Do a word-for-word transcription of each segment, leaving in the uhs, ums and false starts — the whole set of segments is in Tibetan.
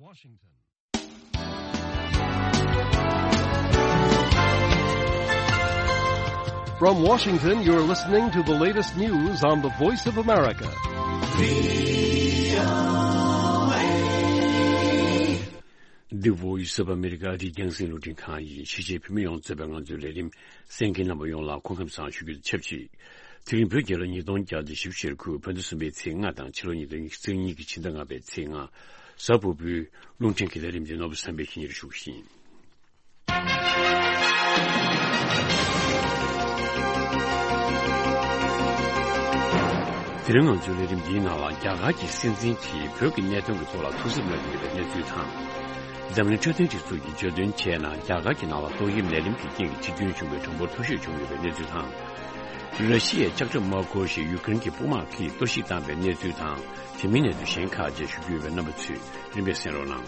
Washington. From Washington, you're listening to the latest news on the Voice of America. The Voice of America. འདི་རྒྱང་སྲིང་རླུང་འཕྲིན་ཁང་ཡིན། ཕྱི་རྒྱལ་བོད་མི་ཡོངས་གཙོས་པའི་ང་ཚོའི་ལས་རིམ་གསན་མཁན་རྣམ་པ་ཡོངས་ལ་སྐུ་ཁམས་བཟང་ཞུ་རྒྱུ་དང་ཆབས་ཅིག་དེ་རིང་བོད་རྒྱལ་ལོ་ཉིས་སྟོང་བརྒྱ་དང་བཞི་བཅུ་ཞེ་དགུ་བོད་ཟླ་གསུམ་པའི་ཚེས་ལྔ་དང་ཕྱི་ལོ་ཉིས་སྟོང་ཉི་ཤུ་རྩ་གཉིས་ཀྱི་ཕྱི་ཟླ་ལྔ་པའི་ཚེས་ལྔ། གཟའ་ཕུར་བུའི་རླུང་འཕྲིན་གྱི་ལས་རིམ་འདི་ནོར་བུ་བསམ་འཕེལ་གྱིས་སྙན་སྒྲོན་ཞུ་གི་ཡིན། དེ་རིང་ང་ཚོའི་ལས་རིམ་འདིའི་ནང་ལ་རྒྱ་གར་གྱི་སྲིད་འཛིན་གྱིས་བོད་ཀྱི་གནད་དོན་གྱི་ཐོག་ལ་ཐུགས་འཚབ་གནང་གི་ཡོད་པའི་གནས་ཚུལ་དང་། འཛམ་གླིང་འཕྲོད་བསྟེན་སྒྲིག་འཛུགས་ཀྱིས་བརྗོད་དོན་བྱས་ན་རྒྱ་གར་གྱི་ནང་ལ་ཏོག་དབྱིབས་ནད་རིམས་ཀྱི་རྐྱེན་གྱིས་འཆི་སྐྱོན་བྱུང་བའི་གྲངས་འབོར་མཐོ་ཤོས་བྱུང་ཡོད་པའི་གནས་ཚུལ་དང་། ར་ཤི་ཡས་ལྕགས་ཁྲབ་མ་འཁུར་ཞིང་ཡུ་ཀེ་རེན་གྱི་དཔུང་དམག་གིས་གཏོར་བཤིག་བཏང་བའི་གནས་ཚུལ་དང་དེ་མིན་གནས་ཚུལ་གཞན་ཁག་བཅས་ཞུ་རྒྱུ་ཡོད་པས་རྣམ་པ་ཚོས་རིམ་པས་གསན་རོགས་གནང་།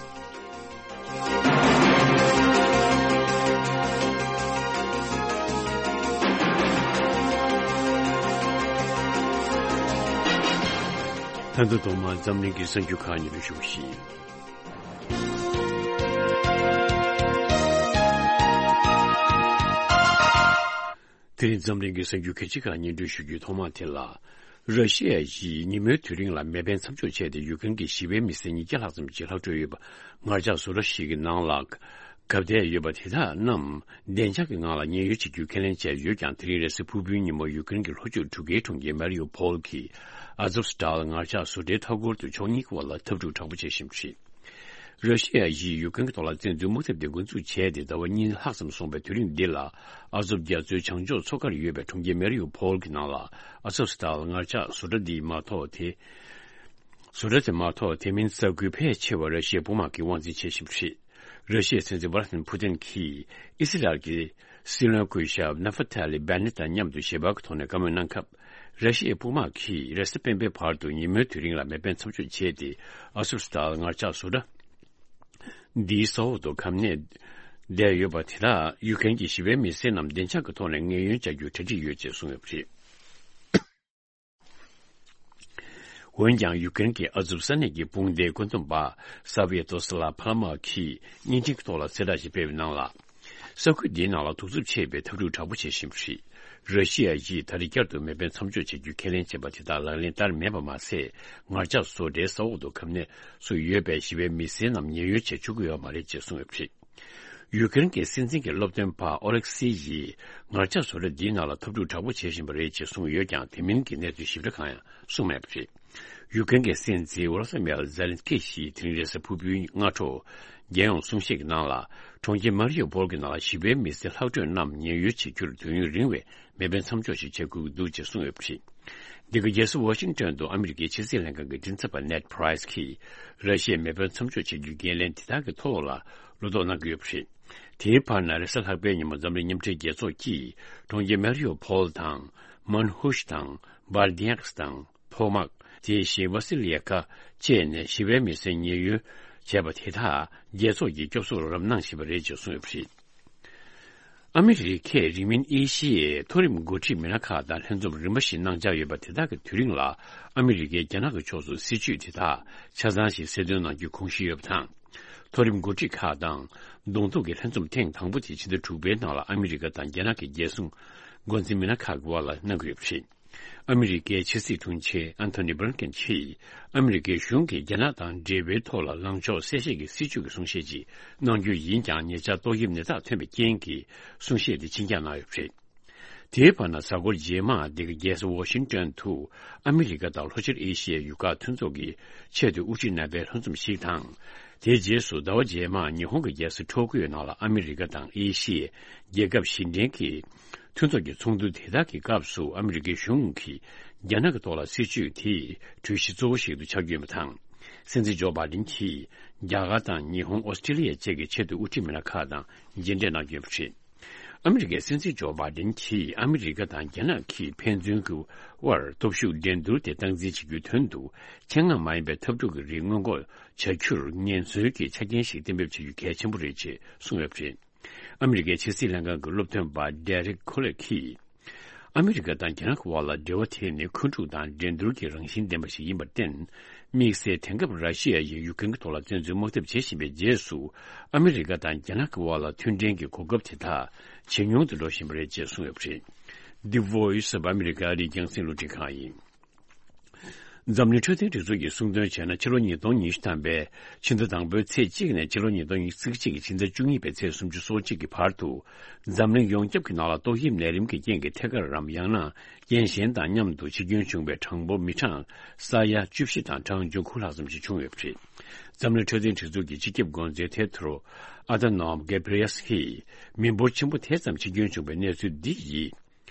ད་དུང་ཐོག་མར་འཛམ་གླིང་གི་གསར་འགྱུར་ཁག་སྙན་སྒྲོན་ཞུ་བ་ཞིག་དེ་རིང་འཛམ་གླིང་གི་གསར་འགྱུར་གལ་ཆེ་ཁག་སྙན་སྒྲོན་ཞུ་རྒྱུའི་ཐོག་མ་དེ་ལ། ར་ཤི་ཡ་ཡིས་ཉིན་མོའི་དུས་རིང་ལ་མེ་འཕེན་མཚམས་འཇོག་བྱས་ཏེ་ཡུ་ཀེ་རེན་གྱི་ཞི་བའི་མི་སེར་ཉིས་བརྒྱ་ལྷག་ཙམ་གྱི་ལྷག་འཕྲོས་ཡོད་པ་ངར་ལྕགས་བཟོ་གྲྭ་ཞིག་གི་ནང་ལ་གབ་བསྡད་ཡོད་པ་དེ་དག་རྣམས་བདེ་འཇགས་ཀྱི་ངང་ལ་ཉེན་གཡོལ་བྱེད་རྒྱུའི་ཁས་ལེན་བྱས་ཡོད་ཀྱང་། དེ་རིང་རེས་གཟའ་ཕུར་བུའི་ཉིན་མོ་ཡུ་ཀེ་རེན་གྱི་ལྷོ་ཕྱོགས་གྲུ་ཁའི་གྲོང་ཁྱེར་མ་རི་ཡུ་ཕོལ་གྱི་ཨ་ཛོབ་སི་ཏཱལ་ངར་ལྕགས་བཟོ་གྲྭའི་མཐའ་འཁོར་དུ་ཕྱོགས་གཉིས་ཀྱི་བར་ལ་འཐབ་འཁྲུག་དྲག་པོ་བྱེད་བཞིན་པ་རེད། ར་ཤི་ཡ་ཡིས་ཡུ་ཀེ་རེན་གྱི་ཐོག་ལ་བཙན་འཛུལ་དམག་འཐབ་དེ་འགོ་འཛུགས་བྱས་ཏེ་ཟླ་བ་གཉིས་ལྷག་ཙམ་སོང་བའི་དུས་རིང་འདི་ལ། ཨ་ཛོབ་རྒྱ་མཚོའི་བྱང་ཕྱོགས་མཚོ་ཁར་ཡོད་པའི་གྲོང་ཁྱེར་མེ་རི་ཡུ་ཕོལ་གྱི་ནང་ལ་ཨ་ཛོབ་སི་ཏཱལ་ངར་ལྕགས་བཟོ་གྲྭ་འདི་མ་གཏོགས་དེ། བཟོ་གྲྭ་དེ་མ་གཏོགས་དེ་མིན་ས་ཁུལ་ཕལ་ཆེ་བར་ར་ཤི་ཡའི་དཔུང་དམག་གིས་དབང་འཛིན་བྱེད་བཞིན་པ་རེད། ར་ཤི་ཡའི་སྲིད་འཛིན་ཝ་ལ་ཏི་མིར་ཕུ་ཏིན་གྱིས་ཨི་སི་རལ་གྱི་སྲིད་བློན་སྐུ་ཞབས་ནཱ་ཧྥ་ཐ་ལི་བྷེ་ནེ་ཏ་མཉམ་དུ་ཞལ་པར་གྱི་ཐོག་ནས་བཀའ་མོལ་གནང་སྐབས། ར་ཤི་ཡའི་དཔུང་དམག་གིས་རེས་གཟའ་སྤེན་པའི་བར་དུ་ཉིན་མོའི་དུས་རིང་ལ་མེ་འཕེན་མཚམས་འཇོག་བྱས་ཏེ། ཨ་ཛོབ་སི་ཏཱལ་ངར་ལྕགས་བཟོ་གྲྭ་འདིའི་ས་འོག་ཏུ་གབ་གནས་བསྡད་ཡོད་པ་དེ་དག་ཡུ་ཀེ་རེན་གྱི་ཞི་བའི་མི་སེར་རྣམས་བདེ་འཇགས་ཀྱི་ཐོག་ནས་ངལ་གཡོལ་བྱ་རྒྱུར་གྲ་སྒྲིག་ཡོད་ཅེས་གསུངས་ཡོད་པ་རེད། འོན་ཀྱང་། ཡུ་ཀེ་རེན་གྱི་ཨ་ཛོབ་ས་གནས་ཀྱི་དཔུང་སྡེའི་བཀོད་འདོམས་པ་སཱ་བི་ཡ་ཏོ་སི་ལ་ཕ་ལ་མ་གིས་བརྙན་འཕྲིན་གྱི་ཐོག་ལ་གསལ་བསྒྲགས་ཤིག་སྤེལ་བའི་ནང་ལ། ས་ཁུལ་འདིའི་ནང་ལ་གདུག་རྩུབ་ཆེ་བའི་འཐབ་འཁྲུག་དྲག་པོ་བྱེད་བཞིན་པ་རེད། ར་ཤི་ཡ་ཡིས་ད་རེས་བསྐྱར་དུ་མེ་འཕེན་མཚམས་འཇོག་བྱ་རྒྱུའི་ཁས་ལེན་བྱས་པ་དེ་དག་ལག་ལེན་བསྟར་མེད་པ་མ་ཟད། ངར་ལྕགས་བཟོ་གྲྭའི་ས་འོག་ཏུ་གབ་གནས་སུ་ཡོད་པའི་ཞི་བའི་མི་སེར་རྣམས་ཉེན་གཡོལ་བྱེད་བཅུག་གི་ཡོད་མ་རེད་ཅེས་གསུངས་ཡོད་པ་རེད། ཡུ་ཀེ་རེན་གྱི་སྲིད་འཛིན་གྱི་སློབ་སྟོན་པ་ཨོ་ལེག་སི་ཡིས་ངར་ལྕགས་བཟོ་གྲྭ་འདིའི་ནང་ལ་འཐབ་འཁྲུག་དྲག་པོ་བྱེད་བཞིན་པ་རེད་ཅེས་གསུངས་ཡོད་ཀྱང་། དེ་མིན་གྱི་གནས་ཚུལ་ཞིབ་ཕྲ་གང་ཡང་གསུངས་མེད་པ་རེད། ཡུ་ཀེ་རེན་གྱི་སྲིད་འཛིན་ཝོ་ལོ་དི་མིར་ཛེ་ལན་སི་ཀི་ཡིས་དེ་རིང་རེས་གཟའ་ཕུར་བུའི་སྔ་དྲོ། རྒྱལ་ཡོངས་གསུང་བཤད་ཀྱི་ནང་ལ། གྲོང་ཁྱེར་མ་རི་ཡུ་པོལ་གྱི་ནང་ལ་ཞི་བའི་མི་སེར་ལྷག་འཕྲོས་རྣམས་ཉེན་གཡོལ་བྱེད་རྒྱུར་དུས་ཡུན་རིང་བའི་མེ་འཕེན་མཚམས་འཇོག་ཞིག་བྱེད་དགོས་ཀྱི་འདུག་ཅེས་གསུངས་ཡོད་པ་རེད། འདི་ག་རྒྱལ་ས་ཝ་ཤིང་ཏོན་དུ་ཨ་མི་རི་ཀའི་ཕྱི་སྲིད་ལྷན་ཁང་གི་མགྲིན་ཚབ་པ་ནེད་པྲའི་སི་ཀྱིས་ར་ཤི་ཡའི་མེ་འཕེན་མཚམས་འཇོག་བྱེད་རྒྱུའི་འགན་ལེན་དེ་དག་གི་ཐོག་ལ་བློ་དོགས་གནང་གི་ཡོད་པ་རེད། དེའི་བར་ན་རེས་གཟའ་ལྷག་པའི་ཉིན་མོ་འཛམ་གླིང་མཉམ་འབྲེལ་རྒྱལ་ཚོགས་ཀྱིས་གྲོང་ཁྱེར་མེ་རི་ཡུ་ཕོལ་དང་། མན་ཧུཤ་དང་། བར་དི་ཡག་སི་དང་། ཕོ་མག་དེ་བཞིན་ཝ་སི་ལི་ཡ་ཀ་བཅས་ནས་ཞི་བའི་མི་སེར་ཉེན་གཡོལ་བྱས་པ་དེ་དག་རྒྱལ་ཚོགས་ཀྱི་སྐྱོབ་གསོར་རོགས་རམ་གནང་བཞིན་པ་རེད་ཅེས་གསུངས་ཡོད་པ་རེད། ཨ་མི་རི་ཀས་རིང་མིན་ཨེ་ཤི་ཡའི་མཐོ་རིམ་འགོ་ཁྲིད་མི་སྣ་ཁག་དང་ལྷན་འཛོམས་རིམ་པ་བཞིན་གནང་འཆར་ཡོད་པ་དེ་དག་གི་དུས་རིང་ལ་ཨ་མི་རི་ཀས་རྒྱ་ནག་གི་ཕྱོགས་སུ་སྲིད་ཇུས་དེ་དག་ཆ་ཚང་ཞིག་གསལ་སྟོན་གནང་རྒྱུའི་དགོངས་གཞི་ཡོད་པ་དང་། མཐོ་རིམ་འགོ་ཁྲིད་ཁག་དང་གདོང་ཐུག་གི་ལྷན་འཛོམས་ཐེངས་དང་པོ་དེ་ཕྱི་ཟླ་དྲུག་པའི་ནང་ལ་ཨ་མི་རི་ཀ་དང་རྒྱ་ནག་གི་རྒྱལ་སྲུང་འགོ་འཛིན་མི་སྣ་ཁག་གི་དབར་ལ་གནང་གི་ཡོད་པ་རེད། ཨ་མི་རི་ཀའི་ཕྱི་སྲིད་དྲུང་ཆེ་ཨན་ཐོ་ནི་བྷི་ལིན་ཀེན་གྱིས་ཨ་མི་རི་ཀའི་གཞུང་གིས་རྒྱ་ནག་དང་འབྲེལ་བའི་ཐོག་ལ་ལངས་ཕྱོགས་གསལ་བཤད་ཀྱི་སྲིད་ཇུས་ཀྱི་གསུང་བཤད་ཅིག་གནང་རྒྱུ་ཡིན་ཀྱང་། ཉེ་ཆར་ཏོག་དབྱིབས་ནད་རྟགས་ཐོན་པའི་རྐྱེན་གྱིས་གསུང་བཤད་དེ་ཕྱིར་འགྱངས་གནང་ཡོད་པ་རེད། དེའི་བར་ན་གཟའ་འཁོར་རྗེས་མ་འདི་ག་རྒྱལ་ས་ཝ་ཤིང་ཏོན་དུ་ཨ་མི་རི་ཀ་དང་ལྷོ་ཕྱོགས་ཨེ་ཤི་ཡའི་ཡུལ་ཁག་མཐུན་ཚོགས་ཀྱི་ཆེས་མཐོའི་དབུ་ཁྲིད་རྣམ་པའི་ལྷན་འཛོམས་ཤིག་དང་། དེའི་རྗེས་སུ་ཟླ་བ་རྗེས་མར་ཉི་ཧོང་གི་རྒྱལ་ས་ཊོ་ཀིའོ་ནང་ལ་ཨ་མི་རི་ཀ་དང་ཨེ་ཤི་ཡའི་རྒྱལ་ཁབ་བཞི་ལྡན་གྱི་མཐུན་ཚོགས་ཀྱི་ཚོགས་འདུ་དེ་དག་གི་སྐབས་སུ་ཨ་མི་རི་ཀའི་གཞུང་གིས་རྒྱ་ནག་གི་ཐོག་ལ་སྲིད་ཇུས་དེ་གྲོས་གཞི་གཙོ་བོ་ཞིག་ཏུ་ཆགས་རྒྱུ་ཡིན་པ་དང་། སྲིད་འཛིན་ཇོ་བྷའི་ཌེན་གྱིས་རྒྱ་གར་དང་ཉི་ཧོང་། ཨོ་སི་ཀྲི་ལི་ཡ་བཅས་ཀྱི་ཆེས་མཐོའི་དབུ་ཁྲིད་མི་སྣ་ཁག་དང་མཇལ་འཕྲད་གནང་རྒྱུ་ཡིན་པ་རེད། ཨ་མི་རི་ཀའི་སྲིད་འཛིན་ཇོ་བྷའི་ཌེན་གྱིས་ཨ་མི་རི་ཀ་དང་རྒྱ་ནག་གིས་ཕན་ཚུན་གྱི་དབར་སྟོབས་ཤུགས་འགྲན་བསྡུར་དེ་སྟངས་འཛིན་བྱེད་རྒྱུའི་དོན་དུ། ཆེད་མངགས་མ་ཡིན་པའི་འཐབ་འཁྲུག་གི་རིགས་སྔོན་འགོག་བྱ་རྒྱུར་ཉེན་ཟོན་གྱི་ཆ་རྐྱེན་ཞིག་གཏན་འབེབས་བྱ་རྒྱུ་གལ་ཆེན་པོ་རེད་ཅེས་གསུངས་ཡོད་པ་རེད། ཨ་མི་རི་ཀའི་ཕྱི་སྲིད་ལྷན་ཁང་གི་སློབ་སྟོན་པ་ཌེ་རིག་ཁོ་ལེ་གིས། ཨ་མི་རི་ཀ་དང་རྒྱ་ནག་གི་དབར་ལ་འབྲེལ་བ་དེ་ནི་འཁོན་འཁྲུག་དང་འགྲན་བསྡུར་གྱི་རང་བཞིན་ལྡན་པ་ཞིག་ཡིན་པར་བརྟེན། དམིགས་བསལ་དེང་སྐབས་ར་ཤི་ཡ་ཡིས་ཡུ་ཀེན་གྱི་ཐོག་ལ་བཙན་འཛུལ་དམག་འཐབ་བྱེད་བཞིན་པའི་རྗེས་སུ། ཨ་མི་རི་ཀ་དང་རྒྱ་ནག་གི་དབར་ལ་མཐུན་འབྲེལ་གྱི་གོ་སྐབས་དེ་དག་ཇེ་ཉུང་དུ་འགྲོ་བཞིན་པ་རེད་ཅེས་གསུངས་ཡོད་པ་རེད། འདི་Voice of America ཨ་རིའི་རྒྱང་སྲིང་རླུང་འཕྲིན་ཁང་ཡིན། འཛམ་གླིང་འཕྲོད་བསྟེན་སྒྲིག་འཛུགས་ཀྱིས་གསུངས་དོན་བྱས་ན། ཕྱི་ལོ་ཉིས་སྟོང་ཉི་ཤུ་ཐམ་པའི་ཕྱི་ཟླ་དང་པོའི་ཚེས་གཅིག་ནས་ཕྱི་ལོ་ཉིས་སྟོང་ཉི་ཤུ་རྩ་གཅིག་གི་ཕྱི་ཟླ་བཅུ་གཉིས་པའི་ཚེས་སུམ་ཅུ་སོ་གཅིག་གི་བར་དུ། འཛམ་གླིང་ཡོངས་ཁྱབ་ཀྱི་ནང་ལ་ཏོག་དབྱིབས་ནད་རིམས་ཀྱི་རྐྱེན་གྱིས་ཐད་ཀར་རམ། ཡང་ན་རྐྱེན་གཞན་དང་མཉམ་དུ་འཆི་སྐྱོན་བྱུང་བའི་གྲངས་འབོར་མི་གྲངས་ས་ཡ་བཅུ་བཞི་དང་གྲངས་ཆུང་དགུ་ལྷག་ཙམ་ཞིག་བྱུང་ཡོད་པ་རེད། འཛམ་གླིང་འཕྲོད་བསྟེན་སྒྲིག་འཛུགས་ཀྱི་སྤྱི་ཁྱབ་འགོ་འཛིན་ཐེ་ཏྲོ་ཨ་ད་ནོམ་གེབ་རི་ཡེ་སི་ཀྱིས། མི་འབོར་ཆེན་པོ་དེ་ཙམ་འཆི་སྐྱོན་བྱུང་བའི་གནས་ཚུལ་འདི་ཡིས།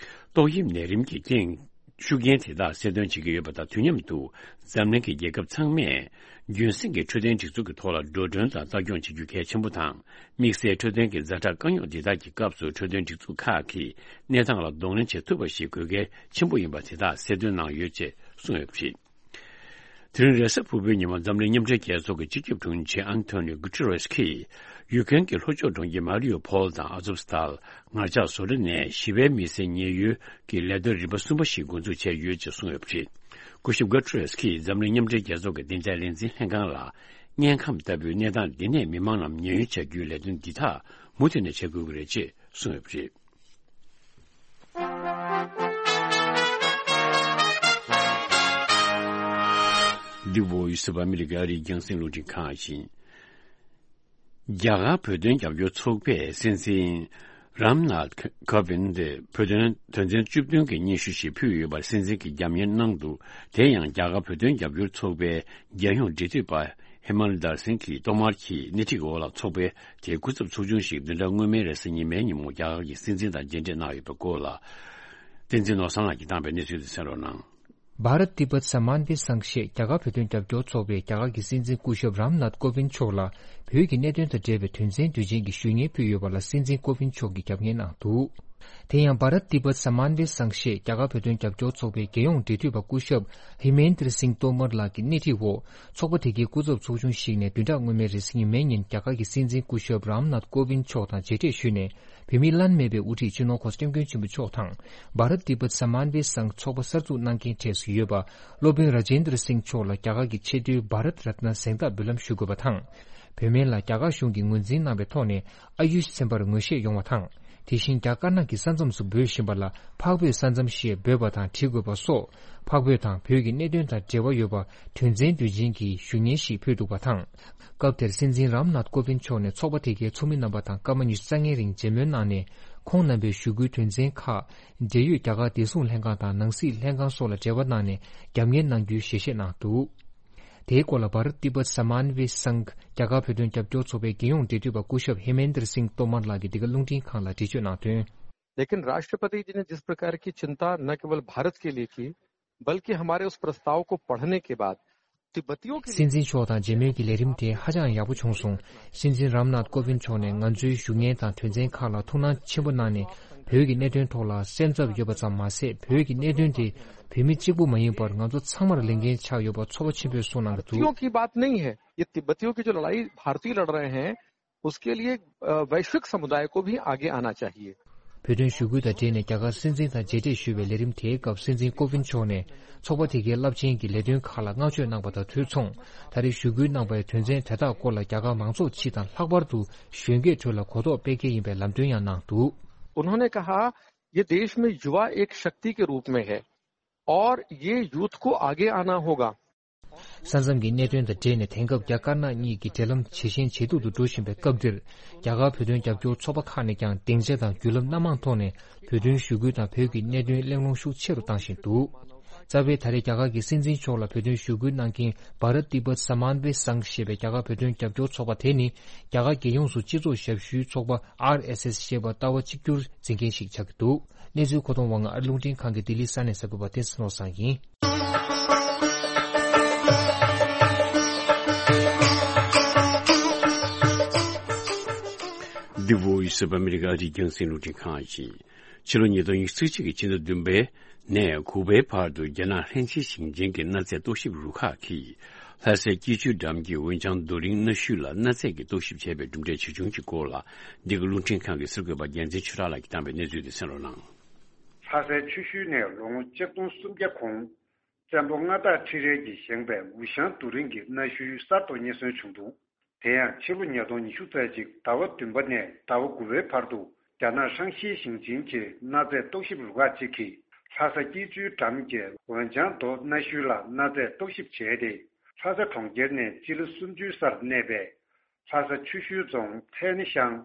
ཏོག་དབྱིབས་ནད་རིམས་ཀྱི་རྐྱེན། ཤུགས་རྐྱེན་དེ་དག་སེལ་ཐོན་བྱེད་ཀྱི་ཡོད་པ་དང་། དུས་མཉམ་དུ་འཛམ་གླིང་གི་རྒྱལ་ཁབ་ཚང་མས་རྒྱུན་སྲིང་གི་འཕྲོད་བསྟེན་སྒྲིག་འཛུགས་ཀྱི་ཐོག་ལ་འགྲོ་གྲོན་དང་ལྟ་སྐྱོང་བྱེད་རྒྱུ་གལ་ཆེན་པོ་དང་། དམིགས་བསལ་འཕྲོད་བསྟེན་གྱི་ཛ་དྲག་དཀའ་རྙོག་འདི་དག་གི་སྐབས་སུ་འཕྲོད་བསྟེན་སྒྲིག་འཛུགས་ཁག་གིས་གནས་སྟངས་ལ་གདོང་ལེན་བྱེད་ཐུབ་པ་ཞིག་དགོས་གལ་ཆེན་པོ་ཡིན་པ་དེ་དག་གསལ་སྟོན་གནང་ཡོད་ཅེས་གསུངས་ཡོད་པ་རེད། དེ་རིང་རེས་གཟའ་ཕུར་བུའི་ཉིན་མ་འཛམ་གླིང་མཉམ་འབྲེལ་རྒྱལ་ཚོགས་ཀྱི་སྤྱི་ཁྱབ་དྲུང་ཆེ་ཨན་ཐོ་ནིའོ་གུ་ཏེ་རེས་ཀྱིས་ཡུ་ཀེན་གྱི་ལྷོ་ཕྱོགས་གྲོང་ཁྱེར་མ་རི་ཡུ་ཕོལ་དང་ཨ་ཛོབ་སི་ཏཱལ། ངར་ལྕགས་བཟོ་གྲྭ་ནས་ཞི་བའི་མི་སེར་ཉེན་གཡོལ་གྱི་ལས་དོན་རིམ་པ་གསུམ་པ་ཞིག་འགོ་འཛུགས་བྱས་ཡོད་ཅེས་གསུངས་ཡོད་པ་རེད། སྐུ་ཞབས་གུ་ཏེ་རེས་ཀྱིས་འཛམ་གླིང་མཉམ་འབྲེལ་རྒྱལ་ཚོགས་ཀྱི་བདེ་འཇགས་ལས་འཛིན་ལྷན་ཁང་ལ། དམྱལ་ཁམས་ལྟ་བུའི་གནས་སྟངས་འདི་ནས་མི་མང་རྣམས་ཉེན་གཡོལ་བྱ་རྒྱུའི་ལས་དོན་འདི་དག་མུ་མཐུད་ནས་བྱེད་དགོས་ཀྱི་རེད་ཅེས་གསུངས་ཡོད་པ་རེད། འདི་Voice of America ཨ་རིའི་རྒྱང་སྲིང་རླུང་འཕྲིན་ཁང་ཡིན། རྒྱ་གར་བོད་དོན་རྒྱབ་སྐྱོར་ཚོགས་པས་སྲིད་འཛིན་རམ་ནཱཐ་ཀོ་བིན་ཏེ་བོད་དོན་དོན་ཚན་བཅུ་བདུན་གྱི་སྙན་ཞུ་ཞིག་ཕུལ་ཡོད་པར་སྲིད་འཛིན་གྱིས་རྒྱབ་གཉེར་གནང་འདུག་དེ་ཡང་རྒྱ་གར་བོད་དོན་རྒྱབ་སྐྱོར་ཚོགས་པའི་རྒྱལ་ཡོངས་འབྲེལ་མཐུད་པ་ཧི་མན་དར་སིང་གིས་ཐོག་མར་གྱིས་སྣེ་ཁྲིད་འོག་ལ་ཚོགས་པའི་དེའི་སྐུ་ཚབ་ཚོགས་ཆུང་ཞིག་བདུན་ཕྲག་སྔོན་མའི་རེས་གཟའ་ཉི་མའི་ཉིན་མོ་རྒྱ་གར་གྱི་སྲིད་འཛིན་དང་མཇལ་འཕྲད་གནང་ཡོད་པའི་སྐོར་ལ། བསྟན་འཛིན་ནོར་བཟང་ལགས་ཀྱིས་བཏང་པའི་གནས་ཚུལ་དེ་གསན་རོགས་གནང་། भारत तिब्बत सम्मान वे संघ ཞེས་རྒྱ་གར་བོད་དོན་རྒྱབ་སྐྱོར་ཚོགས་པས་རྒྱ་གར་གྱི་སྲིད་འཛིན་སྐུ་ཞབས་རམ་ནཱཐ་ཀོ་བིན་མཆོག་ལ་བོད་ཀྱི་གནད་དོན་དང་འབྲེལ་བའི་དོན་ཚན་དུས་ཆེན་གྱི་ཞུ་སྙན་ཕུལ་ཡོད་པ་ལ་སྲིད་འཛིན་ཀོ་བིན་མཆོག་གིས་རྒྱབ་གཉེར་གནང་འདུག་དེ་ཡང་भारत तिब्बत सम्मान वे संघ ཞེས་རྒྱ་གར་བོད་དོན་རྒྱབ་སྐྱོར་ཚོགས་པའི་རྒྱལ་ཡོངས་འབྲེལ་མཐུད་པ་སྐུ་ཞབས་ཧི་མེན་དྲ་སིང་ཏོ་མར་ལགས་ཀྱི་སྣེ་ཁྲིད་འོག་ཚོགས་པ་དེ་གའི་སྐུ་ཚབ་ཚོགས་ཆུང་ཞིག་ནས་བདུན་ཕྲག་སྔོན་མའི་རེས་གཟའ་ཉི་མའི་ཉིན་རྒྱ་གར་གྱི་སྲིད་འཛིན་སྐུ་ཞབས་རམ་ནཱཐ་ཀོ་བིན་མཆོག་དང་མཇལ་འཕྲད་ཞུས་ནས། བོད་མིའི་བླ་ན་མེད་པའི་དབུ་ཁྲིད་སྤྱི་ནོར་༸གོང་ས་༸སྐྱབས་མགོན་ཆེན་པོ་མཆོག་དང་། भारत तिब्बत सम्मान वे संघ ཚོགས་པ་གསར་འཛུགས་གནང་མཁན་གྲས་སུ་ཡོད་པ། སློབ་དཔོན་ར་ཇེན་དྲ་སིང་མཆོག་ལ་རྒྱ་གར་གྱི་ཆེས་མཐོའི་བྷ་རད་རཏ་ན་གཟེངས་རྟགས་འབུལ་ལམ་ཞུ་དགོས་པ་དང་། བོད་སྨན་ལ་རྒྱ་གར་གཞུང་གིས་ངོས་འཛིན་གནང་བའི་ཐོག་ནས་ཨ་ཡུཤ་ཚན་པར་ངོ་ཤེས་ཡོང་བ་དང་། དེ་བཞིན་རྒྱ་དཀར་ནག་གི་ས་མཚམས་སུ་འབོད་བཞིན་པ་ལ་འཕགས་བོད་ས་མཚམས་ཞེས་འབོད་པ་དང་འབྲི་དགོས་པ་སོགས། འཕགས་བོད་དང་བོད་ཀྱི་གནད་དོན་དང་འབྲེལ་བ་ཡོད་པ་དོན་ཚན་དུས་ཆེན་གྱི་ཞུ་སྙན་ཞིག་ཕུལ་འདུག་པ་དང་། སྐབས་དེར་སྲིད་འཛིན་རམ་ནཱཐ་ཀོ་བིན་མཆོག་ནས་ཚོགས་པ་དེ་གའི་ཚོགས་མི་རྣམ་པ་དང་སྐར་མ་ཉི་ཤུ་རྩ་ལྔའི་རིང་མཇལ་མོལ་གནང་ནས། ཁོང་རྣམ་པའི་ཞུ་སྐུལ་དོན་ཚན་ཁག་འབྲེལ་ཡོད་རྒྱ་གར་བདེ་སྲུང་ལྷན་ཁང་དང་ནང་སྲིད་ལྷན་ཁང་སོགས་ལ་འབྲེལ་བ་གནང་ནས་རྒྱབ་གཉེར་གནང་རྒྱུའི་ཞལ་བཞེས་གནང་འདུག་དེའི་སྐོར་ལ་भारत तिब्बत सम्मान वे संघ རྒྱ་གར་བོད་དོན་རྒྱབ་སྐྱོར་ཚོགས་པའི་རྒྱལ་ཡོངས་འབྲེལ་མཐུད་པ་སྐུ་ཞབས་ཧི་མེན་དྲ་སིང་ཏོ་མར་ལགས་ཀྱིས་འདི་ག་རླུང་འཕྲིན་ཁང་ལ་འགྲེལ་བརྗོད་གནང་དོན། लेकिन राष्ट्रपति जी ने जिस प्रकार की चिंता न केवल भारत के लिए की, बल्कि हमारे उस प्रस्ताव को पढ़ने के बाद तिब्बतियों के लिए སྲིད་འཛིན་མཆོག་དང་མཇལ་མོལ་གྱི་ལས་རིམ་དེ་ཧ་ཅང་ཡག་པོ་བྱུང་སོང་། སྲིད་འཛིན་རམ་ནཱཐ་ཀོ་བིན་མཆོག་ནས་ང་ཚོའི་ཞུ་སྙན་དང་དོན་ཚན་ཁག་ལ་ཐུགས་སྣང་ཆེན་པོ་གནང་ནས། བོད་ཀྱི་གནད་དོན་ཐོག་ལ་སེམས་འཚབ་ཡོད་པ་ཙམ་མ་ཟད། བོད་ཀྱི་གནད་དོན་དེ་བོད་མི་གཅིག་པུ་མ་ཡིན་པར་ང་ཚོ་ཚང་མར་ལས་འགན་ཆགས་ཡོད་པ་ཚོར་བ་ཆེན་པོས་གསུངས་གནང་གི་འདུག तिब्बतियों की बात नहीं है। ये तिब्बतियों की जो लड़ाई भारतीय लड़ रहे हैं, उसके लिए, अ, वैश्विक समुदाय को भी आगे आना चाहिए। བོད་དོན་ཞུ་སྐུལ་དང་འབྲེལ་ནས་རྒྱ་གར་སྲིད་འཛིན་དང་མཇལ་འཕྲད་ཞུས་པའི་ལས་རིམ་དེའི་སྐབས་སྲིད་འཛིན་ཀོ་ཝིན་མཆོག་ནས་ཚོགས་པ་དེ་གའི་རླབས་ཆེན་གྱི་ལས་དོན་ཁག་ལ་བསྔགས་བརྗོད་གནང་པ་དང་དུས་མཚུངས། ད་རེས་ཞུ་སྐུལ་གནང་པའི་དོན་ཚན་དེ་དག་སྐོར་ལ་རྒྱ་གར་མང་ཚོགས་སྤྱི་དང་ལྷག་པར་དུ་གཞོན་སྐྱེས་ཁྲོད་ལ་གོ་རྟོགས་སྤེལ་གལ་ཡིན་པའི་ལམ་སྟོན་ཡང་གནང་འདུག उन्होंने कहा, ये देश में युवा एक शक्ति के रूप में है और ये यूथ को आगे आना होगा। ས་མཚམས་ཀྱི་གནད་དོན་དང་འབྲེལ་ནས་དེང་སྐབས་རྒྱ་དཀར་ནག་གཉིས་ཀྱི་འབྲེལ་ལམ་ཇེ་ཞན་ཇེ་སྡུག་ཏུ་འགྲོ་བཞིན་པའི་སྐབས་འདིར། རྒྱ་གར་བོད་དོན་རྒྱབ་སྐྱོར་ཚོགས་པ་ཁག་ནས་ཀྱང་སྡིངས་ཆ་དང་བརྒྱུད་ལམ་སྣ་མང་ཐོག་ནས་བོད་དོན་ཞུ་སྐུལ་དང་བོད་ཀྱི་གནད་དོན་གླེང་སློང་ཤུགས་ཆེ་རུ་བཏང་བཞིན་འདུག་རྩ་བའི་ད་རེས་རྒྱ་གར་གྱི་སྲིད་འཛིན་མཆོག་ལ་བོད་དོན་ཞུ་སྐུལ་གནང་མཁན་བྷ་རཏ་ཏི་བྷཏ་སྨཱན་ཝེ་སང་ཞེས་པའི་རྒྱ་གར་བོད་དོན་རྒྱབ་སྐྱོར་ཚོགས་པ་དེ་ནི། རྒྱ་གར་རྒྱལ་ཡོངས་སུ་སྤྱི་ཚོགས་ཞབས་ཞུའི་ཚོགས་པ་ཨར་ཨེས་ཨེས་ཞེས་པ་ལྟ་བ་གཅིག་གྱུར་འཛིན་མཁན་ཞིག་ཆགས་ཀྱི་འདུག་གནས་ཚུལ་མཁོ་གཏོང་བ་ང་ཨ་རི་རླུང་འཕྲིན་ཁང་གི་ལྡི་ལི་ས་གནས་གསར་འགོད་པ་བསྟན་འཛིན་བློ་བཟང་ཡིན། འདི་Voice of America ཨ་རིའི་རྒྱང་སྲིང་རླུང་འཕྲིན་ཁང་ཡིན། ཕྱི་ལོ་ཉིས་སྟོང་ཉི་ཤུ་རྩ་གཅིག་གི་ཕྱི་ཟླ་བདུན་པའི་ནས་དགུ་པའི་བར་དུ་རྒྱ་ནག་ལྷན་སྐྱེས་ཞིང་ཆེན་གྱི་གནའ་རྫས་རྟོག་ཞིབ་རུ་ཁག་གིས། ལྷ་སའི་སྐྱིད་ཆུའི་འགྲམ་གྱི་འོན་ལྕང་རྡོ་རིང་གནའ་ཤུལ་ལ་གནའ་རྫས་ཀྱི་རྟོག་ཞིབ་བྱས་པའི་གྲུབ་འབྲས་ཆེ་ཆུང་གི་སྐོར་ལ། འདི་ག་རླུང་འཕྲིན་ཁང་གི་གསར་འགོད་པ་རྒྱལ་མཚན་ཆོས་གྲགས་ལགས་ཀྱིས་བཏང་བའི་གནས་ཚུལ་དེ་གསན་རོགས་གནང་། ལྷ་སའི་ཆུ་ཤུལ་ནས་ལོ་ངོ་ཆིག་སྟོང་སུམ་བརྒྱ་གོང་ བཙན་པོ་མངའ་བདག་ཁྲི་རལ་གྱིས་བཞེངས་པའི་འུ་ཞང་རྡོ་རིང་གི་གནའ་ཤུལ་གསར་དུ་རྙེད་སོན་བྱུང་འདུག་དེ་ཡང་ཕྱི་ལོ་ཉིས་སྟོང་ཉི་ཤུ་རྩ་གཅིག་ཟླ་བ་བདུན་པ་ནས་ཟླ་བ་དགུ་པའི་བར་དུ་རྒྱ་ནག་ཧྲང་ཤིས་ཞིང་ཆེན་གྱི་གནའ་རྫས་རྟོག་ཞིབ་རུ་ཁག་ཅིག་གིས་ལྷ་ས་སྐྱིད་ཆུའི་འགྲམ་གྱི་ཝེན་ཅང་རྡོ་གནའ་ཤུལ་ལ་གནའ་རྫས་རྟོག་ཞིབ་བྱས་ཏེ། ལྷ་ས་གྲོང་ཁྱེར་ནས་སྤྱི་ལེ་སུམ་ཅུའི་སར་གནས་པའི་ལྷ་ས་ཆུ་ཤུལ་རྫོང་ཚལ་སྣེ་ཤང་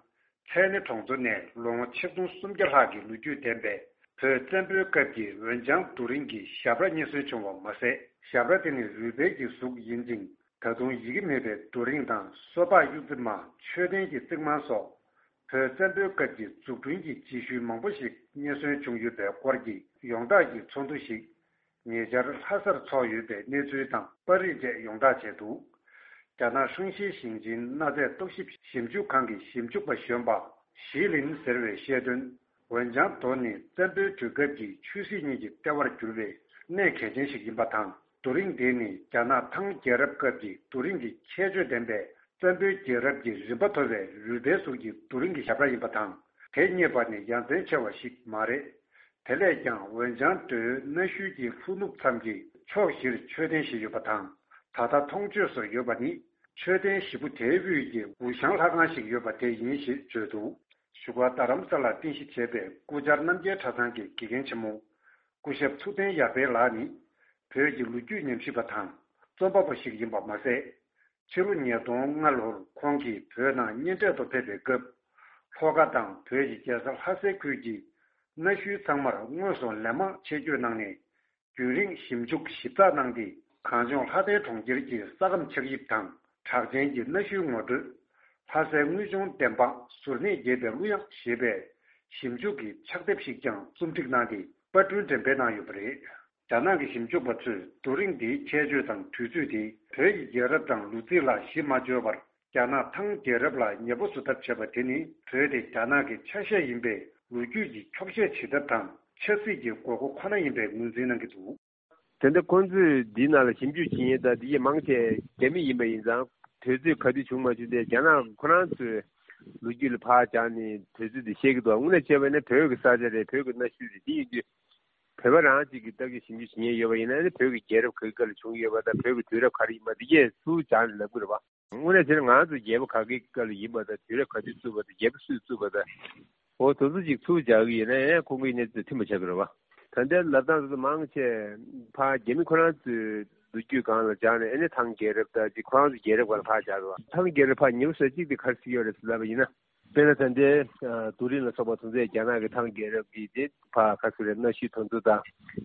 ཚལ་སྣེ་གྲོང་ཚོ་ནས་ལོ་ངོ་ཆིག་སྟོང་སུམ་བརྒྱ་ལྷག་གི་ལོ་རྒྱུས་ལྡན་པའི་བོད་བཙན་པོའི་སྐབས་ཀྱི་འོན་ལྗང་རྡོ་རིང་གི་ཞབས་ར་རྙེད་སོན་བྱུང་བ་མ་ཟད། ཞབས་ར་དེ་ནི་རུས་སྦལ་གྱི་གཟུགས་ཡིན་ཅིང་། ད་དུང་ཡི་གེ་མེད་པའི་རྡོ་རིང་དང་། སོ་ཕག་གཡུ་རྩེ་མ། མཆོད་རྟེན་གྱི་རྩིག་རྨང་སོགས་བོད་བཙན་པོའི་སྐབས་ཀྱི་འཛུགས་སྐྲུན་གྱི་རྗེས་ཤུལ་མང་པོ་ཞིག་རྙེད་སོན་བྱུང་ཡོད་པའི་སྐོར་གྱི་ཡོངས་བསྒྲགས་ཀྱི་ཚོགས་འདུ་ཞིག་ཉེ་ཆར་ལྷ་སར་འཚོགས་ཡོད་པའི་གནས་ཚུལ་དང་པར་རིས་བཅས་ཡོངས་བསྒྲགས་བྱས་འདུག་རྒྱ་ནག་ཧྲང་ཤིས་ཞིང་ཆེན་གནའ་རྫས་རྟོག་ཞིབ་ཞིབ་འཇུག་ཁང་གི་ཞིབ་འཇུག་པ་གཞོན་པ་ཞི་ལིན་ཟེར་བས་བཤད་དོན། འོན་ཀྱང་། རྡོ་ནི་བཙན་པོའི་དུས་སྐབས་ཀྱི་ཆོས་སྲིད་གཉིས་ཀྱི་ལྟེ་བར་གྱུར་བའི་གནས་གལ་ཆེན་ཞིག་ཡིན་པ་དང་། རྡོ་རིང་དེ་ནི་རྒྱ་ནག་ཐང་རྒྱལ་རབས་སྐབས་ཀྱི་རྡོ་རིང་གི་ཁྱད་ཆོས་ལྡན་པའི་བཙན་པོའི་རྒྱལ་རབས་ཀྱི་རིམ་པ་མཐོ་བའི་རུས་སྦལ་གཟུགས་ཀྱི་རྡོ་རིང་གི་ཞབས་ར་ཡིན་པ་དང་། དེ་རྙེད་པ་ནི་ཡ་མཚན་ཆེ་བ་ཞིག་མ་རེད། དེ་ལས་ཀྱང་འོན་ཀྱང་། རྡོའི་གནའ་ཤུལ་གྱི་ལྷོ་ནུབ་མཚམས་ཀྱི་ཕྱོགས་བཞིར་མཆོད་རྟེན་བཞི་ཡོད་པ་དང་། ད་ལྟ་མཐོང་ཆོས་སུ་ཡོད་པ་ནི་མཆོད་རྟེན་བཞི་པོ་དེའི་དབུས་ཀྱི་འུ་ཞང་ལྷ་ཁང་ཞིག་ཡོད་པ་དེ་ཡིན་ཞེས་བརྗོད་འདུག་བཞུགས་སྒར་རྡ་རམ་ས་ལར་རྟེན་གཞི་བྱས་པའི་སྐུ་བཅར་རྣམ་རྒྱལ་གྲྭ་ཚང་གི་དགེ་རྒན་ཆེན་མོ་སྐུ་ཞབས་ཐུབ་བསྟན་ཡར་འཕེལ་ལགས་ནི། བོད་ཀྱི་ལོ་རྒྱུས་ཉམས་ཞིབ་པ་དང་རྩོམ་པ་པོ་ཞིག་ཡིན་པ་མ་ཟད། ཕྱི་ལོ་ཉིས་སྟོང་ལྔ་ལོར་ཁོང་གིས་བོད་ནང་གཉེན་འཕྲད་དུ་ཕེབས་པའི་སྐབས། ལྷོ་ཁ་དང་བོད་ཀྱི་རྒྱལ་ས་ལྷ་སའི་ཁུལ་གྱི་གནའ་ཤུལ་ཚང་མར་དངོས་སུ་ལན་མང་ཆེད་བསྐྱོད་གནང་ནས། རྒྱུན་རིང་ཞིབ་འཇུག་ཞིབ་ཚགས་གནང་སྟེ། གངས་ལྗོངས་ལྷ་ལྡན་གྲོང་ཁྱེར་གྱི་ས་ཁམས་ཆགས་དབྱིབས་དང་། གྲགས་ཅན་གྱི་གནའ་ཤུལ་ངོ་སྤྲོད། ལྷ་སའི་དངུལ་ཆུང་བདེན་དཔང་། གཟུར་གནས་རྒྱས་པའི་གླུ་དབྱངས་ཞེས་པའི་ཞིབ་འཇུག་གི་ཕྱག་དེབ་ཞིག་ཀྱང་རྩོམ་སྒྲིག་གནང་སྟེ་པར་སྐྲུན་འགྲེམས་སྤེལ་གནང་ཡོད་པ་རེད། རྒྱ་ནག་གི་ཞིབ་འཇུག་པ་ཚོས་རྡོ་རིང་འདིའི་ཁྱད་ཆོས་དང་དུས་ཚོད་དེ་བོད་ཀྱི་རྒྱལ་རབས་དང་ལོ་རྩིས་ལ་གཞི་མ་བཅོལ་བར། རྒྱ་ནག་ཐང་རྒྱལ་རབས་ལ་ཉེ་པོ་བཟོ་ཐབས་བྱས་པ་དེ་ནི་བོད་དེ་རྒྱ་ནག་གི་ཆ་ཤས་ཡིན་པའི་ལོ་རྒྱུས་ཀྱི་འཁྱོག་བཤད་བྱེད་ཐབས་དང་ཆབ་སྲིད་ཀྱི་དགོས་མཁོ་ཁོ་ན་ཡིན་པའི་ངོས་འཛིན་གནང་གི་འདུག་དེ་འདྲ་ཁོང་ཚོས་འདིའི་ནང་ལ་ཞིབ་འཇུག་བྱེད་མཁན་དང་འདི་གའི་མང་ཆེ་རྒྱ་མི་ཡིན་པ་ཡིན་ཙང་། དུས་ཚོད་ག་དུས་བྱུང་མ་བྱུང་དེ་རྒྱ་ནག་ཁོ་རང་ཚོས་ལོ་རྒྱུས་ལ་ཕར་སྦྱངས་ནས་དུས་ཚོད་དེ་བཤད་ཀྱི་འདུག་དངོས་གནས་བྱས་པ་ཡིན་ན་བོད་ཀྱི་ས་ཆ་རེད། བོད་ཀྱི་གནའ་ཤུལ་རེད། འདི་ཡིན་དུས་བོད་པ་རང་གཅིག་གིས་ལྟ་གི་ཞིབ་འཇུག་བྱེད་མཁན་ཡོད་པ་ཡིན་ན་ནི། བོད་ཀྱི་རྒྱལ་རབས་ག་གི་སྐབས་ལ་བྱུང་ཡོད་པ་དང་། བོད་ཀྱི་དུས་རབས་ག་རེ་ཡིན་པ་འདི་གས་ཚུར་སྦྱངས་ནས་ལབ་ཀྱི་རེད་པ། དངོས་གནས་བྱས་ན་ང་ཚོ་རྒྱལ་པོ་ག་གི་སྐབས་ལ་ཡིན་པ་དང་། དུས་རབས་ག་དུས་བཙུགས་པ་དང་། རྒྱལ་པོ་སུས་བཙུགས་པ་དང་། འོ་དེ་ཚོ་ཅིག་ཚུར་སྦྱང་གི་ཡིན་ན་ཡང་ཁོང་གི་གནས་ཚུལ་མཐུན་པ་ཆགས་ཀྱི་རེད་པ། ད་ལྟའི་ལབ་སྟངས་དེ་ཚོ་མང་ཆེ་ཕར་རྒྱ་མི་ཁོ་རང་ཚོའི་ལོ་རྒྱུས་སྒང་ལ་སྦྱངས་ནས། ཨ་ནི་ཐང་རྒྱལ་རབས་དང་ཅིག་ཁོ་རང་ཚོ་རྒྱལ་རབས་སྒང་ལ་ཕར་སྦྱངས་རེད་པ། ཐང་རྒྱལ་རབས་ཕར་ཉེ་པོ་བཟོ་གཅིག་དེ་ག་རེ་ཟེར་གྱི་ཡོད་རེད་ཟེར་ལབ་པ་ཡིན་ན། དཔེར་ན་ད་ལྟའི་རྡོ་རིང་ལ་སོགས་པ་དེ་ཚོས་རྒྱ་ནག་གི་ཐང་རྒྱལ་རབས་ཀྱི་དེ་ཕར་ག་ཚོད་རེད། གནའ་ཤུལ་དེ་ཚོ་དང་།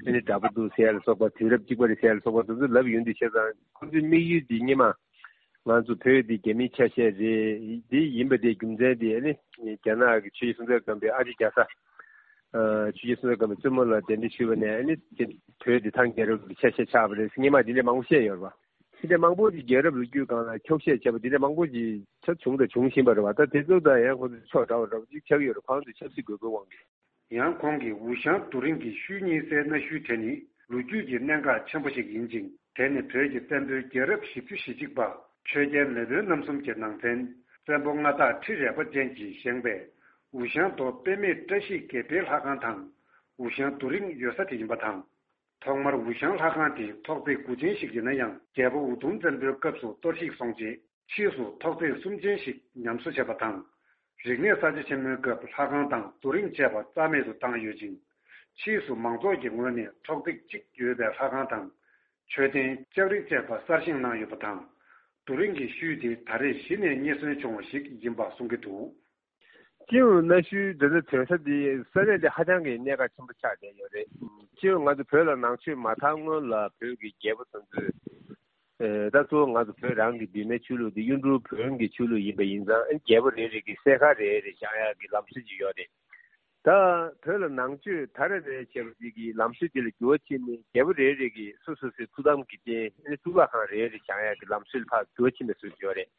ཨ་ནི་འདྲ་པོ་འདུག་ཟེར་ཡ་ལ་སོགས་པ། དུས་རབས་གཅིག་པ་རེད་ཟེར་ཡ་ལ་སོགས་པ་དེ་ཚོ་ལབ་ཡོང་དུས། བྱས་ཙང་ཁོ་ཚོའི་དམིགས་ཡུལ་དེ་སྔོན་མ་ང་ཚོ་བོད་འདི་རྒྱ་མིའི་ཆ་ཤས་རེད། འདི་ཡིན་པ་དེའི་རྒྱུ་མཚན་དེ་ཨ་ནི་རྒྱ་ནག་གི་ཆོས་རྗེ་སྲོང་བཙན་སྒམ་པོའི་ཨ་ཅེ་རྒྱ་བཟའ། ཨ། ཆོས་རྗེ་སྲོང་བཙན་སྒམ་པོའི་བཙུན་མོ་ལ་གདན་འདྲེན་ཞུས་པ་ནས། ཨ་ནི་དེ་བོད་འདི་ཐང་རྒྱལ་རབས་ཀྱི་ཆ་ཤས་ཆགས་པ་རེད་ཟེར་སྔོན་མ་འདི་འདྲ་མང་པོ་བཤད་ཡོད་རེད་པ། དེ་འདྲ་མང་པོ་ཅིག་རྒྱལ་རབས་ལོ་རྒྱུས་སྒང་ལ་འཁྱོག་བཤད་བྱས་པ་འདི་འདྲ་མང་པོ་ཅིག་ཆགས་བྱུང་དང་འབྱུང་བཞིན་པ་རེད་པ། ད་དེ་ཚོ་དང་ཡང་ཁོ་ཚོ་ཕྱོགས་འདྲ་བ་འདྲ་བ་ཅིག་ཆགས་ཀྱི་ཡོད་རེད། ཁོང་ཚོས་ཆབ་སྲིད་དགོས་མཁོའི་དབང་གིས། ཡང་ཁོང་གིས་འུ་ཞང་རྡོ་རིང་གི་ཤུལ་གཉིས་སའི་གནའ་ཤུལ་དེ་ནི་ལོ་རྒྱུས་ཀྱི་གནད་འགག་ཆེན་པོ་ཞིག་ཡིན་ཅིང་། དེ་ནི་བོད་ཀྱི་བཙན་པོའི་རྒྱལ་རབས་བཞི་བཅུ་ཞེ་གཅིག་པ་ཆོས་རྒྱལ་མེས་དབོན་རྣམ་གསུམ་གྱི་ནང་ཚན། བཙན་པོ་མངའ་བདག་ཁྲི་རལ་པ་ཅན་གྱིས་བཞེངས་པའི་འུ་ཞང་རྡོ་དཔེ་མེད་བཀྲ་ཤིས་དགེ་འཕེལ་ལྷ་ཁང་དང་། འུ་ཞང་རྡོ་རིང་ཡོད་ས་དེ་ཡིན་པ་དང་། ཐོག་མར་འུ་ཞང་ལྷ་ཁང་དེ་ཐོག་བརྩེགས་དགུ་ཅན་ཞིག་ཡིན་ན་ཡང་། རྒྱལ་པོ་འུ་དུམ་བཙན་པོའི་སྐབས་སུ་གཏོར་བཤིག་སོང་རྗེས། ཕྱིས་སུ་ཐོག་བརྩེགས་གསུམ་ཅན་ཞིག་ཉམས་གསོ་བྱས་པ་དང་། རིག་གནས་གསར་བརྗེ་ཆེན་མོའི་སྐབས་ལྷ་ཁང་དང་རྡོ་རིང་བཅས་པ་རྩ་མེད་དུ་བཏང་ཡོད་ཅིང་། ཕྱིས་སུ་མང་ཚོགས་ཀྱི་ངོས་ནས་ཐོག་བརྩེགས་གཅིག་ཡོད་པའི་ལྷ་ཁང་དང་། མཆོད་རྟེན་ལྕགས་རི་བཅས་པ་གསར་བཞེངས་གནང་ཡོད་པ་དང་། རྡོ་རིང་གི་ཤུལ་དེ་ད་རེས་གཞི་ནས་རྙེད་སོན་བྱུང་བ་ཞིག་ཡིན་པ་གསུང་གི་འདུག་སྤྱི་ཡོངས་གནའ་ཤུལ་འདི་ཚོ་ཐོན་ས་འདི་ས་གནས་འདི་ཧ་ཅང་གི་གནད་འགག་ཆེན་པོ་ཆགས་བསྡད་ཡོད་རེད། སྤྱི་ཡོངས་ང་ཚོ་བོད་ལ་ནང་ཆོས་མ་དར་སྔོན་ལ་བོད་ཀྱི་རྒྱལ་པོ་དེ་ཚོས། ཨེ། ད་གཙོ་བོ་ང་ཚོ་བོད་རང་གི་བི་མའི་ཆོས་ལུགས་འདི་གཡུང་དྲུང་བོན་གྱི་ཆོས་ལུགས་ཡིན་པ་ཡིན་ཙང་། ཨེ། རྒྱལ་པོ་རེ་རེ་གིས་སྲས་མཁར་རེ་རེ་བཞེངས་ཡག་གི་ལམ་སྲོལ་ཅིག་ཡོད་རེད། ད་བོད་ལ་ནང་ཆོས་དར་རེ་རེ་བྱས་པ་ཅིག་གི་ལམ་སྲོལ་འདི་ལ་འགྱུར་བ་ཕྱིན་ནས། རྒྱལ་པོ་རེ་རེ་གིས་སོ་སོ་སོའི་ཐུགས་དམ་གྱི་རྟེན། ཨེ། གཙུག་ལག་ཁང་རེ་རེ་བཞེངས་ཡག་གི་ལམ་སྲོལ་ཕར་འགྱུར་བ་ཕྱིན་པའི་བཟོ་ཅིག་ཡོད་རེད།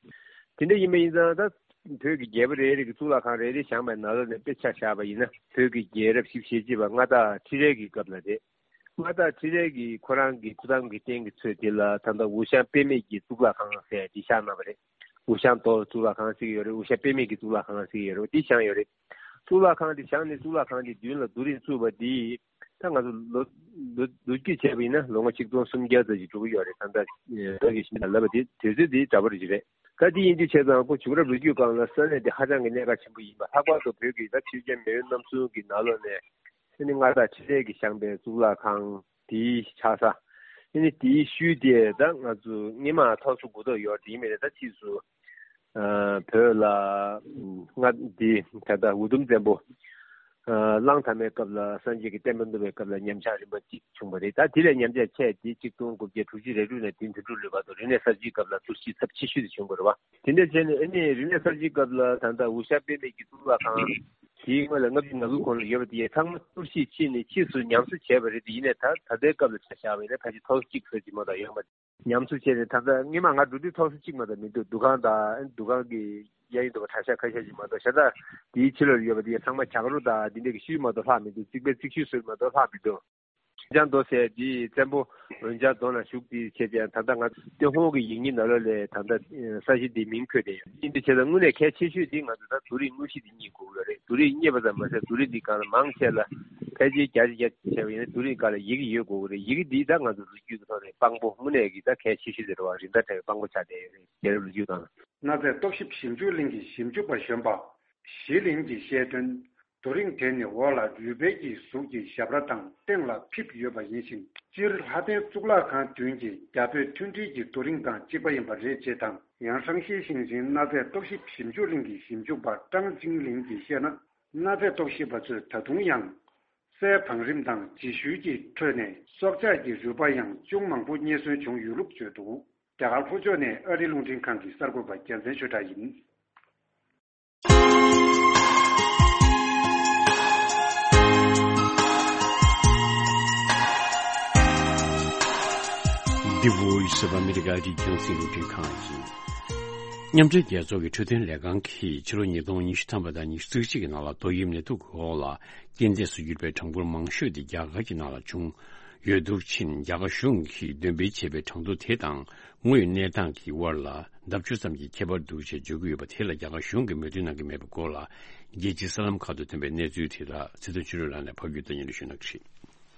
དེ་འདྲ་ཡིན་པ་ཡིན་ཙང་། ད་བོད་ཀྱི་རྒྱལ་པོ་རེ་རེ་གིས་གཙུག་ལག་ཁང་རེ་རེ་བཞེངས་པའི་ནང་ལོགས་ནས་དཔེ་ཆ་བཞག་པ་ཡིན་ན། བོད་ཀྱི་རྒྱལ་རབས་བཞི་བཅུ་ཞེ་གཅིག་པ་མངའ་བདག་ཁྲི་རལ་གྱི་སྐབས་ལ་རེད། མངའ་བདག་ཁྲི་རལ་གྱིས་ཁོ་རང་གི་ཐུགས་དམ་གྱི་རྟེན་གྱི་ཚོད་དེ་ལ་ད་ལྟ་འུ་ཞང་དཔེ་མེད་ཀྱི་གཙུག་ལག་ཁང་ཟེར་འདི་བཞེངས་གནང་བ་རེད། འུ་ཞང་རྡོ་གཙུག་ལག་ཁང་ཟེར་གྱི་ཡོད་རེད། འུ་ཞང་དཔེ་མེད་ཀྱི་གཙུག་ལག་ཁང་ཟེར་གྱི་ཡོད་རེད། འདི་བཞེངས་ཡོད་རེད། གཙུག་ལག་ཁང་འདི་བཞེངས་ནས། གཙུག་ལག་ཁང་འདི་མདུན་ལ་རྡོ་རིང་བཙུགས་པ་འདི། ད་ང་ཚོ་ལོ་ལོ་ལོ་རྒྱུས་བྱས་པ་ཡིན་ན་ལོ་ངོ་ཆིག་སྟོང་སུམ་བརྒྱ་ཙམ་ཞིག་འགྲོ་གི་ཡོད་རེད། ད་ལྟ་བོད་ཀྱི་ཞིང་ལབ་པ་དེ་དུས་ཚོད་དེ་འདྲ་པོ་རེད་ཅིག་རེད། ད་དེ་ཡིན་དུས་བྱས་ཙང་ཁོ་བྱུང་རབས་ལོ་རྒྱུས་སྒང་ལ་ས་གནས་དེ་ཧ་ཅང་གི་གནད་འགག་ཆེན་པོ་ཡིན་པ། ལྷག་པར་དུ་བོད་ཀྱི་ད་ཆོས་རྒྱལ་མེས་དབོན་རྣམ་གསུམ་གྱི་ནང་ལོགས་ནས་ཨ་ནི་མངའ་བདག་འཕྲིན་ལས་ཀྱིས་བཞེངས་པའི་གཙུག་ལག་ཁང་དེའི་ཆགས་ས། ཨ་ནི་དེའི་ཤུལ་དེ་ད་ང་ཚོ་སྔོན་མ་ཐོག་སོ་དགུ་ཐོག་ཡོད་དེ་ཡིན་མིན་ད་ཕྱིས་སུ་ཨ་བོད་ལ་མངའ་འདི་ད་ལྟ་འུ་དུམ་བཙན་པོ་ཨ་གླང་དར་མའི་སྐབས་ལ་སངས་རྒྱས་ཀྱི་བསྟན་པ་བསྣུབས་པའི་སྐབས་ལ་ཉམས་ཆག་རིམ་པ་གཅིག་བྱུང་བ་རེད། ད་དེ་ལས་ཉམས་ཆག་ཆེ་དེ་ཆིག་སྟོང་དགུ་བརྒྱ་དྲུག་ཅུ་རེ་དྲུག་ནས་དེ་དུས་འགྲོ་ལུས་བར་དུ་རིག་གནས་གསར་བརྗེའི་སྐབས་ལ་དུས་ཚོད་ཚབས་ཆེ་ཤོས་དེ་བྱུང་བ་རེད་བ། དེ་འདྲ་བྱས་ནས་ཨ་ནི་རིག་གནས་གསར་བརྗེའི་སྐབས་ལ་ད་ལྟ་འུ་ཤག་དཔེ་མེད་ཀྱི་གཙུག་ལག་ཁང་དེའི་སྔོན་ལ་ལྔ་བཅུ་ང་དགུ་གོང་ལ་ཡོད་པ་དེ་ཚང་མ་གཏོར་བཤིག་ཕྱིན་ནས་ཕྱིས་སུ་ཉམས་གསོ་བྱས་པ་རེད། དེ་ཡིན་ནའི་ད་ད་ལྟའི་སྐབས་ལ་ཆ་བཞག་པ་ཡིན་ན་ཕལ་ཆེར་ཐོག་གཅིག་ཙམ་ཅིག་མ་གཏོགས་ཡོད་མ་རེད། ཉམས་གསོ་བྱས་ནས་ད་ལྟ་སྔོན་མ་ང་འགྲོ་དུས་ཐོག་སོ་གཅིག་མ་གཏོགས་མི་འདུག་འདུ་ཁང་དང་འདུ་ཁང་གི་གཡས་གཡོན་དུ་བ་གྲྭ་ཤག་ཁ་ཤས་ཅིག་མ་གཏོགས། ཤ་སྟག་དེའི་ཕྱི་ལོགས་ལ་ཡོད་པ་དེ་ཚང་མ་གྱང་རོ་དང་འདི་འདྲ་གི་ཤུལ་མ་གཏོགས་ལྷག་མི་འདུག་རྩིག་པའི་རྩིག་ཤུལ་ཟུར་མ་གཏོགས་ལྷག་མི་འདུག་འོན་ཀྱང་མདོ་ཟེར་དེ་བཙན་པོ་འོན་ཀྱང་མདོ་ན་བཞུགས་དེ་བྱས་ཀྱང་ད་ལྟ་ང་ཏུན་ཧོང་གི་ཡིག་རྙིང་ནང་ལོགས་ལས་ད་ལྟ་ས་གཞི་འདི་མིང་འཁོད་དེ་ཡོད། ཡིན་དུས་བྱས་ཙང་དངོས་གནས་གལ་ཆེ་ཤོས་དེ་ང་ཚོ་ད་རྡོ་རིང་དངོས་གཞི་དེ་རྙེད་དགོས་ཀྱི་ཡོད་རེད། རྡོ་རིང་རྙེད་པ་ཙམ་མ་ཟད་རྡོ་རིང་འདི་སྒང་ལ་མང་ཆེ་ལ་ཕལ་ཆེར་བརྒྱ་ཆ་བརྒྱ་བྱས་པ་ཡིན་ན་རྡོ་རིང་སྒང་ལ་ཡི་གེ་ཡོད་དགོས་ཀྱི་རེད། ཡི་གེ་འདི་ད་ང་ཚོ་ལོ་རྒྱུས་ཀྱི་ཐོག་ནས་དཔང་པོ་དངོས་གནས་ཀྱི་ད་གལ་ཆེ་ཤོས་དེ་རེད་བ། རིན་ཐང་བྲལ་བའི་དཔང་པོ་ཆགས་བསྡད་ཡོད་རེད། རྒྱལ་རབས་ལོ་རྒྱུས་སྒང་ལ། གནའ་རྫས་རྟོག་ཞིབ་ཞིབ་འཇུག་གླིང་གི་ཞིབ་འཇུག་པ་གཞོན་པ་ཞི་ལིང་གིས་བཤད་དོན། རྡོ་རིང་དེ་ནི་འོག་ལ་རུས་སྦལ་གྱི་གཟུགས་ཀྱི་ཞབས་ར་དང་སྟེང་ལ་ཕིབས་ཡོད་པ་ཡིན་ཞིང་། སྤྱིར་ལྷ་ལྡན་གཙུག་ལག་ཁང་བདུན་གྱི་རྒྱ་བོད་མཐུན་སྒྲིལ་གྱི་རྡོ་རིང་དང་གཅིག་པ་ཡིན་པ་རེད་ཅེས་དང་། ཡང་ཧྲང་ཤིས་ཞིང་ཆེན་གནའ་རྫས་རྟོག་ཞིབ་ཞིབ་འཇུག་གླིང་གི་ཞིབ་འཇུག་པ་ཀྲང་ཅིང་ལིང་གིས་བཤད་ན། གནའ་རྫས་རྟོག་ཞིབ་པ་ཚོས་ད་དུང་ཡང་། སའི་བང་རིམ་དང་རྗེས་ཤུལ་གྱི་ཁྲོད་ནས་སྲོག་ཆགས་ཀྱི་རུས་པ་ཡང་ཅུང་མང་པོ་རྙེད་སོན་བྱུང་ཡོད་ལུགས་བརྗོད་འདུག་རྒྱ་གར་ལྷོ་ཕྱོགས་ནས་ཨ་རིའི་རླུང་འཕྲིན་ཁང་གི་གསར་འགོད་པ་རྒྱལ་མཚན་ཆོས་གྲགས་ཡིན། འདི་Voice of America རྒྱང་སྲིང་རླུང་འཕྲིན་ཁང་ཡིན། མཉམ་འབྲེལ་རྒྱལ་ཚོགས་ཀྱི་འཕྲོད་བསྟེན་ལས་ཁང་གིས་ཕྱི་ལོ་ཉིས་སྟོང་ཉི་ཤུ་ཐམ་པ་དང་ཉི་ཤུ་རྩ་གཅིག་གི་ནང་ལ་ཏོག་དབྱིབས་ནད་དུག་གི་འོག་ལ་རྐྱེན་འདས་སུ་གྱུར་པའི་གྲངས་འབོར་མང་ཤོས་དེ་རྒྱ་གར་གྱི་ནང་ལ་བྱུང་ཡོད་འདུག་ཕྱིན། རྒྱ་གར་གཞུང་གིས་འདོན་སྤེལ་བྱས་པའི་གྲངས་ཐོ་དེ་དང་དངོས་ཡོད་གནས་སྟངས་ཀྱི་དབར་ལ་ལྡབ་བཅུ་ཙམ་གྱི་ཁྱད་པར་འདུག་ཅེས་བརྗོད་ཀྱི་ཡོད་པ་དེ་ལ་རྒྱ་གར་གཞུང་གིས་མོས་མཐུན་གནང་གི་མེད་པའི་སྐོར་ལ། རྒྱལ་སྤྱིའི་གསར་ལམ་ཁག་ཏུ་ཐོན་པའི་གནས་ཚུལ་དེ་དག་ཚེ་བརྟན་ཆོས་གྲུབ་ལགས་ནས་ཕབ་སྒྱུར་དང་སྙན་སྒྲོན་ཞུ་གནང་གི་རེད།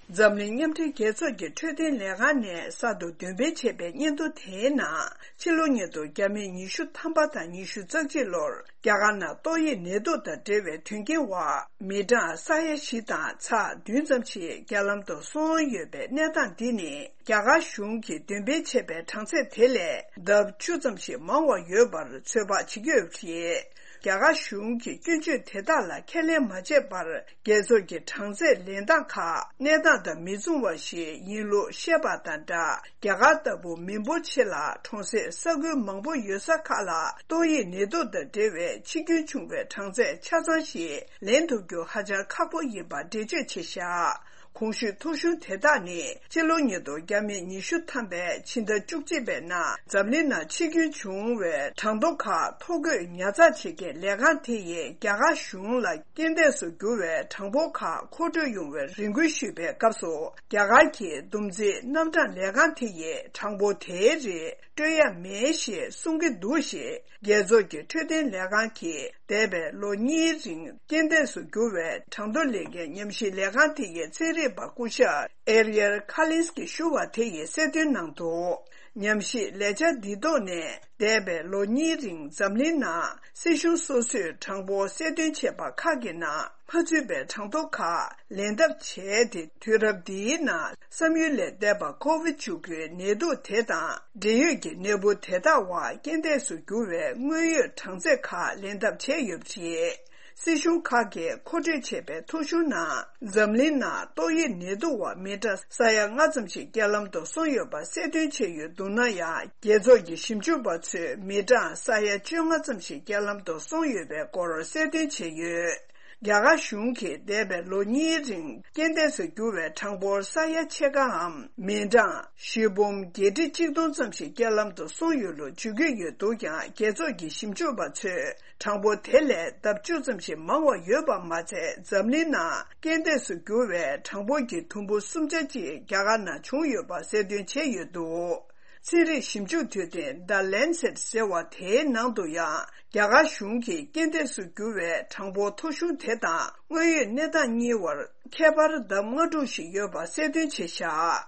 འཛམ་གླིང་མཉམ་འབྲེལ་རྒྱལ་ཚོགས་ཀྱི་འཕྲོད་བསྟེན་ལས་ཁང་ནས་གསར་དུ་འདོན་སྤེལ་བྱས་པའི་སྙན་ཐོ་དེའི་ནང་། ཕྱི་ལོ་ཉིས་སྟོང་བརྒྱ་མེད་ཉི་ཤུ་ཐམ་པ་དང་ཉི་ཤུ་རྩ་གཅིག་ལོར་རྒྱ་གར་ནང་ཏོག་དབྱིབས་ནད་དུག་དང་འབྲེལ་བའི་དོན་རྐྱེན་འོག་མི་གྲངས་ས་ཡ་བཞི་དང་ཚེག་བདུན་ཙམ་ཞིག་རྒྱ་ལམ་དུ་སོང་ཡོད་པའི་གནས་སྟངས་འདི་ནི། རྒྱ་གར་གཞུང་གིས་འདོན་སྤེལ་བྱས་པའི་གྲངས་ཚད་དེ་ལས་ལྡབ་བཅུ་ཙམ་ཞིག་མང་བ་ཡོད་པར་ཚོད་དཔག་བྱེད་ཀྱི་ཡོད་པ་རེད། རྒྱ་གར་གཞུང་གིས་སྐྱོན་བརྗོད་དེ་དག་ལ་ཁས་ལེན་མ་བྱས་པར། རྒྱལ་ཚོགས་ཀྱི་གྲངས་ཚད་ལེན་སྟངས་ཁག་གནས་སྟངས་དང་མི་མཚུངས་པ་ཞིག་ཡིན་ལུགས་བཤད་པ་དང་སྦྲགས། རྒྱ་གར་ལྟ་བུ་མི་འབོར་ཆེ་ལ་གྲོང་གསེབ་ས་ཁུལ་མང་པོ་ཡོད་ས་ཁག་ལ་ཏོག་དབྱིབས་ནད་དུག་དང་འབྲེལ་བའི་འཆི་སྐྱོན་བྱུང་བའི་གྲངས་ཚད་ཆ་ཚང་ཞིག་ལེན་ཐུབ་རྒྱུ་ཧ་ཅང་ཁག་པོ་ཡིན་པ་འགྲེལ་བརྗོད་བྱས་བཞག་གོང་ཞུས་ཐོ་གཞུང་དེ་དག་ནི་ཕྱི་ལོ་ཉིས་སྟོང་བརྒྱ་མེད་ཉི་ཤུ་ཐམ་པའི་ཕྱི་ཟླ་བཅུ་གཅིག་པའི་ནང་འཛམ་གླིང་ནང་འཆི་སྐྱོན་བྱུང་བའི་གྲངས་ཐོ་ཁག་ཐོ་འགོད་ཉར་ཚགས་བྱེད་མཁན་ལས་ཁང་དེ་ཡིས་རྒྱ་གར་གཞུང་ལ་རྐྱེན་འདས་སུ་གྱུར་བའི་གྲངས་འབོར་ཁག་མཁོ་སྤྲོད་ཡོང་བའི་རེ་སྐུལ་ཞུས་པའི་སྐབས་སུ། རྒྱ་གར་གྱི་བསྡོམས་རྩིས་རྣམ་གྲངས་ལས་ཁང་དེ་ཡིས་གྲངས་འབོར་དེའི་རིགས་སྤྲོད་ཡ་མེད་ཞེས་གསུང་གི་འདུག་ཞེས། རྒྱལ་ཚོགས་ཀྱི་འཕྲོད་བསྟེན་ལས་ཁང་གིས་འདས་པའི་ལོ་གཉིས་རིང་རྐྱེན་འདས་སུ་གྱུར་བའི་གྲངས་ཐོ་ལེན་མཁན་ཉམས་ཞིབ་ལས་ཁང་དེ་ཡི་ཚན་རིག་པ་སྐུ་ཞབས་ཨེ་རི་ཡལ་ཁ་ལིན་སི་ཀིས་ཞུ་བ་དེ་ཡིས་གསལ་སྟོན་གནང་འདུག་ཉམས་ཞིབ་ལས་འཆར་འདི་ཐོག་ནས་འདས་པའི་ལོ་གཉིས་རིང་འཛམ་གླིང་ནང་སྲིད་གཞུང་སོ་སོས་གྲངས་འབོར་གསལ་སྟོན་བྱས་པ་ཁག་གི་ནང་མ་ཚུད་པའི་གྲངས་ཐོ་ཁག་ལེན་ཐབས་བྱས་ཏེ། དུས་རབས་འདིའི་ནང་བསམ་ཡུལ་ལས་འདས་པ་ཀོ་བིད་བཅུ་དགུའི་ནད་དུག་དེ་དང་འབྲེལ་ཡོད་ཀྱི་ནད་འབུ་དེ་དག་འོག་རྐྱེན་འདས་སུ་གྱུར་བའི་དངོས་ཡོད་གྲངས་ཚད་ཁག་ལེན་ཐབས་བྱས་ཡོད་པ་རེད། སྲིད་གཞུང་ཁག་གིས་མཁོ་སྤྲོད་བྱས་པའི་ཐོ་གཞུང་ནང་འཛམ་གླིང་ནང་ཏོག་དབྱིབས་ནད་དུག་འོག་མི་གྲངས་ས་ཡ་ལྔ་ཙམ་ཞིག་རྒྱ་ལམ་དུ་སོང་ཡོད་པ་གསལ་སྟོན་བྱས་ཡོད་འདུག་ན་ཡང་། རྒྱལ་ཚོགས་ཀྱི་ཞིབ་འཇུག་པ་ཚོས་མི་གྲངས་ས་ཡ་བཅོ་ལྔ་ཙམ་ཞིག་རྒྱ་ལམ་དུ་སོང་ཡོད་པའི་སྐོར་གསལ་སྟོན་བྱས་ཡོད། རྒྱ་གར་གཞུང་གིས་འདས་པའི་ལོ་གཉིས་རིང་རྐྱེན་འདས་སུ་གྱུར་བའི་གྲངས་འབོར་ས་ཡ་ཕྱེད་ཀའམ་མི་གྲངས་བཞི་འབུམ་བརྒྱད་ཁྲི་གཅིག་སྟོང་ཙམ་ཞིག་རྒྱ་ལམ་དུ་སོང་ཡོད་ལུགས་བརྗོད་ཀྱི་ཡོད་འདུག་ཀྱང་། རྒྱལ་ཚོགས་ཀྱི་ཞིབ་འཇུག་པ་ཚོས་གྲངས་འབོར་དེ་ལས་ལྡབ་བཅུ་ཙམ་ཞིག་མང་བ་ཡོད་པ་མ་ཚད། འཛམ་གླིང་ནང་རྐྱེན་འདས་སུ་གྱུར་བའི་གྲངས་འབོར་གྱི་དུམ་བུ་གསུམ་ཆ་གཅིག་རྒྱ་གར་ནང་བྱུང་ཡོད་པ་གསལ་སྟོན་བྱས་ཡོད་འདུག་ཚན་རིག་ཞིབ་འཇུག་དུས་དེབ་The Lancet ཟེར་བ་དེའི་ནང་དུ་ཡང་། རྒྱ་གར་གཞུང་གིས་རྐྱེན་འདས་སུ་གྱུར་བའི་གྲངས་འབོར་མཐོ་ཤོས་དེ་དང་དངོས་ཡོད་གནས་སྟངས་གཉིས་བར་ཁྱད་པར་ལྡབ་ལྔ་དྲུག་ཞིག་ཡོད་པ་གསལ་སྟོན་བྱས་བཞག་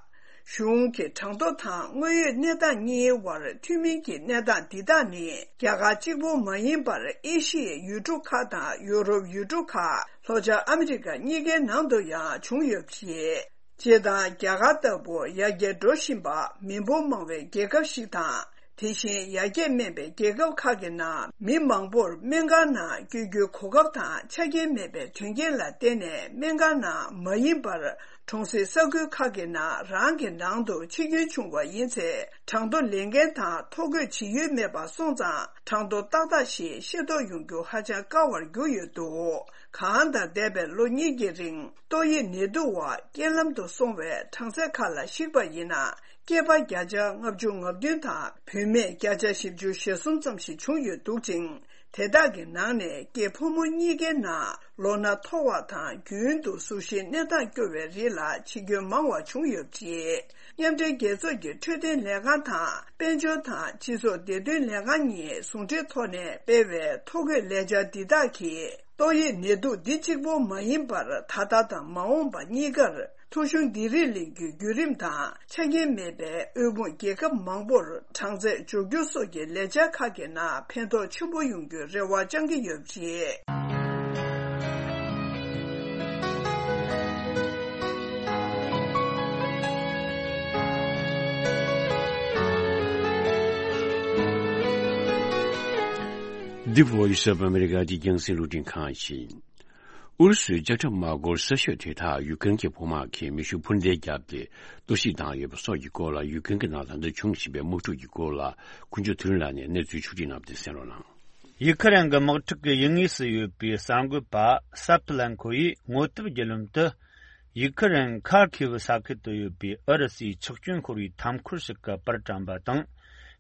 གཞུང་གི་གྲངས་ཐོ་དང་དངོས་ཡོད་གནས་སྟངས་གཉིས་བར་མཐུན་མིན་གྱི་གནས་སྟངས་འདི་དག་ནི། རྒྱ་གར་གཅིག་པུ་མ་ཡིན་པར། ཨེ་ཤི་ཡའི་ཡུལ་གྲུ་ཁག་དང་ཡུ་རོབ་ཡུལ་གྲུ་ཁག་ལྷོ་བྱང་ཨ་མི་རི་ཀ་གཉིས་ཀའི་ནང་དུ་ཡང་བྱུང་ཡོད་པ་རེད། སྤྱིར་བཏང་། རྒྱ་གར་ལྟ་བུ་ཡར་རྒྱས་འགྲོ་བཞིན་པ། མི་འབོར་མང་བའི་རྒྱལ་ཁབ་ཞིག་དང་། དེ་བཞིན་ཡར་རྒྱས་སྨན་པའི་རྒྱལ་ཁབ་ཁག་གི་ནང་། མི་མང་པོར་སྨན་ཁང་ནང་བསྐྱོད་རྒྱུའི་གོ་སྐབས་དང་ཆ་རྐྱེན་མེད་པའི་དོན་རྐྱེན་ལ་བརྟེན་ནས། སྨན་ཁང་ནང་མ་ཡིན་པར། གྲོང་གསེབ་ས་ཁུལ་ཁག་གི་ནང་རང་གི་ནང་དུ་འཆི་སྐྱོན་བྱུང་བ་ཡིན་ཚེ། གྲངས་ཐོ་ལེན་མཁན་དང་ཐོ་འགོད་བྱེད་ཡུལ་མེད་པ་སོང་ཙང་། གྲངས་ཐོ་ཏག་ཏག་ཞིག་ཤེས་རྟོགས་ཡོང་རྒྱུ་ཧ་ཅང་དཀའ་བར་གྱུར་ཡོད་འདུག་གང་ལྟར། འདས་པའི་ལོ་གཉིས་ཀྱི་རིང་ཏོག་དབྱིབས་ནད་དུག་འོག་རྐྱེན་ལམ་དུ་སོང་བའི་གྲངས་ཚད་ཁག་ལ་གཞིགས་པ་ཡིན་ན། སྐྱེས་པ་བརྒྱ་ཆ་ལྔ་བཅུ་ང་བདུན་དང་། བུད་མེད་བརྒྱ་ཆ་བཞི་བཅུ་ཞེ་གསུམ་ཙམ་ཞིག་བྱུང་ཡོད་འདུག་ཅིང་། དེ་དག་གི་ནང་ནས་སྐྱེས་ཕོ་མོ་གཉིས་ཀའི་ནང་ལོ་ན་མཐོ་བ་དང་། རྒྱུན་དུ་གཟུགས་གཞིའི་གནས་སྟངས་སྐྱོ་བའི་རིགས་ལ་འཆི་སྐྱོན་མང་བ་བྱུང་ཡོད་པ་རེད། མཉམ་འབྲེལ་རྒྱལ་ཚོགས་ཀྱི་འཕྲོད་བསྟེན་ལས་ཁང་དང་། དཔལ་འབྱོར་དང་སྤྱི་ཚོགས་བདེ་དོན་ལས་ཁང་གཉིས་ཟུང་འབྲེལ་ཐོག་ནས་སྤེལ་བའི་ཐོ་འགོད་ལས་འཆར་འདི་དག་གིས། ཏོག་དབྱིབས་ནད་དུག་འདི་གཅིག་པོ་མ་ཡིན་པར། ད་ལྟ་དང་མ་འོངས་པ་གཉིས་ཀར་ཐོ་གཞུང་འདི་རིགས་ལེན་རྒྱུའི་བརྒྱུད་རིམ་དང་། ཆ་རྐྱེན་མེད་པའི་དབུལ་ཕོངས་རྒྱལ་ཁབ་མང་པོར་གྲངས་ཚད་འཇོག་རྒྱུ་སོགས་ཀྱི་ལས་འཆར་ཁག་གི་ནང་ཕན་ཐོགས་ཆེན་པོ་ཡོང་རྒྱུའི་རེ་བ་བཅང་གི་ཡོད་པ་རེད། འདི་Voice of America གི་རྒྱང་སྲིང་རླུང་འཕྲིན་ཁང་ཡིན། ཨུ་རུ་སུའི་ལྕགས་ཁྲབ་དམག་སྒོར་གསར་ཤོས་དེ་དག་ཡུཀ་རེན་གྱི་བོད་དམག་གིས་མེ་ཤུགས་འཕུར་མདེལ་བརྒྱབ་སྟེ་གཏོར་བཤིག་བཏང་ཡོད་པ་སོགས་ཀྱི་སྐོར་ལ། ཡུཀ་རེན་གྱི་ནང་ལ་ད་ལྟ་བྱུང་བཞིན་པའི་དམག་འཁྲུག་གི་སྐོར་ལ། ཀུན་སྤྱོད་ཐུན་ལ་ནས་གནས་ཚུལ་ཕྱོགས་སྒྲིག་གནང་སྟེ་གསན་རོགས་གནང་། ཡུ་ཁ་རན་གྱི་དམག་འཁྲུག་གི་ཡུལ་དངོས་སུ་ཡོད་པའི་གསར་འགོད་པ་སབ་ལན་ཁོ་ཡིས་ངོ་དེབ་བརྒྱུད་ལམ་དུ། ཡུ་ཁ་རན་ཁར་ཁེ་བུ་ས་ཁུལ་དུ་ཡོད་པའི་ཨུ་རུ་སུའི་ཆག་སྐྱོན་ཤོར་བའི་ཐབ་འཁོར་ཞིག་གི་པར་བཀྲམ་པ་དང་།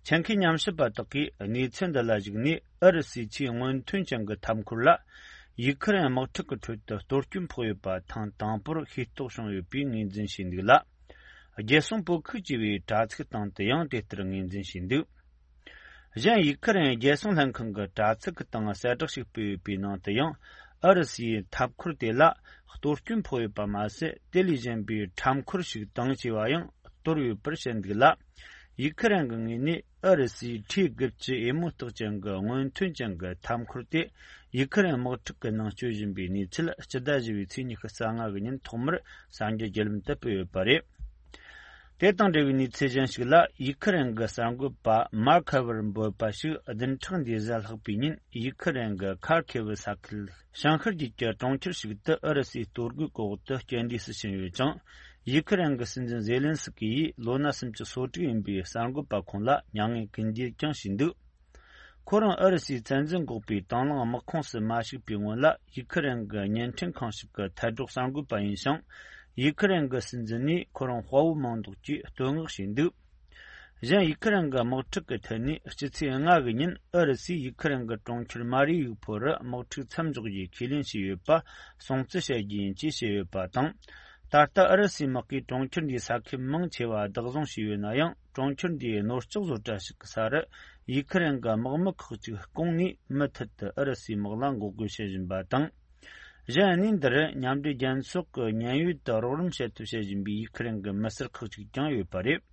ཆེད་མཁས་ཉམས་ཞིབ་པ་དག་གིས་གནས་ཚུལ་འདི་ལ་གཞིགས་ནས། ཨུ་རུ་སུའི་ཆེས་སྔོན་ཐོན་ཅན་གྱི་ཐབ་འཁོར་ལ། ཡུ་ཁ་རན་དམག་འཁྲུག་གི་ཁྲོད་དུ་གཏོར་སྐྱོན་ཕོག་ཡོད་པ་ཐེངས་དང་པོར་ཤེས་རྟོགས་བྱུང་ཡོད་པའི་ངོས་འཛིན་བྱས་འདུག་ལ། རྒྱལ་སྲུང་བོད་ཁུལ་ཅེས་པའི་དྲ་ཚིགས་སྟེང་དུ་ཡང་དེ་ལྟར་ངོས་འཛིན་བྱས་འདུག་གཞན། ཡུ་ཁ་རན་རྒྱལ་སྲུང་ལྷན་ཁང་གི་དྲ་ཚིགས་སྟེང་གསལ་བསྒྲགས་ཤིག་སྤེལ་ཡོད་པའི་ནང་དུ་ཡང་། ཨུ་རུ་སུའི་ཐབ་འཁོར་དེ་ལ་གཏོར་སྐྱོན་ཕོག་ཡོད་པ་མ་ཟད། དེ་ལས་གཞན་པའི་ཁྲབ་འཁོར་ཞིག་དང་བཅས་པ་ཡང་གཏོར་ཡོད་པར་བཤད་འདུག་ལ། ཡུ་ཁ་རན་གྱི་ངོས་ནས། ཨུ་རུ་སུའི་ཁྲི་དགུ་བཅུ་ཨེ་མོ་རྟགས་ཅན་གྱི་སྔོན་ཐོན་ཅན་གྱི་ཐབ་འཁོར་དེ། ཡུ་ཁ་རན་དམག་འཁྲུག་གི་ནང་སྤྱོད་བཞིན་པའི་གནས་ཚུལ། སྤྱི་ཟླ་བཞི་པའི་ཚེས་ཉི་ཤུ་རྩ་ལྔ་གི་ཉིན་ཐོག་མར་གསར་འགྱུར་བརྒྱུད་ལམ་དུ་སྤེལ་ཡོད་པ་རེད། དེ་དང་འབྲེལ་བའི་གནས་ཚུལ་གཞན་ཞིག་ལ། ཡུ་ཁ་རན་གྱི་གསར་འགོད་པ་མར་ཁ་ཝར་འབོད་པ་ཞིག་བདུན་ཕྲག་འདིའི་གཟའ་ལྷག་པའི་ཉིན། ཡུ་ཁ་རན་གྱི་ཁར་ཁེ་བུ་ས་ཁུལ་ཞང་ཤར་རྒྱུད་ཀྱི་གྲོང་ཁྱེར་ཞིག་ཏུ་ཨུ་རུ་སུའི་གཏོར་རྒོལ་གྱི་འོག་ཏུ་རྐྱེན་འདས་སུ་ཕྱིན་ཡོད་ཅིང་། ཡུ་ཁ་རན་གྱི་སྲིད་འཛིན་ཛེ་ལན་སི་ཀི་ཡིས་ལོ་ན་སུམ་ཅུ་སོ་དྲུག་ཡིན་པའི་གསར་འགོད་པ་ཁོང་ལ་མྱ་ངན་སྐུལ་འདེད་ཀྱང་བྱས་འདུག་ཁོ་རང་ཨུ་རུ་སུའི་བཙན་འཛུལ་འགོག་པའི་དང་བླངས་དམག་ཁོངས་སུ་མ་ཞུགས་པའི་སྔོན་ལ། ཡུ་ཁ་རན་གྱི་བརྙན་འཕྲིན་ཁང་ཞིག་གི་ཐད་གཏོང་གསར་འགོད་པ་ཡིན་ཞིང་། ཡུ་ཁ་རན་གྱི་སྲིད་འཛིན་ནས་ཁོ་རང་དཔའ་བོ་མིང་འདོགས་ཀྱིས་བསྟོད་བསྔགས་བྱས་འདུག་གཞན། ཡུ་ཁ་རན་གྱི་དམག་འཁྲུག་གི་ཐད་ནས། སྤྱི་ཚེས་ལྔ་གི་ཉིན་ཨུ་རུ་སུས་ཡུ་ཁ་རན་གྱི་གྲོང་ཁྱེར་མ་རི་ཡུ་ཕོལ་རུ་དམག་འཁྲུག་མཚམས་འཇོག་རྒྱུའི་ཁས་ལེན་བྱས་ཡོད་པ་སྲུང་བརྩི་བྱ་རྒྱུ་ཡིན་ཅེས་བཤད་ཡོད་པ་དང་། ད་ལྟ་ཨུ་རུ་སུའི་དམག་གིས་གྲོང་ཁྱེར་འདིའི་ས་ཁུལ་མང་ཆེ་བ་བདག་བཟུང་བྱས་ཡོད་ན་ཡང་། གྲོང་ཁྱེར་འདིའི་ནོར་ལྕགས་བཟོ་གྲྭ་ཞིག་གི་ས་རུ་ཡུ་ཁ་རན་གྱི་དམག་མི་ཁག་ཅིག་བསྐུངས་ནས། མུ་མཐུད་དུ་ཨུ་རུ་སུའི་དམག་ལ་འགོག་རྒོལ་བྱེད་བཞིན་པ་དང་། གཞན། གནས་འདིར་མཉམ་འབྲེལ་རྒྱལ་ཚོགས་ཀྱི་མཉན་ཡོད་དུ་རོགས་རམ་བྱེད་ཐབས་བྱེད་བཞིན་པའི་ཡུ་ཁ་རན་གྱི་མི་སེར་ཁག་ཅིག་ཀྱང་ཡོད་པ་རེད།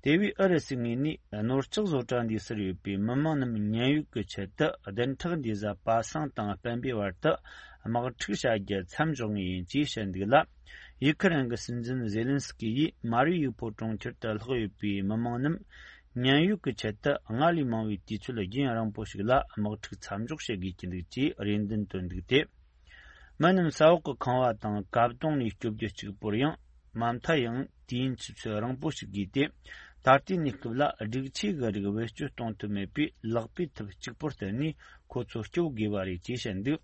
དེ་བས་ཨུ་རུ་སུའི་ངོས་ནས་ནོར་ལྕགས་བཟོ་གྲྭ་འདིའི་སར་ཡོད་པའི་མི་མང་རྣམས་མཉན་ཡོད་ཀྱི་ཆེད་དུ་བདུན་ཕྲག་འདིའི་གཟའ་པ་སངས་དང་སྤེན་པའི་བར་དུ་དམག་འཁྲུག་བྱ་རྒྱུ་མཚམས་འཇོག་ངེས་ཡིན་ཅེས་བཤད་འདུག་ལ། ཡུ་ཁ་རན་གྱི་སྲིད་འཛིན་ཛེ་ལན་སི་ཀི་ཡིས་མ་རི་ཡུ་ཕོལ་གྲོང་ཁྱེར་དུ་ལྷག་ཡོད་པའི་མི་མང་རྣམས་མཉན་ཡོད་ཀྱི་ཆེད་དུ་སྔར་ལས་མང་བའི་དུས་ཚོད་རྒྱུན་རིང་པོ་ཞིག་ལ་དམག་འཁྲུག་མཚམས་འཇོག་བྱེད་དགོས་ཀྱི་འདུག་ཅེས་རེ་འདུན་བཏོན་འདུག་སྟེ། མི་རྣམས་ས་འོག་གི་ཁང་བ་དང་བཀབ་དོང་ནས་སྐྱོབ་རྒྱུ་གཅིག་པུར་ཡང་། མ་མཐའ་ཡང་དུས་ཡུན་ཆུ་ཚོད་རིང་པོ་ཞིག་བརྒལ་ཏེ། ད་ལྟའི་གནས་སྐབས་ལ་སྒྲིག་ཆས་ཀྱི་རིགས་བེད་སྤྱོད་གཏོང་ཐུབ་མེད་པས། ལག་པའི་ཐབས་གཅིག་པུར་བརྟེན་ནས་ཁོ་ཚོ་སྐྱོབ་དགོས་པ་རེད་ཅེས་བཤད་འདུག་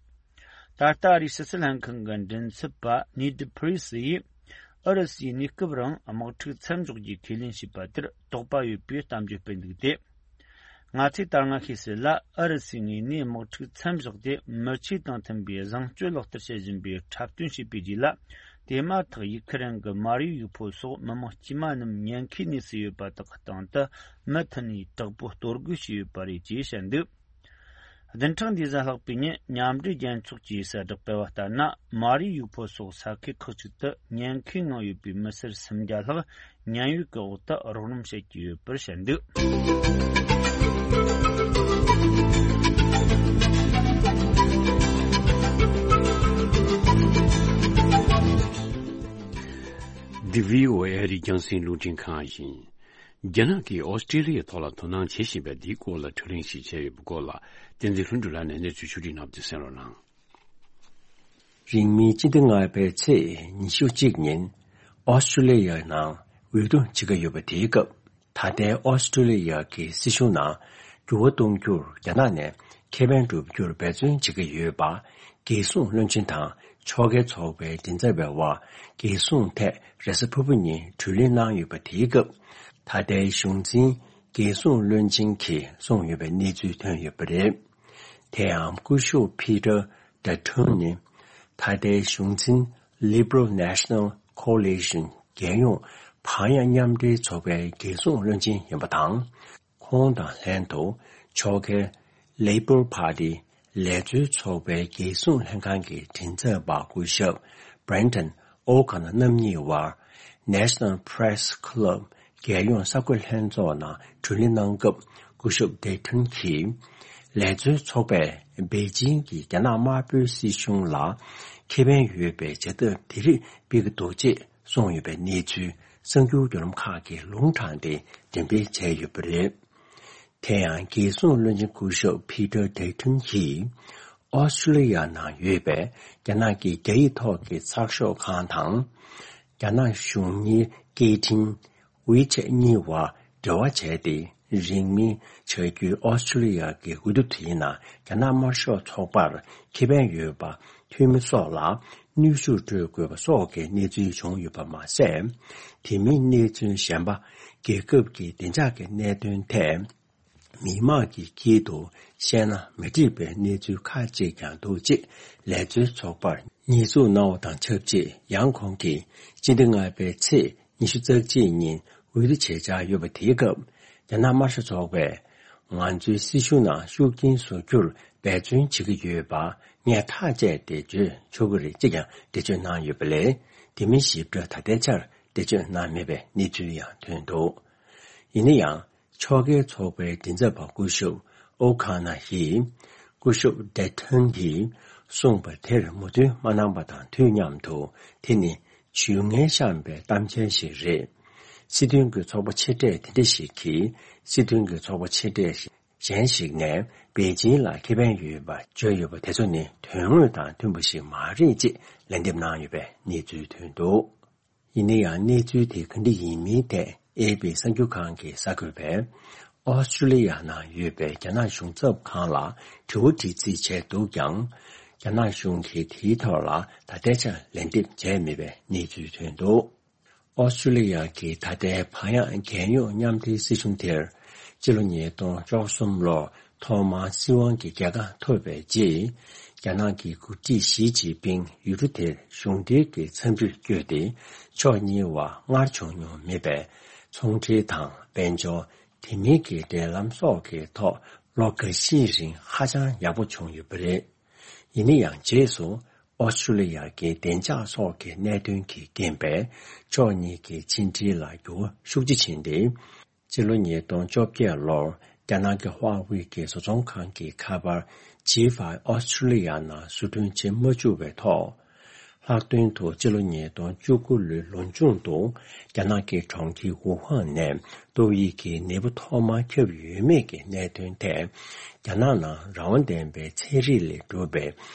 ད་ལྟ་ཨ་རིའི་ཕྱི་སྲིད་ལྷན་ཁང་གི་མགྲིན་ཚབ་པ་ནེ་ཌི་ཕི་རི་སི་ཡིས། ཨུ་རུ་སུས་གནས་སྐབས་རིང་དམག་འཁྲུག་མཚམས་འཇོག་རྒྱུའི་ཁས་ལེན་བྱས་པ་དེར་དོགས་པ་ཡོད་པའི་གཏམ་བརྗོད་སྤེལ་འདུག་སྟེ། ང་ཚོས་ད་སྔ་ཤེས་གསལ་ལ། ཨུ་རུ་སུའི་ངོས་ནས་དམག་འཁྲུག་མཚམས་བཞག་སྟེ། མི་ཆོས་དང་མཐུན་པའི་བཟང་སྤྱོད་ལག་བསྟར་བྱེད་བཞིན་པའི་འཁྲབ་སྟོན་བྱས་པའི་རྗེས་ལ། དེ་མ་ཐག་ཡུ་ཁི་རན་གྱི་མར་ཡུལ་ཡུལ་ཕོ་སོགས་མི་མང་དཀྱུས་མ་རྣམས་ཉེན་ཁའི་གནས་སུ་ཡོད་པ་དག་གི་སྟེང་དུ་མུ་མཐུད་ནས་དྲག་པོས་གཏོར་རྒོལ་བྱས་ཡོད་པ་རེད་ཅེས་བཤད་འདུག་བདུན་ཕྲག་འདིའི་ཟླ་ལྷག་པའི་ཉིན་མཉམ་འབྲེལ་རྒྱལ་ཚོགས་ཀྱིས་གསལ་བསྒྲགས་སྤེལ་བ་ལྟར་ན། མར་ཡུལ་ཡུལ་ཕོ་སོགས་ས་ཁུལ་ཁག་ཅིག་ཏུ་ཉེན་ཁའི་ངང་ཡོད་པའི་མི་སེར་སུམ་བརྒྱ་ལྷག་ཉེན་གཡོལ་གྱི་འོག་ཏུ་རོགས་རམ་བྱེད་ཀྱི་ཡོད་པར་བཤད་འདུག་འདི་བྷི་ཨོ་ཨེ་རེད། རྒྱང་སྲིང་རླུང་འཕྲིན་ཁང་ཡིན། རྒྱ་ནག་གིས་ཨོ་སི་ཀྲི་ལི་ཡའི་ཐོག་ལ་དོ་སྣང་བྱེད་བཞིན་པའི་འདིའི་སྐོར་ལ་བགྲོ་གླེང་ཞིག་བྱས་ཡོད་པའི་སྐོར་ལ། བསྟན་འཛིན་ལྷུན་གྲུབ་ལགས་ནས་གནས་ཚུལ་ཕྱོགས་སྒྲིག་གནང་བ་དེ་གསན་རོགས་གནང་། རིང་མིན་སྤྱི་ཟླ་ལྔ་པའི་ཚེས་ཉི་ཤུ་གཅིག་ཉིན་ཨོ་སི་ཀྲི་ལི་ཡའི་ནང་འོས་བསྡུ་བྱེད་ཀྱི་ཡོད་པ་དེའི་སྐབས། ད་ལྟའི་ཨོ་སི་ཀྲི་ལི་ཡ་གི་སྲིད་གཞུང་ནང་འགྱུར་བ་གཏོང་རྒྱུར་རྒྱ་ནག་ནས་ཁེ་ཕན་སྒྲུབ་རྒྱུར་འབད་བརྩོན་བྱེད་ཀྱི་ཡོད་པ། རྒྱལ་སྲུང་བློན་ཆེན་དང་ཕྱོགས་འགལ་ཚོགས་པའི་མགྲིན་ཚབ་པའི་དབར་རྒྱལ་སྲུང་ཐད་རེས་གཟའ་ཕུར་བུ་ཉིན་བགྲོ་གླེང་གནང་ཡོད་པ་དེའི་སྐབས། ད་ལྟའི་གཞུང་འཛིན་རྒྱལ་སྲུང་བློན་ཆེན་གྱིས་གསུངས་ཡོད་པའི་གནས་ཚུལ་ཐོན་ཡོད་པ་རེད། དེ་ཡང་སྐུ་ཞབས་ཕི་ཏར་ཌ་ཐུན་ནི་ད་ལྟའི་གཞུང་འཛིན་Liberal National Coalition རྒྱལ་ཡོངས་བག་ཡངས་མཉམ་འབྲེལ་ཚོགས་པའི་རྒྱལ་སྲུང་བློན་ཆེན་ཡིན་པ་དང་། ཁོང་དང་ལྷན་དུ་ཕྱོགས་འགལ་Labor Party ལས་བཟོའི་ཚོགས་པའི་རྒྱལ་སྲུང་ལྷན་ཁང་གི་མགྲིན་ཚབ་པ་སྐུ་ཞབས་Brendan O'Connor རྣམ་གཉིས་དབར་National Press Club རྒྱལ་ཡོངས་གསར་འགོད་ལྷན་ཚོགས་ནང་བགྲོ་གླེང་གནང་སྐབས། སྐུ་ཞབས་ཌེ་ཐུན་གྱིས་ལས་བཟོའི་ཚོགས་པས་པེ་ཅིང་གིས་རྒྱ་ནག་དམར་པོའི་སྲིད་གཞུང་ལ་ཁེ་ཕན་ཡོད་པའི་བྱ་ཐབས་དེ་རིགས་སྤེལ་གྱི་འདུག་ཅེས་གསུངས་ཡོད་པའི་གནས་ཚུལ་གསར་འགྱུར་བརྒྱུད་ལམ་ཁག་གིས་ལུང་དྲངས་ཏེ་འགྲེམས་སྤེལ་བྱས་ཡོད་པ་རེད། དེ་ཡང་རྒྱལ་སྲུང་བློན་ཆེན་སྐུ་ཞབས་ཕི་ཏར་ཌེ་ཐུན་གྱིས། ཨོ་སི་ཀྲི་ལི་ཡ་ནང་ཡོད་པའི་རྒྱ་ནག་གི་རྒྱ་ཡིག་ཐོག་གི་ཚགས་ཤོག་ཁང་དང་། རྒྱ་ནག་གཞུང་གཉེར་སྐད་འཕྲིན་WeChat གཉིས་དབར་འབྲེལ་བ་བྱས་ཏེ། རིང་མིན་བྱ་རྒྱུའི་ཨོ་སི་ཀྲི་ལི་ཡ་གི་འོས་བསྡུ་དེའི་ནང་རྒྱ་ནག་དམར་ཤོག་ཚོགས་པར་ཁེ་ཕན་ཡོད་པ། འཐུས་མི་སོགས་ལ་གནོན་ཤུགས་སྤྲོད་དགོས་པ་སོགས་ཀྱི་གནས་ཚུལ་བྱུང་ཡོད་པ་མ་ཟད། དེ་མིན་གནས་ཚུལ་གཞན་པ། རྒྱལ་ཁབ་ཀྱི་བདེ་འཇགས་ཀྱི་གནད་དོན་ཐད། མི་མང་གི་དཀྱིལ་དུ་བཤད་ན་མི་འགྲིག་པའི་གནས་ཚུལ་ཁག་ཅིག་ཀྱང་འདུག་ཅེས་ལས་བཟོའི་ཚོགས་པར་ཉེས་འཛུགས་གནང་བ་དང་ཆབས་ཅིག་ཡང་ཁོང་གིས་སྤྱི་ཟླ་ལྔ་པའི་ཚེས་ཉི་ཤུ་རྩ་གཅིག་ཉིན་འོས་བསྡུ་བྱེད་འཆར་ཡོད་པ་དེའི་སྐབས། རྒྱ་ནག་དམར་ཤོག་ཚོགས་པས་ང་ཚོའི་སྲིད་གཞུང་ནང་ཤུགས་རྐྱེན་བཟོ་རྒྱུར་འབད་བརྩོན་བྱེད་ཀྱི་ཡོད་པ་ངས་ཐག་བཅད་དེ་བརྗོད་ཆོག་གི་རེད་ཅེས་ཀྱང་འགྲེལ་བརྗོད་གནང་ཡོད་པ་ལས། དེ་མིན་ཞིབ་ཕྲ་ད་ལྟའི་ཆར་འགྲེལ་བརྗོད་གནང་མེད་པའི་གནས་ཚུལ་ཡང་ཐོན་འདུག་ཡིན་ན་ཡང་། ཕྱོགས་འགལ་ཚོགས་པའི་མགྲིན་ཚབ་པ་སྐུ་ཞབས་ཨོ་ཁ་ན་ཡིས། སྐུ་ཞབས་ཌེ་ཐོན་གྱིས་གསུངས་པ་དེར་མོས་མཐུན་མ་གནང་པ་དང་དུས་མཉམ་དུ། དེ་ནི་ཇུས་ངན་བཤམས་པའི་གཏམ་འཆལ་ཞིག་རེད། སྲིད་དོན་གྱི་ཚོགས་པ་ཆེ་གྲས་དེ་འདྲ་ཞིག་གིས། སྲིད་དོན་གྱི་ཚོགས་པ་ཆེ་གྲས་གཞན་ཞིག་ནས་པེ་ཅིང་ལ་ཁེ་ཕན་ཡོད་པ་བརྗོད་ཡོད་པ་དེ་ཚོ་ནི་དོན་དངོས་དང་མཐུན་པ་ཞིག་མ་རེད་ཅེས་ལན་འདེབས་གནང་ཡོད་པའི་གནས་ཚུལ་ཐོན་འདུག་ཡིན་ན་ཡང་གནས་ཚུལ་དེ་ག་འདྲ་ཡིན་མིན་ཐད་ཨེ་པི་གསར་འགྱུར་ཁང་གི་གསར་འགོད་པས། ཨོ་སི་ཀྲི་ལི་ཡ་ནང་ཡོད་པའི་རྒྱ་ནག་གཞུང་ཚབ་ཁང་ལ་དྲི་བ་དྲི་རྩིས་བྱས་འདུག་ཀྱང་། རྒྱ་ནག་གཞུང་གིས་དེའི་ཐོག་ལ་ད་ལྟའི་ཆར་ལན་འདེབས་བྱས་མེད་པའི་གནས་ཚུལ་ཐོན་འདུག་ཨོ་སི་ཀྲི་ལི་ཡ་གི་ད་ལྟའི་བག་ཡངས་རྒྱལ་ཡོངས་མཉམ་འབྲེལ་སྲིད་གཞུང་དེར། སྤྱི་ལོ་ཉིས་སྟོང་བཅུ་གསུམ་ལོར་ཐོག་མར་སྲིད་དབང་གི་རྒྱལ་ཁ་ཐོབ་པའི་རྗེས། རྒྱ་ནག་གི་འགོ་ཁྲིད་ཞི་ཅིན་ཕིང་ཡུལ་གྲུ་དེར་གཞུང་འབྲེལ་གྱི་འཚམས་འདྲིར་བསྐྱོད་དེ། ཕྱོགས་གཉིས་བར་སྔར་བྱུང་མྱོང་མེད་པའི་ཚོང་འབྲེལ་དང་དཔལ་འབྱོར། དེ་མིན་གྱི་འབྲེལ་ལམ་སོགས་ཀྱི་ཐོག་ལོ་འགའ་ཤས་རིང་ཧ་ཅང་ཡག་པོ་བྱུང་ཡོད་པ་རེད། ཡིན་ན་ཡང་རྗེས་སུ་ཨོ་སི་ཀྲི་ལི་ཡ་གི་བདེ་འཇགས་སོགས་ཀྱི་གནད་དོན་གྱི་རྐྱེན་པས་ཕྱོགས་གཉིས་ཀྱི་ཕྱི་འབྲེལ་ལ་འགྱུར་བ་ཤུགས་ཆེ་ཕྱིན་ཏེ། སྤྱི་ལོ་ཉིས་སྟོང་བཅོ་བརྒྱད་ལོར་རྒྱ་ནག་གི་ཧྭ་ཝེ་གི་བཟོ་ཚོང་ཁང་གི་ཁ་པར་ཇི་ཕའི་ཨོ་སི་ཀྲི་ལི་ཡ་ནང་བཟོ་སྐྲུན་བྱེད་མ་བཅུག་པའི་ཐོག་ལྷག་དོན་དུ་སྤྱི་ལོ་ཉིས་སྟོང་བཅུ་དགུ་ལོའི་ལོ་མཇུག་ཏུ་རྒྱ་ནག་གི་གྲོང་ཁྱེར་ཝུ་ཧན་ནས་ཏོག་དབྱིབས་ཀྱི་ནད་འབུ་ཐོག་མར་ཁྱབ་ཡོད་མེད་ཀྱི་གནད་དོན་ཐད། རྒྱ་ནག་ནང་རང་དབང་ལྡན་པའི་ཚན་རིག་ལས་གྲུབ་པའི་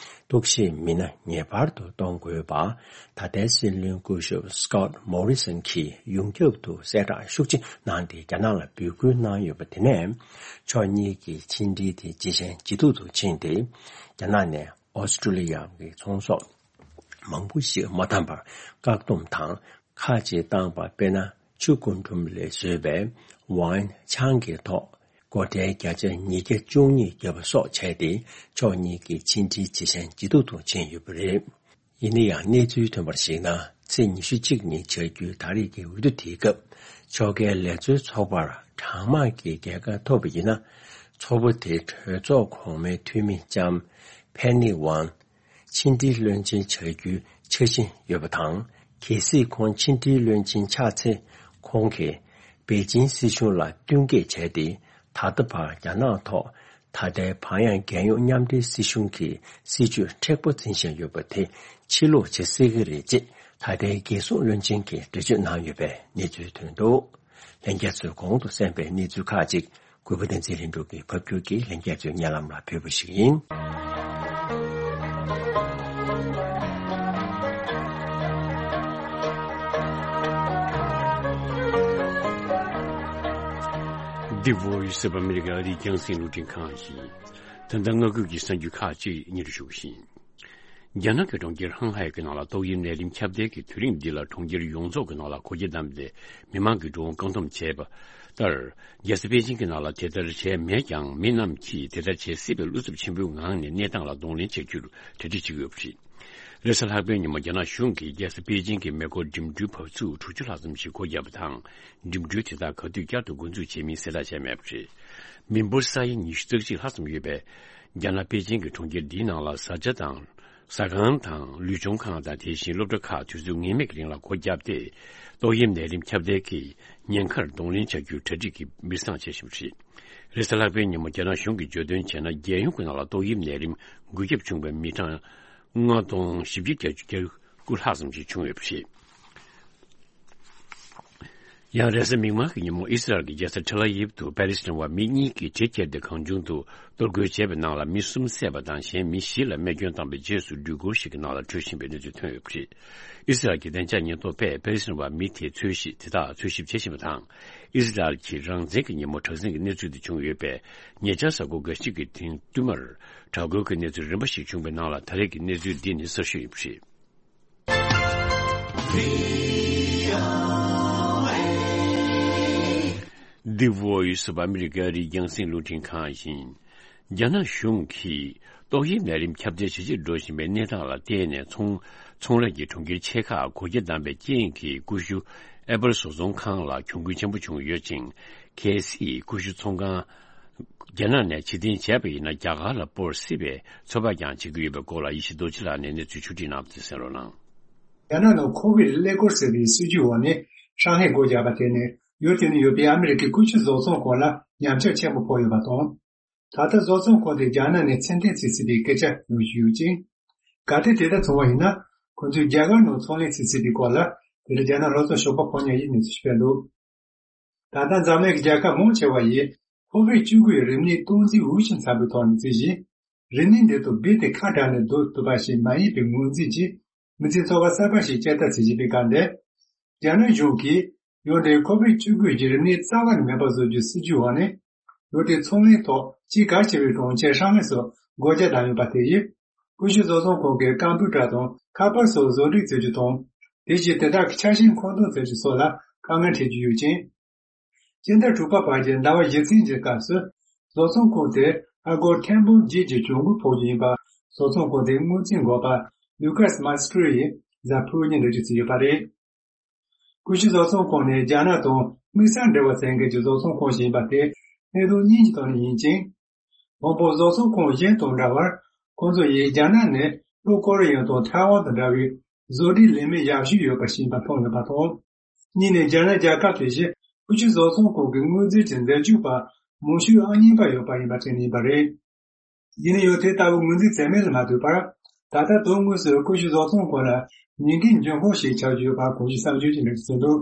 གཏུག་བཤེར་མི་སྣ་ངེས་པར་དུ་གཏོང་དགོས་པ། ད་ལྟའི་སྲིད་བློན་སྐུ་ཞབས་སི་ཀོཊ་མོ་རི་སན་གྱིས་ཡོངས་ཁྱབ་ཏུ་གསལ་བསྒྲགས་ཤུགས་ཆེ་གནང་སྟེ་རྒྱ་ནག་ལ་འབོད་སྐུལ་གནང་ཡོད་པ་དེ་ནས། ཕྱོགས་གཉིས་ཀྱི་ཕྱི་འབྲེལ་དེ་ཇེ་ཞན་ཇེ་སྡུག་ཏུ་ཕྱིན་ཏེ། རྒྱ་ནག་ནས་ཨོ་སི་ཀྲི་ལི་ཡ་གི་ཚོང་ཟོག་མང་པོ་ཞིག་མ་འཐམ་པར་བཀག་སྡོམ་དང་ཁག་ཅིག་བཏང་པ། དཔེར་ན། ཆུ་རྒུན་འབྲུམ་ལས་བཟོས་པའི་ཝའིན། ཆང་གི་ཐོག་སྒོ་ཁྲལ་བརྒྱ་ཆ་ཉིས་བརྒྱ་བཅུ་གཉིས་བརྒྱབ་པ་སོགས་བྱས་ཏེ། ཕྱོགས་གཉིས་ཀྱི་ཕྱི་འབྲེལ་ཇེ་ཞན་ཇེ་སྡུག་ཏུ་ཕྱིན་ཡོད་པ་རེད། ཡིན་ན་ཡང་གནས་ཚུལ་ཐོན་པར་གཞིགས་ན། ཚེས་ཉི་ཤུ་གཅིག་ཉིན་བྱ་རྒྱུའི་ད་རེས་ཀྱི་འོས་བསྡུ་དེའི་སྐབས་ཕྱོགས་འགལ་ལས་བཟོའི་ཚོགས་པར་གྲངས་མང་གི་རྒྱལ་ཁ་ཐོབ་པ་ཡིན་ན། ཚོགས་པ་དེའི་གྲོས་ཚོགས་གོང་མའི་འཐུས་མི་ལྕམ་ཕེ་ནི་ཝང་ཕྱི་འབྲེལ་བློན་ཆེན་བྱ་རྒྱུའི་འཆར་གཞི་ཡོད་པ་དང་། གལ་སྲིད་ཁོང་ཕྱི་འབྲེལ་བློན་ཆེན་ཆགས་ཚེ། ཁོང་གིས་པེ་ཅིན་སྲིད་གཞུང་ལ་བསྟུན་མཁས་བྱས་ཏེ། ད་ལྟ་བར་རྒྱ་ནག་ཐོག་ད་ལྟའི་བག་ཡངས་རྒྱལ་ཡོངས་མཉམ་འབྲེལ་སྲིད་གཞུང་གི་སྲིད་བྱུས་མཁྲེགས་པོ་འཛིན་བཞིན་ཡོད་པ་དེ་ཕྱིར་ལོག་བྱེད་སྲིད་ཀྱི་རེད་ཅེས། ད་ལྟའི་རྒྱལ་སྲུང་བློན་ཆེན་གྱིས་འགྲེལ་བརྗོད་གནང་ཡོད་པའི་གནས་ཚུལ་ཐོན་འདུག་ལྷན་རྒྱས་ཚོས་གོང་དུ་གསན་པའི་གནས་ཚུལ་ཁག་ཅིག་གུས་པ་བསྟན་འཛིན་ལྷུན་གྲུབ་ཀྱིས་ཕབ་སྒྱུར་གྱིས་ལྷན་རྒྱས་ཚོའི་སྙན་ལམ་ལ་ཕུལ་བ་ཞིག་ཡིན། འདི་Voice of America ཨ་རིའི་རྒྱང་སྲིང་རླུང་འཕྲིན་ཁང་ཡིན། ད་ལྟ་སྔ་འགོད་ཀྱི་གསར་འགྱུར་ཁག་ཅིག་སྙན་ཞུ་ཞུ་གི་ཡིན། རྒྱ་ནག་གི་གྲོང་ཁྱེར་ཧང་ཧའེ་གྱི་ནང་ལ་ཏོག་དབྱིབས་ནད་རིམས་ཁྱབ་གདལ་གྱི་དུས་རིམ་འདི་ལ་གྲོང་ཁྱེར་ཡོངས་རྫོགས་ཀྱི་ནང་ལ་སྒོ་རྒྱ་བསྡམས་ཏེ་མི་མང་གི་འགྲོ་འོང་བཀག་སྡོམ་བྱས་པ་ལྟར། རྒྱལ་ས་པེ་ཅིང་གི་ནང་ལ་དེ་ལྟར་བྱས་མེད་ཀྱང་། མི་རྣམས་ཀྱིས་དེ་ལྟར་བྱེད་སྲིད་པའི་བློ་འཚབ་ཆེན་པོའི་ངང་ནས་གནས་སྟངས་ལ་གདོང་ལེན་བྱ་རྒྱུར་གྲ་སྒྲིག་བྱེད་ཀྱི་ཡོད་པ་རེད། རེས་གཟའ་ལྷག་པའི་ཉིན་མོ་རྒྱ་ནག་གཞུང་གིས་རྒྱལ་ས་པེ་ཅིང་གི་མེ་འཁོར་འགྲིམ་འགྲུལ་བབས་ཚུགས་དྲུག་ཅུ་ལྷག་ཙམ་ཞིག་སྒོ་བརྒྱབ་པ་དང་། འགྲིམ་འགྲུལ་དེ་དག་ག་དུས་བསྐྱར་དུ་འགོ་འཛུགས་བྱེད་མིན་གསལ་བསྒྲགས་བྱས་མེད་པ་རེད། མི་འབོར་ས་ཡ་ཉི་ཤུ་རྩ་གཅིག་ལྷག་ཙམ་ཡོད་པའི་རྒྱ་ནག་པེ་ཅིང་གི་གྲོང་ཁྱེར་འདིའི་ནང་ལ་བཟའ་བཅའ་དང་། ཟ་ཁང་དང་ལུས་སྦྱོང་ཁང་དང་། དེ་བཞིན་སློབ་གྲྭ་ཁག་དུས་ཚོད་ངེས་མེད་ཀྱི་རིང་ལ་སྒོ་བརྒྱབ་སྟེ། ཏོག་དབྱིབས་ནད་རིམས་ཁྱབ་གདལ་གྱི་ཉེན་ཁར་གདོང་ལེན་བྱ་རྒྱུའི་གྲ་སྒྲིག་གི་མི་བཟང་བྱེད་བཞིན་པ་རེད། རེས་གཟའ་ལྷག་པའི་ཉིན་མོ་རྒྱ་ནག་གཞུང་གིས་བརྗོད་དོན་བྱས་ན། རྒྱལ་ཡོངས་ཀྱི་ནང་ལ་ཏོག་དབྱིབས་ནད་རིམས་འགོས་ཁྱབ་བྱུང་བའི་མི་གྲངས་ལྔ་སྟོང་བཞི་བརྒྱ་གྱ་དགུ་ལྷག་ཙམ་ཞིག་བྱུང་ཡོད་པ་རེད། ཡང་རེས་གཟའ་མིག་དམར་གྱི་ཉིན་མོ་ཨི་སི་རལ་གྱི་རྒྱལ་ས་ཐེལ་ཨ་ཝིབ་ཏུ་པེ་ལི་སི་ཐན་བ་མི་གཉིས་ཀྱིས་གྲི་ཁྱེར་ཏེ་གང་བྱུང་དུ་གཏོར་རྒོལ་བྱས་པའི་ནང་ལ་མི་གསུམ་བསད་པ་དང་། གཞན་མི་བཞི་ལ་རྨས་སྐྱོན་བཏང་བའི་རྗེས་སུ་འགྲུལ་འཁོར་ཞིག་གི་ནང་ལ་བྲོས་ཕྱིན་པའི་གནས་ཚུལ་ཐོན་ཡོད་པ་རེད། ཨི་སི་རལ་གྱི་བདེ་འཇགས་ཉེན་རྟོག་པས་པེ་ལི་སི་ཐན་བ་མི་དེའི་འཚོལ་ཞིབ་དེ་དག་འཚོལ་ཞིབ་བྱེད་བཞིན་པ་དང་། ཨི་སི་རལ་གྱི་རང་བཙན་གྱི་ཉིན་མོ་དྲག་ཟིང་གི་གནས་ཚུལ་དེ་བྱུང་ཡོད་པས། ཉེ་ཆར་གཟའ་འཁོར་འགའ་ཞིག་གི་རིང་བསྟུད་མར་དྲག་རྒོལ་གྱི་གནས་ཚུལ་རིམ་པ་ཞིག་བྱུང་བའི་ནང་ལ། ད་རེས་ཀྱི་གནས་ཚུལ་འདི་ནི་གསར་ཤོས་ཡིན་པ་རེད། འདི་Voice of America ཨ་རིའི་རྒྱང་སྲིང་རླུང་འཕྲིན་ཁང་ཡིན། རྒྱ་ནག་གཞུང་གིས་ཏོག་དབྱིབས་ནད་རིམས་ཁྱབ་གདལ་ཇེ་ཆེར་འགྲོ་བཞིན་པའི་གནས་སྟངས་ལ་བལྟས་ནས། ཚོང་ཚོང་ལས་ཀྱི་གྲོང་ཁྱེར་ཆེ་ཁག་སྒོ་རྒྱ་བསྡམས་པའི་རྐྱེན་གྱིས། ཀུ་ཤུ་ཨེ་པལ་བཟོ་ཚོང་ཁང་ལ་གྱོང་གུན་ཆེན་པོ་བྱུང་ཡོད་ཅིང་། གལ་སྲིད་ཀུ་ཤུ་ཚོང་ཁང་རྒྱ་ནག་ནས་ཕྱིར་འཐེན་བྱས་པ་ཡིན་ན། རྒྱ་གར་ལ་སྤོར་སྲིད་པའི་ཚོད་དཔག་ཀྱང་བྱེད་ཀྱི་ཡོད་པའི་སྐོར་ལ་ཡེ་ཤེས་རྡོ་རྗེ་ལགས་ནས་གནས་ཚུལ་ཕྱོགས་སྒྲིག་གནང་བ་དེ་གསན་རོགས་གནང་། རྒྱ་ནག་ནང་ཁོ་བིད་ཀླད་ཀོར་ཟེར་བའི་སྲིད་ཇུས་འོག་ནས་ཧྲང་ཧའེ་སྒོ་བརྒྱབ་པ་དེ་ནི། ཡུལ་དེ་ནང་ཡོད་པའི་ཨ་མི་རི་ཀའི་ཀུ་ཤུ་བཟོ་ཚོང་ཁང་ལ་ཉམས་ཆག་ཆེན་པོ་ཕོག་ཡོད་པ་དང་། ད་ལྟ་བཟོ་ཚོང་ཁང་དེ་རྒྱ་ནག་ནས་ཚུར་འཐེན་བྱེད་སྲིད་པའི་སྐད་ཆ་ཡོང་བཞིན་ཡོད་ཅིང་། གལ་ཏེ་དེ་ལྟར་བྱུང་བ་ཡིན་ན། ཁོ་ཚོས་རྒྱ་གར་ནང་ཚོང་ལས་བྱེད་སྲིད་པའི་སྐོར་ལ། དེ་ལ་རྒྱ་ནག་ལྷོ་ཕྱོགས་ཞོགས་པ་ཕོ་ཉ་ཡིས་གནས་ཚུལ་སྤེལ་འདུག་ད་ལྟ་འཛམ་གླིང་གི་རྒྱལ་ཁབ་མང་ཆེ་བ་ཡིས་ཁོ་བིད་བཅུ་དགུ་ཡི་རིམས་ནད་སྟངས་འཛིན་འོས་ཆེན་འཚམ་པའི་ཐོག་ནས་བརྩིས་ཤིང་། རིམས་ནད་འདི་དང་རྦད་དེ་ཁ་བྲལ་ནས་སྡོད་ཐུབ་པ་ཞིག་མ་ཡིན་པའི་ངོས་འཛིན་གྱིས། མི་ཚེ་འཚོ་བ་གསར་པ་ཞིག་སྐྱེལ་ཐབས་བྱེད་བཞིན་པའི་སྐབས་འདིར། རྒྱ་ནག་གཞུང་གིས་ཡུལ་དེའི་ཁོ་བིད་བཅུ་དགུ་གི་རིམས་ནད་རྩ་བ་ནས་མེད་པ་བཟོ་རྒྱུའི་སྲིད་ཇུས་འོག་ནས། ཡུལ་དེའི་ཚོང་ལས་ཐོག་གཅིག་གལ་ཆེ་བའི་གྲོང་ཁྱེར་ཧྲང་ཧའེ་སོགས་སྒོ་རྒྱ་བསྡམས་ཡོད་པ་དེ་ཡིས། ཀུ་ཤུ་བཟོ་ཚོང་ཁང་གི་ཀམ་པུ་ཊར་དང་ཁ་པར་སོགས་བཟོ་སྒྲིག་བྱེད་རྒྱུ་དང་། དེ་བཞིན་དེ་དག་གི་ཆ་ཤས་མཁོ་འདོན་བྱེད་རྒྱུ་སོགས་ལ་དཀའ་ངལ་འཕྲད་ཀྱི་ཡོད་ཅིང་། སྤྱི་ཟླ་དྲུག་པ་བར་གྱི་ཟླ་བ་བཞི་ཚན་གྱི་སྐབས་སུ། བཟོ་ཚོང་ཁང་དེ་ཨ་སྒོར་ཐེར་འབུམ་བརྒྱད་ཀྱི་གྱོང་གུན་ཕོག་རྒྱུ་ཡིན་པ། བཟོ་ཚོང་ཁང་དེའི་དངུལ་རྩིས་འགོ་པ་ལུ་ཀཱས་མཱ་སི་ཀྲོ་ཡིས་གཟའ་ཕུར་བུ་ཉིན་འགྲེལ་བརྗོད་བྱས་ཡོད་པ་རེད། ཀུ་ཤུ་བཟོ་ཚོང་ཁང་ནི་རྒྱ་ནག་དང་དམིགས་བསལ་འབྲེལ་བ་ཟིན་མཁན་གྱི་བཟོ་ཚོང་ཁང་ཞིག་ཡིན་པ་དེ་གནད་དོན་གཉིས་ཀྱི་ཐོག་ནས་ཡིན་ཅིང་། དང་པོ། བཟོ་ཚོང་ཁང་གཞན་དང་འདྲ་བར། ཁོང་ཚོ་ཡིས་རྒྱ་ནག་ནས་ལྷོ་ཀོ་རི་ཡ་དང་ཐའེ་ཝན་དང་འདྲ་བའི་བཟོ་སྒྲིག་ལས་མི་ཡག་ཤོས་ཡོད་པ་ཞིག་ཡིན་པ་མཐོང་ཡོད་པ་དང་། གཉིས་ནས། རྒྱ་ནག་རྒྱལ་ཁབ་དེ་བཞིན་ཀུ་ཤུ་བཟོ་ཚོང་ཁང་གི་དངུལ་རྩིས་ཀྱི་འཛད་སྤྱོད་པ་མང་ཤོས་ཨང་གཉིས་པ་ཡོད་པ་ཡིན་པ་བཅས་ནས་ཡིན་པ་རེད། ཡིན་ན་ཡང་དེ་ལྟ་བུའི་དངུལ་རྩིས་ཚད་མེད་ལ་མ་ལྟོས་པར། ད་ལྟ་དོན་དངོས་སུ་ཀུ་ཤུ་བཟོ་ཚོང་ཁང་ལ་ཉེན་ཁའི་འབྱུང་ཁུངས་ཤིག་ཆགས་ཀྱི་ཡོད་པ་གོང་ཞུས་གསར་འགྱུར་གྱིས་འགྲེལ་བརྗོད་བྱས་འདུག་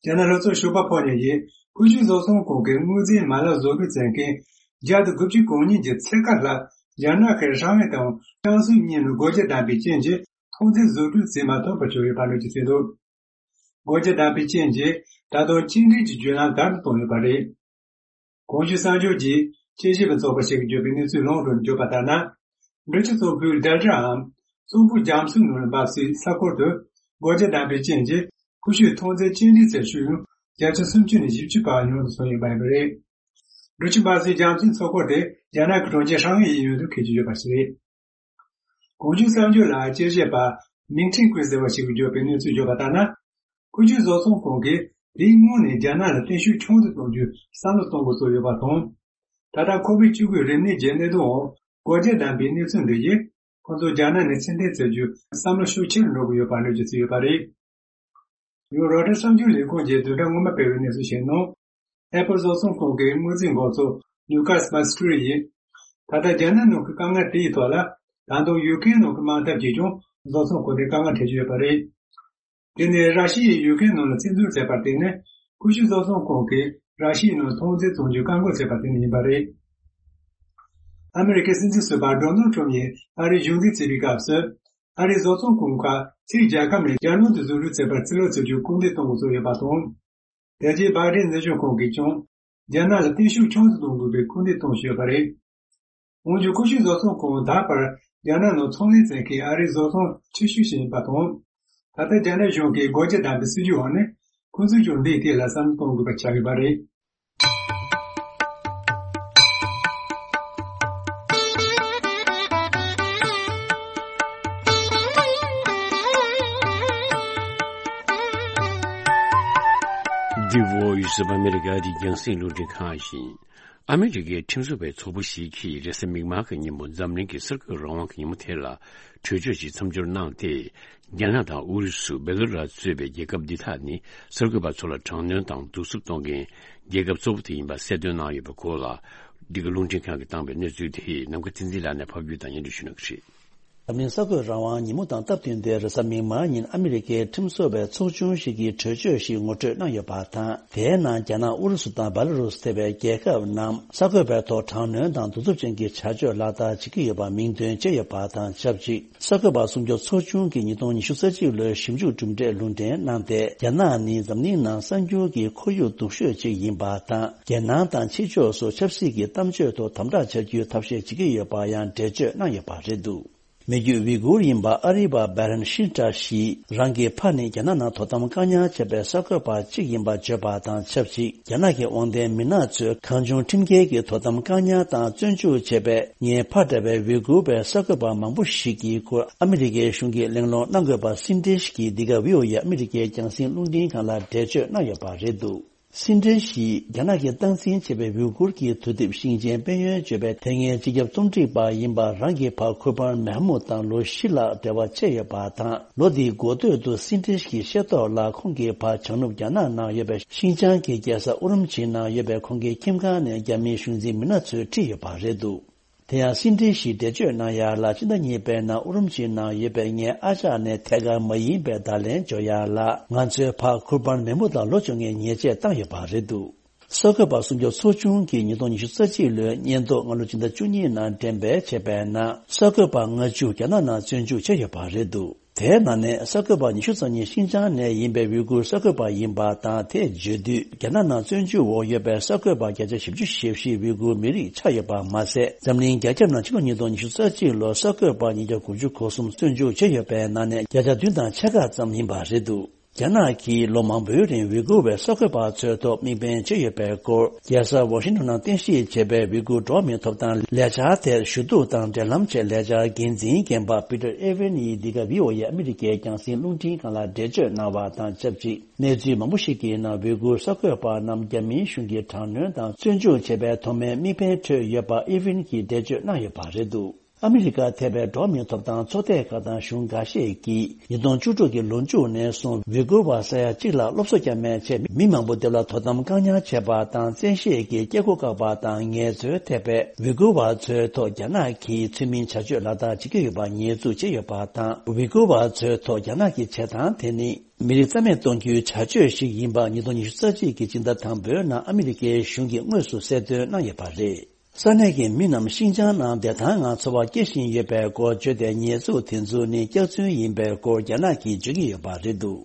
རྒྱ་ནག་ལྷོ་ཕྱོགས་ཞོགས་པ་ཕོ་ཉ་ཡིས་ཀུ་ཤུ་བཟོ་ཚོང་ཁང་གི་དངུལ་རྩིས་མ་ལག་བཟོ་སྒྲིག་བྱེད་མཁན་བརྒྱ་དང་དགུ་བཅུ་གོ་གཉིས་ཀྱི་ཚད་བཀག་ལྷག་རྒྱ་ནག་གི་ཧྲང་ཧའེ་དང་ཅང་སུའུ་གཉིས་ནང་སྒོ་རྒྱ་བསྡམས་པའི་རྐྱེན་གྱིས་ཐོག་འཛིན་བཟོ་སྒྲིག་བྱེད་མ་ཐུབ་པར་གྱུར་ཡོད་པ་འགྲེལ་བརྗོད་བྱས་འདུག་སྒོ་རྒྱ་བསྡམས་པའི་རྐྱེན་གྱིས་ད་དུང་སྐྱེལ་འདྲེན་གྱི་བརྒྱུད་ལམ་བརྡབ་ཏུ་བཏང་ཡོད་པ་རེད། གོང་ཞུས་གསར་འགྱུར་གྱིས་དཔྱད་ཞིབ་པ་ཚོགས་པ་ཞིག་གིས་བརྗོད་པའི་གནས་ཚུལ་ལུང་དུ་བརྗོད་པ་ལྟར་ན། འབྲི་ཆུ་གཙང་པོའི་ཌེལ་ཊའམ་གཙང་པོ་རྒྱ་མཚོའི་ནང་ལ་འབབ་སའི་ས་ཁུལ་དུ་སྒོ་རྒྱ་བསྡམས་པའི་རྐྱེན་གྱིས་ཀུ་ཤུའི་ཐོན་རྫས་སྐྱེལ་འདྲེན་བྱེད་ཤུགས་ཡང་བརྒྱ་ཆ་སུམ་ཅུ་ནས་བཞི་བཅུ་བར་ཉུང་དུ་སོང་ཡོད་པ་ཡིན་པ་རེད། འབྲི་ཆུ་འབབ་སའི་རྒྱ་མཚོའི་མཚོ་ཁུལ་དེ་རྒྱ་ནག་གི་གྲོང་ཁྱེར་ཧྲང་ཧའེ་ཡི་ཡུལ་དུ་འཁེལ་གྱི་ཡོད་པ་ཞིག་རེད། གོང་ཞུས་གསར་འགྱུར་ལ་དཔྱད་ཞིབ་པ་ མིང་ཁྲིན་ཀུའེ་ཟེར་བ་ཞིག་གིས་བརྗོད་པའི་གནས་ཚུལ་བརྗོད་པ་ལྟར་ན། ཀུ་ཤུ་བཟོ་ཚོང་ཁང་གིས་དེའི་སྔོན་ནས་རྒྱ་ནག་ལ་བརྟན་བཞུགས་ཆུང་དུ་གཏོང་རྒྱུའི་བསམ་བློ་གཏོང་དགོས་ཚུལ་ཡོད་པ་དང་། ད་ལྟ་ཁོ་པའི་ཕྲུ་གུའི་རིམས་ནད་ཀྱི་གནད་དོན་འོག་སྒོ་འབྱེད་བདམས་པའི་གནས་ཚུལ་འདི་ཡིས། ཁོ་ཚོ་རྒྱ་ནག་ནས་ཕྱིར་འཐེན་བྱེད་རྒྱུའི་བསམ་བློ་ཤུགས་ཆེ་རུ་འགྲོ་གི་ཡོད་པ་གནས་ཚུལ་ཡོད་པ་རེད། ཡང་རོའི་ཊར་གསར་འགྱུར་ལས་ཁུངས་ཀྱིས་བདུན་ཕྲག་སྔོན་མ་སྤེལ་བའི་གནས་ཚུལ་ཞིག་ནང་། ཨེ་པལ་བཟོ་ཚོང་ཁང་གི་དངུལ་རྩིས་འགོ་གཙོ་ལུ་ཀཱས་མཱ་སི་ཀྲི་ཡིས། ད་ལྟ་རྒྱ་ནག་ནང་གི་དཀའ་ངལ་དེ་ཡི་ཐོག་ལ། ད་དུང་ཡུ་ཀེ་རེན་ནང་གི་དམག་འཐབ་ཀྱིས་ཀྱང་བཟོ་ཚོང་ཁང་དེ་དཀའ་ངལ་འཕྲད་ཀྱི་ཡོད་པ་རེད། དེ་ནི་ར་ཤི་ཡས་ཡུ་ཀེ་རེན་ནང་ལ་བཙན་འཛུལ་བྱས་པར་བརྟེན་ནས། ཀུ་ཤུ་བཟོ་ཚོང་ཁང་གིས་ར་ཤི་ཡའི་ནང་ཐོན་རྫས་བཙོང་རྒྱུ་བཀག་འགོག་བྱས་པར་བརྟེན་ནས་ཡིན་པ་རེད། ཨ་མེ་རི་ཀའི་སྲིད་འཛིན་ཟུར་པ་ཌོ་ནལ་ཊམ་ཡིས་ཨ་རིའི་གཞུང་འཛིན་བྱེད་པའི་སྐབས་སུ། ཨ་རིའི་བཟོ་ཚོང་ཁང་ཁག་ཕྱིའི་རྒྱལ་ཁབ་ནས་རྒྱལ་ནང་དུ་བཟོ་རུ་བྱེད་པར་རྩིས་ལོག་བྱེད་རྒྱུར་སྐུལ་འདེད་གཏོང་དགོས་ཚུལ་ཡོད་པ་དང་། དེ་རྗེས་སྦའི་ཌེན་འཛིན་སྐྱོང་ཁང་གིས་ཀྱང་། རྒྱ་ནག་ལ་བརྟན་བཞུགས་ཆུང་དུ་གཏོང་དགོས་པའི་སྐུལ་འདེད་གཏོང་བཞིན་ཡོད་པ་རེད། འོན་ཀྱང་ཀུ་ཤུ་བཟོ་ཚོང་ཁང་ད་བར་རྒྱ་ནག་ནང་ཚོང་ལས་བྱེད་མཁན་ཨ་རིའི་བཟོ་ཚོང་ཆེ་ཤོས་ཤིག་ཡིན་པ་དང་། ད་ལྟ་རྒྱ་ནག་གཞུང་གིས་སྒོ་འབྱེད་བདམས་པའི་སྲིད་ཇུས་འོག་ནས། ཁོ་ཚོས་ཀྱང་འདིའི་ཐད་ལ་བསམ་བློ་གཏོང་དགོས་པ་ཆགས་ཡོད་པ་རེད། The Voice of America འདི་རྒྱང་སྲིང་རླུང་འཕྲིན་ཁང་ཡིན། ཨ་མི་རི་ཀའི་ཁྲིམས་བཟོ་བའི་ཚོགས་པ་ཞིག་གིས་རེས་གཟའ་མིག་དམར་གྱི་ཉིན་མོ་འཛམ་གླིང་གི་གསར་འགོད་རང་དབང་གི་ཉིན་མོ་དེ་ལ་གྲོས་ཆོད་ཅིག་མཚམས་སྦྱོར་གནང་སྟེ། རྒྱ་ནག་དང་ཨུ་རུ་སུ། སྦེ་ལ་རུ་སི་གཙོས་པའི་རྒྱལ་ཁབ་འདི་དག་ནི་གསར་འགོད་པ་ཚོ་ལ་དྲག་གནོན་དང་གདུག་རྩུབ་གཏོང་མཁན་རྒྱལ་ཁབ་གཙོ་བོ་དེ་ཡིན་པ་གསལ་སྟོན་གནང་ཡོད་པའི་སྐོར་ལ། འདི་ག་རླུང་འཕྲིན་ཁང་གིས་བཏང་པའི་གནས་ཚུལ་དེ་ནམ་མཁའ་བསྟན་འཛིན་ལགས་ནས་ཕབ་སྒྱུར་དང་སྙན་སྒྲོན་ཞུ་གནང་གི་རེད། འཛམ་གླིང་གསར་འགོད་རང་དབང་ཉིན་མོ་དང་སྟབས་བསྟུན་ཏེ། རེས་གཟའ་མིག་དམར་ཉིན་ཨ་མི་རི་ཀའི་ཁྲིམས་བཟོ་བའི་ཚོགས་ཆུང་ཞིག་གིས་གྲོས་ཆོད་ཞིག་ངོ་སྤྲོད་གནང་ཡོད་པ་དང་། དེའི་ནང་རྒྱ་ནག་ཨུ་རུ་སུ་དང་སྦེ་ལ་རུ་སི་ཐེ་བའི་རྒྱལ་ཁབ་རྣམས་གསར་འགོད་པའི་ཐོག་དྲག་གནོན་དང་གདུག་རྩུབ་ཅན་གྱི་བྱ་སྤྱོད་ལག་བསྟར་བྱེད་ཀྱི་ཡོད་པ་མིང་འདོན་བྱས་ཡོད་པ་དང་ཆབས་ཅིག་གསར་འགོད་པ་སྲུང་སྐྱོབ་ཚོགས་ཆུང་གིས་ཉིས་སྟོང་ཉི་ཤུ་རྩ་གཅིག་ལོའི་ཞིབ་འཇུག་གྲུབ་འབྲས་ལུང་འདྲེན་གནང་སྟེ། རྒྱ་ནག་ནི་འཛམ་གླིང་ནང་གསར་འགྱུར་གྱི་ཁོར་ཡུག་སྡུག་ཤོས་ཅིག་ཡིན་པ་དང་། རྒྱལ་ནང་དང་ཕྱི་ཕྱོགས་སུ་ཆབ་སྲིད་ཀྱི་གཏམ་བརྗོད་ཐོག་དམ་དྲག་བྱ་རྒྱུའི་ཐབས་ཤེས་བྱེད་ཀྱི་ཡོད་པ་ཡང་འགྲེལ་བརྗོད་གནང་ཡོད་པ་རེད་འདུག་མི་རྒྱུད་ཝི་གུར་ཡིན་པ་ཨ་རི་བ་བྷེ་རན་ཤིན་ཏྲ་ཞིས་རང་གི་ཕ་ནི་རྒྱ་ནག་ནང་དོ་དམ་བཀག་ཉར་བྱས་པའི་གསར་འགོད་པ་གཅིག་ཡིན་པ་བརྗོད་པ་དང་ཆབས་ཅིག་རྒྱ་ནག་གི་དབང་ལྡན་མི་སྣ་ཚོས་གང་བྱུང་ཁྲིམས་འགལ་གྱི་དོ་དམ་བཀག་ཉར་དང་བཙོན་འཇུག་བྱས་པའི་ངའི་ཕ་འདྲ་བའི་ཝི་གུར་བའི་གསར་འགོད་པ་མང་པོ་ཞིག་གི་སྐོར་ཨ་མི་རི་ཀའི་གཞུང་གིས་གླེང་སློང་གནང་དགོས་པ་སིན་ཏེ་ཤི་གིས་འདི་ག་ཝི་ཨོ་ཨེ་ཨ་མི་རི་ཀའི་རྒྱང་སྲིང་རླུང་འཕྲིན་ཁང་ལ་འགྲེལ་བརྗོད་གནང་ཡོད་པ་རེད་འདུག་སིན་ཏེ་ཤིས་རྒྱ་ནག་གིས་སྟངས་འཛིན་བྱས་པའི་ཝི་གུར་གྱི་དུས་དེབ་ཤིང་ཆེན་དཔལ་ཡོན་བརྗོད་པའི་དེ་སྔའི་སྤྱི་ཁྱབ་རྩོམ་སྒྲིག་པ་ཡིན་པ་རང་གི་ཕ་ཁུར་པན་མེ་མུད་དང་ལོ་བཞི་ལྷག་འབྲེལ་བ་ཆད་ཡོད་པ་དང་། ལོ་འདིའི་འགོ་སྟོད་དུ་སིན་ཏེ་ཤིས་ཀྱི་ཤེས་རྟོགས་ལ་ཁོང་གི་ཕ་བྱང་ནུབ་རྒྱ་ནག་ནང་ཡོད་པའི་ཤིན་ཅང་གི་རྒྱལ་ས་ཨུ་རུམ་ཆིའི་ནང་ཡོད་པའི་ཁོང་གི་ཁྱིམ་ཁང་ནས་རྒྱ་མིའི་གཞུང་འཛིན་མི་སྣ་ཚོས་ཁྲིད་ཡོད་པ་རེད་འདུག་དེ་ཡང་སིན་ཏེ་ཤིས་འགྲེལ་བརྗོད་གནང་ཡ་ལ། ཕྱི་ཟླ་གཉིས་པའི་ནང་ཨུ་རུམ་ཆིའི་ནང་ཡོད་པའི་ངའི་ཨ་ཅག་ནས་ཐད་ཀར་མ་ཡིན་པའི་བརྡ་ལན་འབྱོར་ཡ་ལ། ང་ཚོའི་ཕ་ཁུར་པན་མེ་མུད་ལ་ལོ་བཅོ་ལྔའི་ཉེས་ཆད་བཏང་ཡོད་པ་རེད་འདུག་གསར་འགོད་པ་སྲུང་སྐྱོབ་ཚོགས་ཆུང་གིས་ཉིས་སྟོང་ཉི་ཤུ་རྩ་གཅིག་ལོའི་སྙན་ཐོ་སྔ་ལོ་སྤྱི་ཟླ་བཅུ་གཉིས་ནང་འགྲེམས་སྤེལ་བྱས་པའི་ནང་། གསར་འགོད་པ་ལྔ་བཅུ་རྒྱ་ནག་ནང་བཙོན་འཇུག་བྱས་ཡོད་པ་རེད་འདུག་དེའི་ནང་ནས་གསར་འགོད་པ་ཉི་ཤུ་རྩ་གཉིས་ཤིན་ཅང་ནས་ཡིན་པའི་ཝི་གུར་གསར་འགོད་པ་ཡིན་པ་དང་། དེ་བརྗོད་དུས་རྒྱ་ནག་ནང་བཙོན་འཇུག་འོག་ཡོད་པའི་གསར་འགོད་པ་བརྒྱ་ཆ་བཞི་བཅུ་ཞེ་བཞི་ཝི་གུར་མི་རིགས་ཆགས་ཡོད་པ་མ་ཟད། འཛམ་གླིང་རྒྱ་ཁྱབ་ནང་ཕྱི་ལོ་ཉིས་སྟོང་ཉི་ཤུ་རྩ་གཅིག་ལོར་གསར་འགོད་པ་ཉིས་བརྒྱ་དགུ་བཅུ་གོ་གསུམ་བཙོན་འཇུག་བྱས་ཡོད་པའི་ནང་ནས་བརྒྱ་ཆ་བདུན་དང་ཕྱེད་ཀ་ཙམ་ཡིན་པ་རེད་འདུག་རྒྱ་ནག་གིས་ལོ་མང་པོའི་རིང་ཝི་གུར་བའི་གསར་འགོད་པ་ཚོའི་ཐོག་དམིགས་འབེན་བྱས་ཡོད་པའི་སྐོར། རྒྱལ་ས་ཝ་ཤིང་ཊོན་ནང་རྟེན་གཞི་བྱས་པའི་ཝི་གུར་འགྲོ་བ་མིའི་ཐོབ་ཐང་ལས་འཆར་ཐད་ཞུ་གཏུག་དང་འབྲེལ་ལམ་ཆེད་ལས་འཆར་འགན་འཛིན་རྒན་པ་པི་ཏར་ཨེ་ཝན་ཡིས་འདི་ག་ཝི་ཨོ་ཨེ་ཨ་མི་རི་ཀའི་རྒྱང་སྲིང་རླུང་འཕྲིན་ཁང་ལ་འགྲེལ་བརྗོད་གནང་བ་དང་ཆབས་ཅིག་གནས་ཚུལ་མང་པོ་ཞིག་གི་ནང་ཝི་གུར་གསར་འགོད་པ་རྣམས་རྒྱ་མིའི་གཞུང་གིས་དྲག་གནོན་དང་བཙོན་འཇུག་བྱས་པའི་ཐོག་མའི་དམིགས་འབེན་འཕྲོད་ཡོད་པ་ཨེ་ཝན་གྱིས་འགྲེལ་བརྗོད་གནང་ཡོད་པ་རེད་འདུག་ཨ་མི་རི་ཀ་ཐེ་བའི་འགྲོ་བ་མིའི་ཐོབ་ཐང་ཚོགས་སྡེ་ཁག་དང་གཞུང་འགའ་ཤས་ཀྱིས་ཉིས་སྟོང་བཅུ་དྲུག་གི་ལོ་མཇུག་ནས་བཟུང་ཝི་གུར་བ་ས་ཡ་གཅིག་ལ་སློབ་གསོ་བསྐྱལ་མེད་ཆེད་མི་མང་པོ་དེ་ལ་དོ་དམ་བཀག་ཉར་བྱས་པ་དང་། བཙན་ཤེད་ཀྱིས་སྐྱེ་སྒོ་བཀག་པ་དང་ངལ་རྩོལ་ཐེབས་པའི་ཝི་གུར་བ་ཚོའི་ཐོག་རྒྱ་ནག་གིས་ཚུལ་མིན་བྱ་སྤྱོད་ལག་བསྟར་བྱེད་ཀྱི་ཡོད་པ་ཉེས་འཛུགས་བྱས་ཡོད་པ་དང་། ཝི་གུར་བ་ཚོའི་ཐོག་རྒྱ་ནག་གི་བྱེད་སྟངས་དེ་ནི་མི་རིགས་རྩ་མེད་གཏོང་རྒྱུའི་བྱ་སྤྱོད་ཞིག་ཡིན་པ་ཉིས་སྟོང་ཉི་ཤུ་རྩ་གཅིག་གི་སྤྱི་ཟླ་དང་པོའི་ནང་ཨ་མི་རི་ཀའི་གཞུང་གིས་དངོས་སུ་གསལ་སྟོན་གནང་ཡོད་པ་རེད། ས་གནས་ཀྱི་མི་རྣམས་ཤིན་ཅང་ནང་བདེ་ཐང་ངང་འཚོ་བ་སྐྱེལ་བཞིན་ཡོད་པའི་སྐོར་བརྗོད་དེ། ཉེས་འཛུགས་དེ་ཚོ་ནི་སྐྱག་རྫུན་ཡིན་པའི་སྐོར་རྒྱ་ནག་གིས་བརྗོད་ཀྱི་ཡོད་པ་རེད་འདུག་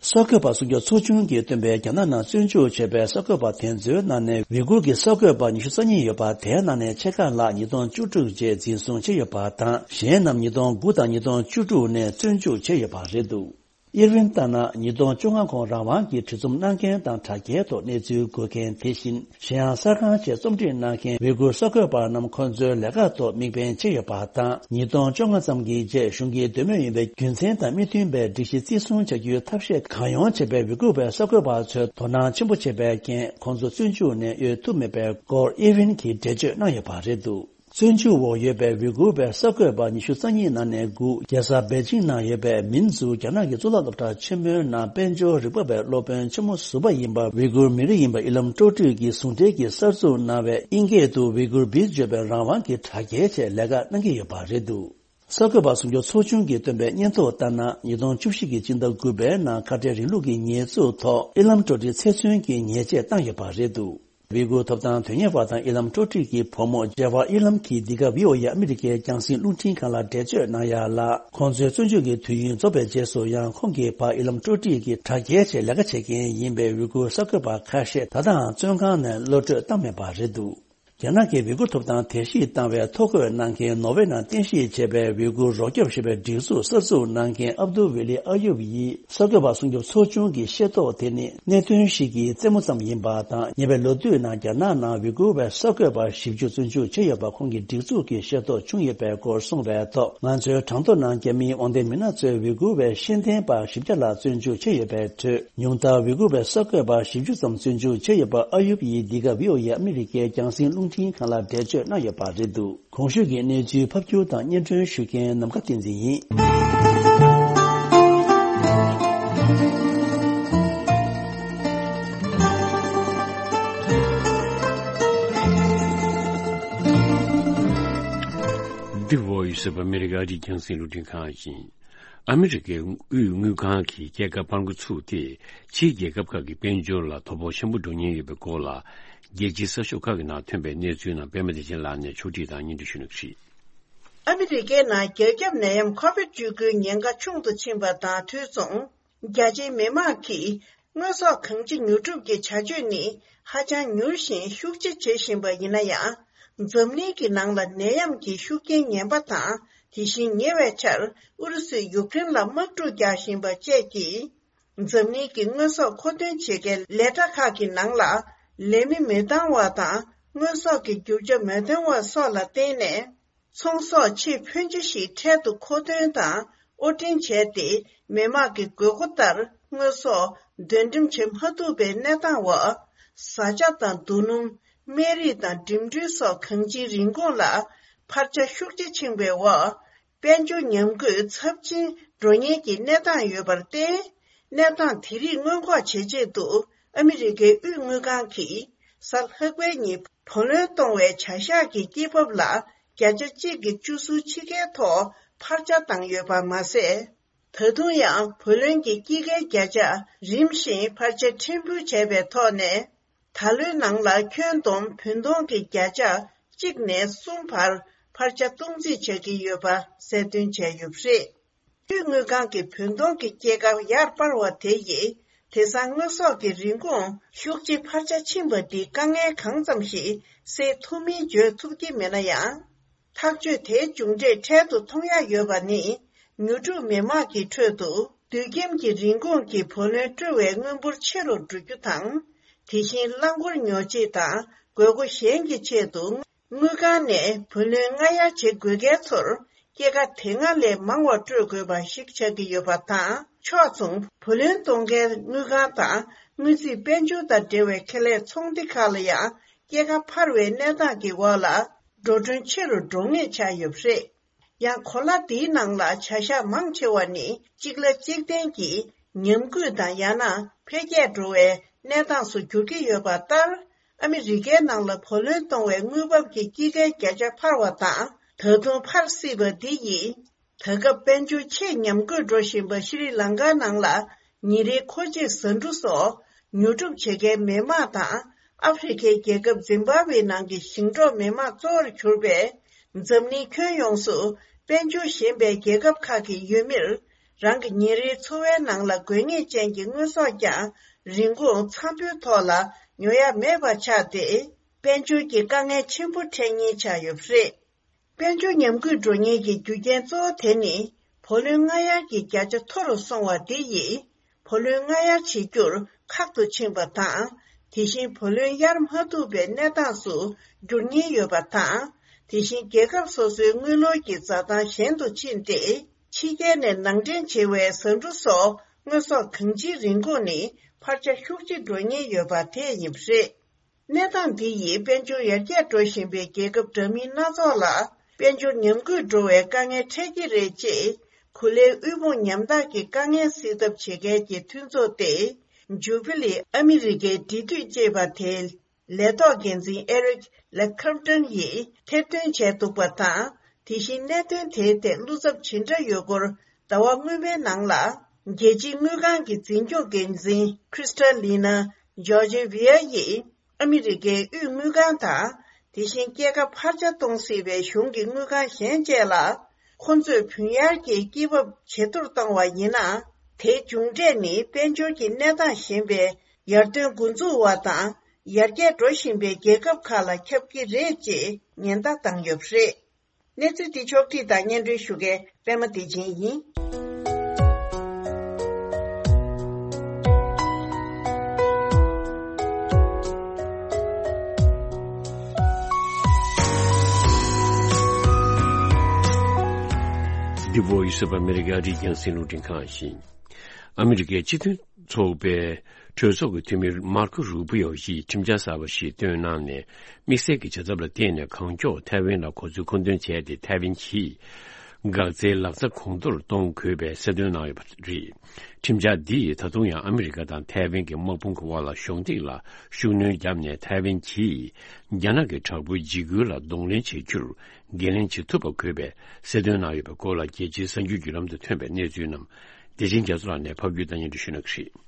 གསར་འགོད་པ་སྲུང་སྐྱོབ་ཚོགས་ཆུང་གིས་བཏོན་པའི་རྒྱ་ནག་ནང་བཙོན་འཇུག་བྱས་པའི་གསར་འགོད་པ་དེ་ཚོའི་ནང་ནས་ཝི་གུར་གྱི་གསར་འགོད་པ་ཉི་ཤུ་རྩ་གཉིས་ཡོད་པ། དེའི་ནང་ནས་ཕྱེད་ཀ་ལྷག་ཉིས་སྟོང་བཅུ་དྲུག་རྗེས་འཛིན་བཟུང་བྱས་ཡོད་པ་དང་། གཞན་རྣམས་ཉིས་སྟོང་དགུ་དང་ཉིས་སྟོང་བཅུ་དྲུག་ནས་བཙོན་འཇུག་བྱས་ཡོད་པ་རེད་འདུག་ཨིར་ཝིན་ལྟར་ན། ཉིས་སྟོང་བཅོ་ལྔ་གོང་རང་དབང་གི་གྲོས་འཛོམས་གནང་མཁན་དང་དྲ་རྒྱའི་ཐོག་གནས་ཚུལ་འགོད་མཁན། དེ་བཞིན་གཞན་ཡང་གསར་ཁང་ཆེད་རྩོམ་སྒྲིག་གནང་མཁན་ཝི་གུར་གསར་འགོད་པ་རྣམས་ཁོང་ཚོའི་ལས་ཀ་ཐོག་དམིགས་འབེན་བྱས་ཡོད་པ་དང་། ཉིས་སྟོང་བཅོ་ལྔ་ཙམ་གྱི་རྗེས་གཞུང་གི་འདོད་མོས་ཡིན་པའི་རྒྱུ་མཚན་དང་མི་མཐུན་པའི་སྒྲིག་གཞི་བརྩི་སྲུང་བྱ་རྒྱུའི་ཐབས་ཤེས་གང་ཡོང་བྱས་པའི་ཝི་གུར་བའི་གསར་འགོད་པ་ཚོས་དོ་སྣང་ཆེན་པོ་བྱས་པའི་རྐྱེན། ཁོང་ཚོ་བཙོན་འཇུག་ནས་གཡོལ་ཐུབ་མེད་པའི་སྐོར་ཨིར་ཝིན་གྱིས་འགྲེལ་བརྗོད་གནང་ཡོད་པ་རེད་འདུག་བཙོན་འཇུག་འོག་ཡོད་པའི་ཝི་གུར་བའི་གསར་འགོད་པ་ཉི་ཤུ་རྩ་གཉིས་ནང་ནས་དགུ་རྒྱལ་ས་པེ་ཅིང་ནང་ཡོད་པའི་མིན་ཛུ་རྒྱ་ནག་གི་གཙུག་ལག་སློབ་གྲྭ་ཆེན་མོའི་ནང་དཔལ་འབྱོར་རིག་པ་བའི་སློབ་དཔོན་ཆེན་མོ་ཟུར་པ་ཡིན་པ་ཝི་གུར་མི་རིགས་ཡིན་པ་ཨི་ལམ་ཀྲོ་ཀྲི་གིས་ཟུང་འབྲེལ་གྱིས་གསར་འཛུགས་གནང་བའི་ཨིན་སྐད་དུ་ཝི་གུར་བིས་བརྗོད་པའི་རང་དབང་གི་དྲ་རྒྱའི་ཆེད་ལས་ཀ་གནང་གི་ཡོད་པ་རེད་འདུག་གསར་འགོད་པ་སྲུང་སྐྱོབ་ཚོགས་ཆུང་གིས་བཏོན་པའི་སྙན་ཐོ་ལྟར་ན། ཉིས་སྟོང་བཅུ་བཞི་གི་སྤྱི་ཟླ་དགུ་པའི་ནང་ཁ་བྲལ་རིང་ལུགས་ཀྱི་ཉེས་འཛུགས་ཐོག་ཨི་ལམ་ཀྲོ་ཀྲི་ཚེ་བཙོན་གྱི་ཉེས་ཆད་བཏང་ཡོད་པ་རེད་འདུག་ཝི་གུར་ཐོབ་ཐང་དོན་གཉེར་བ་དང་ཨི་ལམ་ཀྲོ་ཀྲི་གི་བུ་མོ་ཇེ་ཝ་ཨི་ལམ་གྱིས་འདི་ག་ཝི་ཨོ་ཨེ་ཨ་མི་རི་ཀའི་རྒྱང་སྲིང་རླུང་འཕྲིན་ཁང་ལ་འགྲེལ་བརྗོད་གནང་ཡ་ལ། ཁོང་ཚོའི་བཙོན་འཇུག་གི་དུས་ཡུན་རྫོགས་པའི་རྗེས་སུ་ཡང་ཁོང་གི་ཕ་ཨི་ལམ་ཀྲོ་ཀྲི་གིས་དྲ་རྒྱའི་ཆེད་ལས་ཀ་བྱེད་མཁན་ཡིན་པའི་ཝི་གུར་གསར་འགོད་པ་ཁ་ཤས་ད་ལྟའང་བཙོན་ཁང་ནས་གློད་བཀྲོལ་བཏང་མེད་པ་རེད་འདུག་རྒྱ་ནག་གིས་ཝི་གུར་ཐོབ་ཐང་དལ་གཞིས་བཏང་བའི་ཐོ་འགོད་གནང་མཁན་ནོར་ཝེ་ནང་རྟེན་གཞི་བྱས་པའི་ཝི་གུར་རོགས་སྐྱོབ་ཞེས་པའི་སྒྲིག་འཛུགས་གསར་འཛུགས་གནང་མཁན་ཨབ་དུ་ཝི་ལི་ཨ་ཡུབ་ཡིས་གསར་འགོད་པ་སྲུང་སྐྱོབ་ཚོགས་ཆུང་གི་ཤེས་རྟོགས་དེ་ནི་གནད་དོན་ཞིག་གི་རྩེད་མོ་ཙམ་ཡིན་པ་དང་། ཉེ་བའི་ལོ་དུས་ནང་རྒྱ་ནག་ནང་ཝི་གུར་བའི་གསར་འགོད་པ་བཞི་བཅུ་བཙོན་འཇུག་བྱས་ཡོད་པ་ཁོང་གི་སྒྲིག་འཛུགས་ཀྱི་ཤེས་རྟོགས་བྱུང་ཡོད་པའི་སྐོར་གསུངས་པའི་ཐོག་ང་ཚོའི་གྲངས་ཐོ་ནང་རྒྱ་མིའི་དབང་ལྡན་མི་སྣ་ཚོས་ཝི་གུར་བའི་ཤེས་ལྡན་པ་བཞི་བརྒྱ་ལ་བཙོན་འཇུག་བྱས་ཡོད་པའི་ཁྲོད། ཉུང་མཐར་ཝི་གུར་བའི་གསར་འགོད་པ་བཞི་བཅུ་ཙམ་བཙོན་འཇུག་བྱས་ཡོད་པ་ཨ་ཡུབ་ཡིས་འདི་ག་ཝི་ཨོ་ཨེ་ཨ་མི་རི་ཀའི་རྒྱང་སྲིང་རླུང་འཕྲིན་ཁང་ལ་འགྲེལ་བརྗོད་གནང་ཡོད་པ་རེད་འདུག་གོང་ཞུས་ཀྱི་གནས་ཚུལ་ཕབ་སྒྱུར་དང་སྙན་སྒྲོན་ཞུ་མཁན་ནམ་མཁའ་བསྟན་འཛིན་ཡིན། འདི་བོ་ཡི་སི་ཨོཕ་ཨ་མི་རི་ཀ་ཨ་རིའི་རྒྱང་སྲིང་རླུང་འཕྲིན་ཁང་ཡིན། ཨ་མི་རི་ཀའི་དབུས་དངུལ་ཁང་གིས་སྐྱེད་ཀ་སྤར་འགོ་ཚུགས་ཏེ། ཕྱིའི་རྒྱལ་ཁབ་ཁག་གི་དཔལ་འབྱོར་ལ་དོ་ཕོག་ཆེན་པོ་འགྲོ་ཉེན་ཡོད་པའི་སྐོར་ལ། རྒྱལ་སྤྱིའི་གསར་ཤོག་ཁག་གི་ནང་ཐོན་པའི་གནས་ཚུལ་རྣམས་པད་མ་བདེ་ཆེན་ལགས་ནས་ཕྱོགས་སྒྲིག་དང་སྙན་སྒྲོན་ཞུ་གནང་གི་རེད། ཨ་མི་རི་ཀའི་ནང་རྒྱ་ཁྱབ་ནད་ཡམས་ཁོ་བིད་བཅུ་དགུའི་ཉེན་ཁ་ཆུང་དུ་ཕྱིན་པ་དང་དུས་མཚུངས། རྒྱ་ཆེའི་མི་མང་གིས་དངོས་ཟོག་གང་ཅི་ཉོ་སྒྲུབ་ཀྱི་བྱ་སྤྱོད་ནི་ཧ་ཅང་མྱུར་ཞིང་ཤུགས་ཆེ་བྱེད་བཞིན་པ་ཡིན་ན་ཡང་། འཛམ་གླིང་གི་ནང་ལ་ནད་ཡམས་ཀྱི་ཤུགས་རྐྱེན་ངན་པ་དང་། དེ་བཞིན་ཉེ་བའི་ཆར་ཨུ་རུ་སུས་ཡུཀ་རེན་ལ་དམག་འཁྲུག་རྒྱག་བཞིན་པ་བཅས་ཀྱིས། འཛམ་གླིང་གི་དངོས་ཟོག་མཁོ་འདོན་བྱེད་མཁན་ལས་གྲྭ་ཁག་གི་ནང་ལ་ལས་མི་མི་འདང་བ་དང་། དངོས་ཟོག་གི་རྒྱུ་ཆ་མ་ཐོན་པ་སོགས་ལ་བརྟེན་ནས། ཚོང་ཟོག་ཆེས་ཕོན་ཆེ་ཞིག་འཕྲལ་དུ་མཁོ་འདོན་དང་དབོར་འདྲེན་བྱས་ཏེ། མི་དམངས་ཀྱི་དགོས་མཁོ་ལྟར་དངོས་ཟོག་འདོན་འགྲེམས་བྱེད་མ་ཐུབ་པའི་གནས་སྟངས་འོག་བཟའ་བཅའ་དང་རྡོ་སྣུམ། སྨན་རིགས་དང་འགྲིམ་འགྲུལ་སོགས་གང་ཅིའི་རིན་གོང་ལ་འཕར་ཆ་ཤུགས་ཆེ་ཕྱིན་པའི་འོག་དཔལ་འབྱོར་ཉམས་རྒུད་ཚབས་ཆེན་འགྲོ་ཉེན་གྱི་གནས་སྟངས་ཡོད་པར་བརྟེན། གནས་སྟངས་དེ་རིགས་སྔོན་འགོག་བྱེད་ཆེད་དུ། ཨ་མི་རི་ཀའི་དབུས་དངུལ་ཁང་གིས་གཟའ་ལྷག་པའི་ཉིན་བུ་ལོན་གཏོང་བའི་བྱ་གཞག་གི་སྐྱེད་འབབ་ལ་བརྒྱ་ཆ་གཅིག་གི་བཅུ་གསུམ་ཕྱེད་ཀའི་ཐོག་འཕར་ཆ་བཏང་ཡོད་པ་མ་ཟད། ད་དུང་ཡང་བུ་ལོན་གྱི་དཀྱིལ་ཁའི་བརྒྱ་ཆ་རིམ་བཞིན་འཕར་ཆ་ཕྲན་བུ་བྱས་པའི་ཐོག་ནས། ད་ལོའི་ནང་ལ་ཁྱོན་བསྡོམས་བུན་གཏོང་གི་བརྒྱ་ཆ་གཅིག་ནས་གསུམ་བར་འཕར་ཆ་གཏོང་རྩིས་བྱ་གི་ཡོད་པ་གསལ་སྟོན་བྱས་ཡོད་པ་རེད། དབུས་དངུལ་ཁང་གི་བུན་གཏོང་གི་སྐྱེད་ཀ་ཡར་སྤར་བ་དེ་ཡིས། དེང་སང་དངོས་ཟོག་གི་རིན་གོང་ཤུགས་ཆེ་འཕར་ཆ་ཕྱིན་པ་འདིས་དཀའ་ངལ་གང་ཙམ་ཞིག་སེལ་ཐུབ་མིན་བརྗོད་ཐུབ་ཀྱི་མེད་ན་ཡང་། ཐག་གཅོད་དེའི་མཇུག་འབྲས་འཕྲལ་དུ་མཐོང་ཡ་ཡོད་པ་ནི། ཉོ་སྒྲུབ་མི་དམངས་ཀྱི་ཁྲོད་དུ་དུས་ཁྱིམ་གྱི་རིན་གོང་གི་བུ་ལོན་སྤྲོད་པའི་དངུལ་འབོར་ཆེ་རུ་འགྲོ་རྒྱུ་དང་། དེ་བཞིན་རླངས་འཁོར་ཉོ་ཆེད་དང་དགོས་མཁོ་གཞན་གྱི་ཆེད་དུ། དངུལ་ཁང་ནས་བུ་ལོན་སྔ་གཡར་བྱེད་དགོས་མཁན་ཚོར་སྐྱེད་ཀ་དེ་སྔ་ལས་མང་བ་སྤྲོད་དགོས་པ་ཞིག་ཆགས་ཀྱི་ཡོད་པ་དང་། ཕྱོགས་མཚུངས་བུ་ལོན་གཏོང་མཁན་དངུལ་ཁང་དང་། དངུལ་རྩིས་དཔལ་འབྱོར་དང་འབྲེལ་བའི་ཁེ་ལས་ཚོང་སྡེ་ཁག་ལ་ཡང་སྐྱེད་ཀ་འཕར་བའི་གནས་སྟངས་ཀྱི་འོག་ལ་འགྲོ་གྲོན་ཆེ་རུ་འགྲོ་ངེས་ཆགས་ཡོད་པ་རེད། ཡང་གོ་ལ་འདིའི་ནང་ལ་བྱ་གཞག་མང་ཆེ་བ་ནི་གཅིག་ལ་གཅིག་བརྟེན་གྱིས་ཉམས་རྒུད་དང་ཡང་ན་འཕེལ་རྒྱས་འགྲོ་བའི་གནས་སྟངས་སུ་འགྱུར་གྱི་ཡོད་པ་ལྟར། ཨ་མི་རི་ཀའི་ནང་ལ་བུ་ལོན་གཏོང་བའི་དངུལ་འབབ་ཀྱི་དཀྱིལ་ཁའི་བརྒྱ་ཆ་འཕར་བ་དང་། ད་དུང་འཕར་སྲིད་པ་འདི་ཡིས། ད་སྐབས་དཔལ་འབྱོར་ཆེས་ཉམས་རྒུད་འགྲོ་བཞིན་པ་ཤྲི་ལང་ཀའི་ནང་ལ་ཉིན་རེའི་མཁོ་ཆས་བཟའ་འབྲུ་སོགས་ཉོ་སྒྲུབ་བྱེད་མཁན་མི་དམངས་དང་། ཨ་ཧྥེ་རི་ཁའི་རྒྱལ་ཁབ་ཛིམ་བྷ་ཝེ་ནང་གི་ཞིང་འབྲོག་མི་དམངས་གཙོ་བོར་གྱུར་པའི་འཛམ་གླིང་ཁྱོན་ཡོངས་སུ་དཔལ་འབྱོར་ཞན་པའི་རྒྱལ་ཁབ་ཁག་གི་ཡུལ་མིར། རང་གི་ཉིན་རེའི་འཚོ་བའི་ནང་ལ་དགོས་ངེས་ཅན་གྱི་དངོས་ཟོག་ཀྱང་རིན་གོང་འཚམ་པོའི་ཐོག་ལ་ཉོ་ཡ་མེད་པ་ཆགས་ཏེ། དཔལ་འབྱོར་གྱི་དཀའ་ངལ་ཆེན་པོ་འཕྲད་ཉེན་ཆགས་ཡོད་པ་རེད། དཔལ་འབྱོར་ཉམས་རྒུད་འགྲོ་ཉེན་གྱི་རྒྱུ་རྐྱེན་གཙོ་བོ་དེ་ནི། བུ་ལོན་སྔ་གཡར་གྱི་བརྒྱ་ཆ་མཐོ་རུ་སོང་བ་འདི་ཡིས། བུ་ལོན་སྔ་གཡར་བྱེད་རྒྱུར་ཁག་ཏུ་ཕྱིན་པ་དང་། དེ་བཞིན་བུ་ལོན་གཡར་མ་ཐུབ་པའི་གནས་སྟངས་སུ་འགྱུར་ཉེན་ཡོད་པ་དང་། དེ་བཞིན་རྒྱལ་ཁབ་སོ་སོའི་དངུལ་ལོར་གྱི་འཛའ་ཐང་གཞན་དུ་ཕྱིན་ཏེ། ཕྱི་རྒྱལ་ནས་ནང་འདྲེན་བྱེད་པའི་ཟ་འབྲུ་སོགས་དངོས་ཟོག་གང་ཅིའི་རིན་གོང་ནི་འཕར་ཆ་ཤུགས་ཆེ་འགྲོ་ཉེན་ཡོད་པ་དེ་ཡིན་པ་རེད། གནས་སྟངས་འདི་ཡིས་དཔལ་འབྱོར་ཡར་རྒྱས་འགྲོ་བཞིན་པའི་རྒྱལ་ཁབ་འདྲ་མིན་སྣ་ཚོགས་ལ་དཔལ་འབྱོར་ཉམས་རྒུད་འགྲོ་བའི་དཀའ་ངལ་འཕྲད་ཀྱི་རེད་ཅེས། གོ་ལའི་དབུལ་ཕོངས་ཉམ་ཐག་གི་དཀའ་ངལ་སེལ་ཐབས་བྱེད་མཁན་གྱི་མཐུན་ཚོགས་ཏེ། ཇུ་བི་ལི་ཨ་མི་རི་ཀའི་འབྲེལ་མཐུད་ཅེས་པ་དེའི་ལས་ཐོག་འགན་འཛིན་ཨེ་རིག་ལེ་ཁར་ཏོན་ཡིས་ཐེར་འདོན་བྱས་འདུག་པ་དང་། དེ་བཞིན་གནད་དོན་དེའི་ཐད་བློ་འཚབ་ཇི་འདྲ་ཡོད་སྐོར་ཟླ་བ་སྔོན་མའི་ནང་ལ། རྒྱལ་སྤྱིའི་དངུལ་ཁང་གི་འཛིན་སྐྱོང་འགན་འཛིན་ཁྲི་སྟ་ལི་ན་ཇོར་ཇི་བྷི་ཡ་ཡིས། ཨ་མི་རི་ཀའི་དབུས་དངུལ་ཁང་དང་། དེ་བཞིན་སྐྱེད་ཀ་འཕར་ཆ་གཏོང་སྲིད་པའི་གཞུང་གི་དངུལ་ཁང་གཞན་བཅས་ལ། ཁོ་ཚོས་བུན་གཡར་གྱི་སྐྱེད་འབབ་ཇེ་མཐོར་གཏོང་བ་ཡིན་ན། དེའི་མཇུག་འབྲས་ནི་དཔལ་འབྱོར་གྱི་གནས་སྟངས་ཞན་པའི་ཡར་ཐོན་འགོ་འཛུགས་པ་དང་། ཡར་རྒྱས་འགྲོ་བཞིན་པའི་རྒྱལ་ཁབ་ཁག་ལ་ཁྱབ་ཀྱི་རེད་ཅེས་ཉེན་བརྡ་བཏང་ཡོད་པ་རེད། གནས་ཚུལ་འདི་ཕྱོགས་བསྒྲིགས་དང་སྙན་སྒྲོན་ཞུ་མཁན་པད་མ་བདེ་ཆེན་ཡིན། The Voice of America རིགས་རྒྱང་སྲིང་རླུང་འཕྲིན་ཁང་ཡིན། ཨ་མི་རི་ཀའི་སྤྱི་མཐུན་ཚོགས་པའི་གྲོས་ཚོགས་ཀྱི་འཐུས་མི་མར་ཁོ་རུ་པི་ཡོ་ཡིས་ཁྲིམས་འཆར་གསར་པ་ཞིག་བཏོན་གནང་ནས། དམིགས་བསལ་གྱི་བྱ་ཐབས་ལ་བརྟེན་ནས་གང་མགྱོགས་ཐའེ་ཝན་ལ་གོ་མཛོད་མཁོ་འདོན་བྱས་ཏེ། ཐའེ་ཝན་གྱིས་འགག་རྩའི་ལག་ཆ་གོང་མཐོར་གཏོང་དགོས་པའི་གསལ་སྟོན་གནང་ཡོད་པ་རེད། ཁྲིམས་འཆར་འདིས་ད་དུང་ཡང་ཨ་མི་རི་ཀ་དང་ཐའེ་ཝན་གྱི་དམག་དཔུང་གི་དབར་ལ་གཞོགས་འདེགས་ལ་ཤུགས་སྣོན་བརྒྱབ་ནས། ཐའེ་ཝན་གྱིས་རྒྱ་ནག་གི་དྲག་པོའི་འཇིགས་སྐུལ་ལ་གདོང་ལེན་བྱེད་རྒྱུར་འགན་ལེན་བྱེད་ཐུབ་པ་དགོས་པའི་གསལ་སྟོན་གནང་ཡོད་པའི་སྐོར་ལ། རྒྱལ་སྤྱིའི་གསར་འགྱུར་བརྒྱུད་ལམ་དུ་ཐོན་པའི་གནས་ཚུལ་རྣམས་བདེ་ཆེན་རྒྱ་མཚོ་ལགས་ནས་ཕབ་སྒྱུར་དང་སྙན་སྒྲོན་ཞུ་གནང་གི་རེད།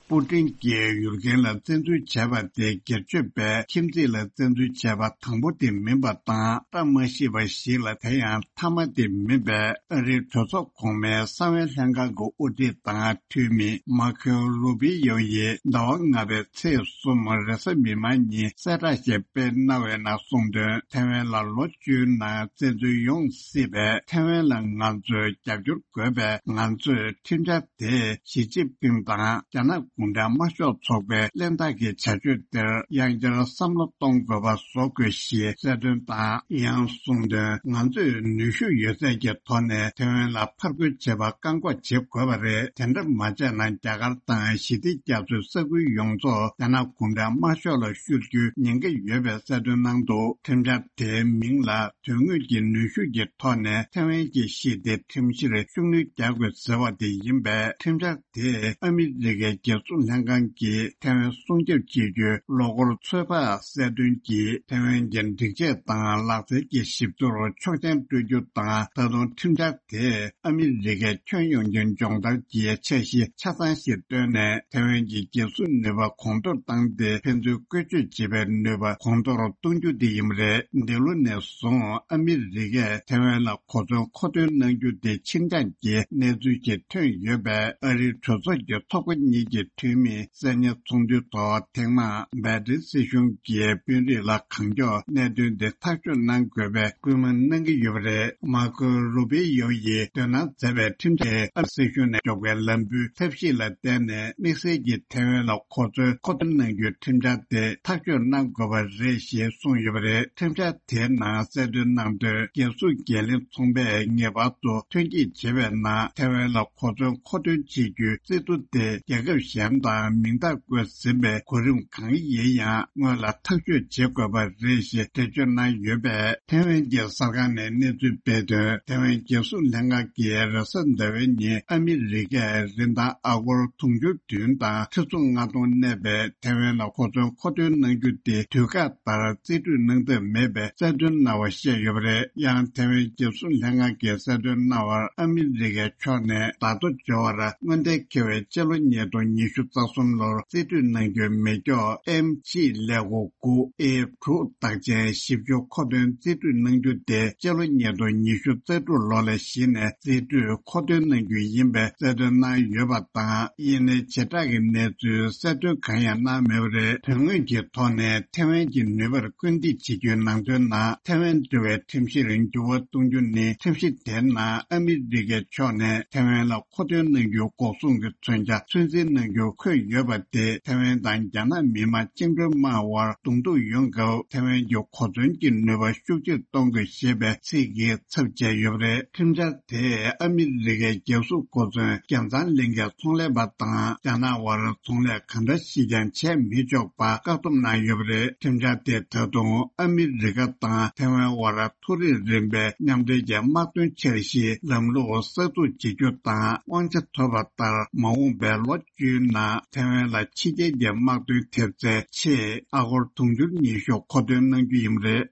པུ་ཏིན་གྱིས་ཡུལ་རྒན་ལ་བཙན་འཛུལ་བྱས་པ་དེ་སྒེར་གཅོད་པས་ཁྱིམ་མཚེས་ལ་བཙན་འཛུལ་བྱས་པ་དང་པོ་དེ་མིན་པ་དང་། བཀྲ་མ་ཤིས་པ་ཞིག་ལ་དེ་ཡང་མཐའ་མ་དེ་མིན་པའི་ཨ་རིའི་གྲོས་ཚོགས་གོང་མའི་གསང་བའི་ལྷན་ཁང་གི་དབུ་ཁྲིད་དང་འཐུས་མི་མར་ཁོ་རུ་པི་ཡོ་ཡིས་ཟླ་བ་ལྔ་པའི་ཚེས་གསུམ་རེས་གཟའ་མིག་དམར་ཉིན་གསལ་བསྒྲགས་ཤིག་སྤེལ་གནང་བའི་ནང་གསུངས་དོན། ཐའེ་ཝན་ལ་ལོ་བཅུའི་ནང་བཙན་འཛུལ་ཡོང་སྲིད་པས། ཐའེ་ཝན་ལ་ང་ཚོས་རྒྱབ་སྐྱོར་དགོས་པས། ང་ཚོས་ཁྲིམས་འཆར་དེ་ཞི་ཅིན་ཕིང་དང་རྒྱ་ནག་གུང་ཁྲན་དམར་ཤོག་ཚོགས་པའི་གླེན་རྟགས་ཀྱི་བྱ་སྤྱོད་དེར་དབྱང་བསྐྱར་བསམ་བློ་གཏོང་དགོས་པ་བཟོ་དགོས་ཞེས་གསལ་སྟོན་དང་། ཡང་གསུངས་དོན། ང་ཚོས་ནུས་ཤུགས་ཡོད་ཚད་ཀྱི་ཐོག་ནས་ཐའེ་ཝན་ལ་ཕར་རྒོལ་བྱེད་པ་བཀག་འགོག་བྱེད་དགོས་པ་རེད། དེ་འདྲ་མ་བྱས་ན་རྒྱ་གར་དང་ཞི་བདེ་རྒྱ་མཚོའི་ས་ཁུལ་ཡོངས་རྫོགས་རྒྱ་ནག་གུང་ཁྲན་དམར་ཤོག་ལ་བཤུ་རྒྱུའི་ཉེན་ཁ་ཡོད་པའི་གསལ་སྟོན་གནང་འདུག་ཁྲིམས་འཆར་དེའི་མིང་ལ། དོན་དངོས་ཀྱི་ནུས་ཤུགས་ཀྱི་ཐོག་ནས་ཐའེ་ཝན་གྱི་ཞི་བདེ་ཁྲིམས་གཞིར་ཤུགས་སྣོན་རྒྱག་དགོས་ཟེར་བ་དེ་ཡིན་པས། ཁྲིམས་འཆར་དེས་ཨ་མི་རི་ཀའི་རྒྱལ་སྲུང་ལྷན་ཁང་གིས་ཐའེ་ཝན་སྲུང་སྐྱོབ་བྱེད་རྒྱུའི་ལོ་འཁོར་ཚོད་དཔག་གསལ་སྟོན་གྱིས། ཐའེ་ཝན་གྱི་སྒྲིག་ཆས་དང་ལག་རྩལ་གྱི་ཞིབ་བསྡུར་ཆོག་མཆན་སྤྲོད་རྒྱུ་དང་། ད་དུང་ཁྲིམས་འཆར་དེས་ཨ་མི་རི་ཀའི་ཁྱོན་ཡོངས་ཀྱི་སྦྱོང་བརྡར་གྱི་འཆར་གཞི་ཆ་ཚང་ཞིག་བཏོན་ནས། ཐའེ་ཝན་གྱི་རྒྱལ་སྲུང་ནུས་པ་གོང་མཐོར་བཏང་སྟེ། ཕན་ཚུན་བཀོལ་སྤྱོད་བྱེད་པའི་ནུས་པ་གོང་མཐོར་གཏོང་རྒྱུ་དེ་ཡིན་པ་རེད། འདི་ལོ་ནས་བཟུང་ཨ་མི་རི་ཀས་ཐའེ་ཝན་ལ་གོ་མཚོན་མཁོ་འདོན་གནང་རྒྱུ་དེ་ཕྱིར་འགྱངས་ཀྱི་གནས་ཚུལ་ཞིག་ཐོན་ཡོད་པས། ཨ་རིའི་གྲོས་ཚོགས་ཀྱི་ཚོགས་པ་གཉིས་ཀྱི་འཐུས་མིས་གསན་ཉན་ཚོགས་འདུའི་ཐོག་ཐེངས་མང་བྷའི་ཌེན་སྲིད་གཞུང་གིས་དཔོན་རིགས་ལ་གང་མགྱོགས་གནད་དོན་དེ་ཐག་གཅོད་གནང་དགོས་པའི་སྐུལ་མ་གནང་གི་ཡོད་པ་རེད། མར་ཁོ་རུ་པི་ཡོ་ཡིས་འདོན་གནང་མཛད་པའི་ཁྲིམས་འཆར་ཨ་རི་སྲིད་གཞུང་ནས་འཇོག་པའི་ལམ་བུའི་ཐབས་ཤེས་ལ་བརྟེན་ནས། དམིགས་བསལ་གྱིས་ཐའེ་ཝན་ལ་གོ་མཚོན་མཁོ་འདོན་གནང་རྒྱུའི་ཁྲིམས་འཆར་དེ་ཐག་གཅོད་གནང་དགོས་པ་རེད་ཞེས་གསུངས་ཡོད་པ་རེད། ཁྲིམས་འཆར་དེའི་ནང་གསལ་སྟོན་གནང་དོན། རྒྱལ་སྲུང་འགན་ལེན་ཚོགས་པས་ངེས་པར་དུ་ཐོན་སྐྱེད་བྱེད་པའི་ནང་ཐའེ་ཝན་ལ་གོ་མཚོན་མཁོ་འདོན་བྱེད་རྒྱུའི་རྩིས་ཐོ་དེ་རྒྱལ་ཁབ་གཞན་དང་མིང་རྟགས་བཀོད་ཟིན་པའི་གོ་རིམ་གང་ཡིན་ཡང་སྔོན་ལ་ཐག་གཅོད་བྱེད་དགོས་པ་རེད་ཞེས་འགྲེལ་བརྗོད་གནང་ཡོད་པས། ཐའེ་ཝན་གྱི་གསར་ཁང་ནས་གནས་ཚུལ་སྤེལ་དོན། ཐའེ་ཝན་རྒྱལ་སྲུང་ལྷན་ཁང་གིས་རེས་གཟའ་ཟླ་བའི་ཉིན་ཨ་མི་རི་ཀས་རིན་ཐང་ཨ་སྒོར་དུང་ཕྱུར་བདུན་དང་ཁྲི་ཚོ་ལྔ་སྟོང་གནས་པའི་ཐའེ་ཝན་ལ་གོ་མཚོན་མཁོ་འདོན་གནང་རྒྱུ་དེ་དུས་བཀག་ལྟར་རྩིས་སྤྲོད་གནང་ཐབས་མེད་པའི་གསལ་སྟོན་གནང་བ་བཤད་ཡོད་པ་རེད། ཡང་ཐའེ་ཝན་རྒྱལ་སྲུང་ལྷན་ཁང་གིས་གསལ་སྟོན་གནང་བར། ཨ་མི་རི་ཀའི་ཕྱོགས་ནས་ད་ལྟ་འབྱོར་བར་སྔོན་གཏན་འཁེལ་བའི་སྤྱི་ལོ་ཉིས་སྟོང་ཉི་ བཅུ་རྩ་གསུམ་ལོར་རྩིས་སྤྲོད་གནང་རྒྱུའི་མེ་སྒྱོགས་ཨེམ་ཆི་ཀླད་ཀོར་དགུ་ཨེ་དྲུག་རྟགས་ཅན་བཞི་བཅུ་མཁོ་འདོན་རྩིས་སྤྲོད་གནང་རྒྱུ་དེ་སྤྱི་ལོ་ཉིས་སྟོང་ཉི་ཤུ་རྩ་དྲུག་ལོ་ལ་གཞི་ནས་རྩིས་སྤྲོད་མཁོ་འདོན་གནང་རྒྱུ་ཡིན་པའི་གསལ་སྟོན་གནང་ཡོད་པ་དང་། ཡིན་ནའི་བྱེ་བྲག་གི་གནས་ཚུལ་གསལ་སྟོན་གང་ཡང་གནང་མེད་པ་རེད། དོན་དངོས་ཀྱི་ཐོག་ནས་ཐེ་ཝན་གྱི་ནུས་པར་སྐུལ་འདེད་བྱེད་རྒྱུའི་ནང་དོན་ནང་། ཐེ་ཝན་འབྲེལ་བའི་ཁྲིམས་གཞིར་འགྱུར་བ་གཏོང་རྒྱུ་ནི། ཁྲིམས་གཞི་དེའི་ནང་ཨ་མི་རི་ཀའི་ཕྱོགས་ནས་ཐེ་ཝན་ལ་མཁོ་འདོན་གནང་རྒྱུའི་འགོག་སྲུང་གི་མཚོན་ཆ་ཚོད་འཛིན་གནང་རྒྱུ་འཁོད་ཡོད་པ་དེ། ཐེ་ཝན་དང་རྒྱ་ནག་མི་དམངས་བཅིངས་འགྲོལ་དམག་དབར་གདོང་ཐུག་ཡོང་སྐབས་ཐེ་ཝན་གྱི་གོ་མཚོན་གྱི་ནུས་པ་ཤུགས་ཆེར་གཏོང་དགོས་ཞེས་པའི་ཚིག་གི་ཚབ་བྱས་ཡོད་པ་རེད། ཁྲིམས་འཆར་དེས་ཨ་མི་རི་ཀའི་རྒྱལ་སྲུང་གོ་མཚོན་རྒྱལ་ཚང་གླིང་གའི་ཚོང་ལས་པ་དང་རྒྱ་ནག་དབར་ཚོང་ལས་གང་འདྲ་ཞིག་ཀྱང་བྱས་མི་ཆོག་པ་བཀག་སྡོམ་གནང་ཡོད་པ་རེད། ཁྲིམས་འཆར་དེས་ད་དུང་ཨ་མི་རི་ཀ་དང་ཐེ་ཝན་དབར་མཐོ་རིམ་རིམ་པའི་མཉམ་འབྲེལ་གྱི་དམག་དོན་འཆར་གཞིའི་ལམ་ལུགས་གསར་འཛུགས་བྱེད་རྒྱུ་དང་། དབང་ཆ་ཐོབ་པ་ལྟར་མ་འོངས་པའི་ལོ་བཅུའི་ནང་ཐེ་ཝན་ལ་ཕྱི་རྒྱལ་གྱི་དམག་དོན་ཐེབས་རྩའི་ཆེད་ཨ་སྒོར་དུང་ཕྱུར་ཉི་ཤུ་མཁོ་འདོན་གནང་རྒྱུ་ཡིན་པ་རེད།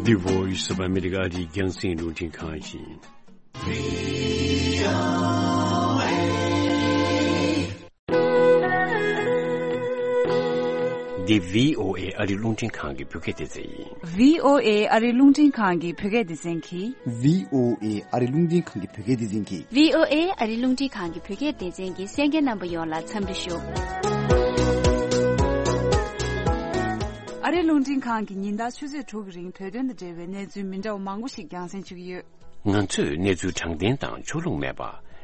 འདི་Voice of America ཨ་རིའི་རྒྱང་སྲིང་རླུང་འཕྲིན་ཁང་ཡིན། འདི་བྷི་ཨོ་ཨེ་ཨ་རིའི་རླུང་འཕྲིན་ཁང་གི་བོད་སྐད་སྡེ་ཚན་ཡིན། བྷི་ཨོ་ཨེ་ཨ་རིའི་རླུང་འཕྲིན་ཁང་གི་བོད་སྐད་སྡེ་ཚན་གྱིས། བྷི་ཨོ་ཨེ་ཨ་རིའི་རླུང་འཕྲིན་ཁང་གི་བོད་སྐད་སྡེ་ཚན་གྱིས། བྷི་ཨོ་ཨེ་ཨ་རིའི་རླུང་འཕྲིན་ཁང་གི་བོད་སྐད་སྡེ་ཚན་གྱིས་གསན་མཁན་རྣམ་པ་ཡོངས་ལ་འཚམས་འདྲི་ཞུ། ཨ་རིའི་རླུང་འཕྲིན་ཁང་གིས་ཉིན་ལྟར་ཆུ་ཚོད་དྲུག་གི་རིང་བོད་དོན་དང་འབྲེལ་བའི་གནས་ཚུལ་མི་འདྲ་བ་མང་པོ་ཞིག་རྒྱང་སྲིང་ཞུ་གི་ཡོད། ང་ཚོས་གནས་ཚུལ་དྲང་བདེན་དང་ཕྱོགས་ལྷུང་མེད་པ།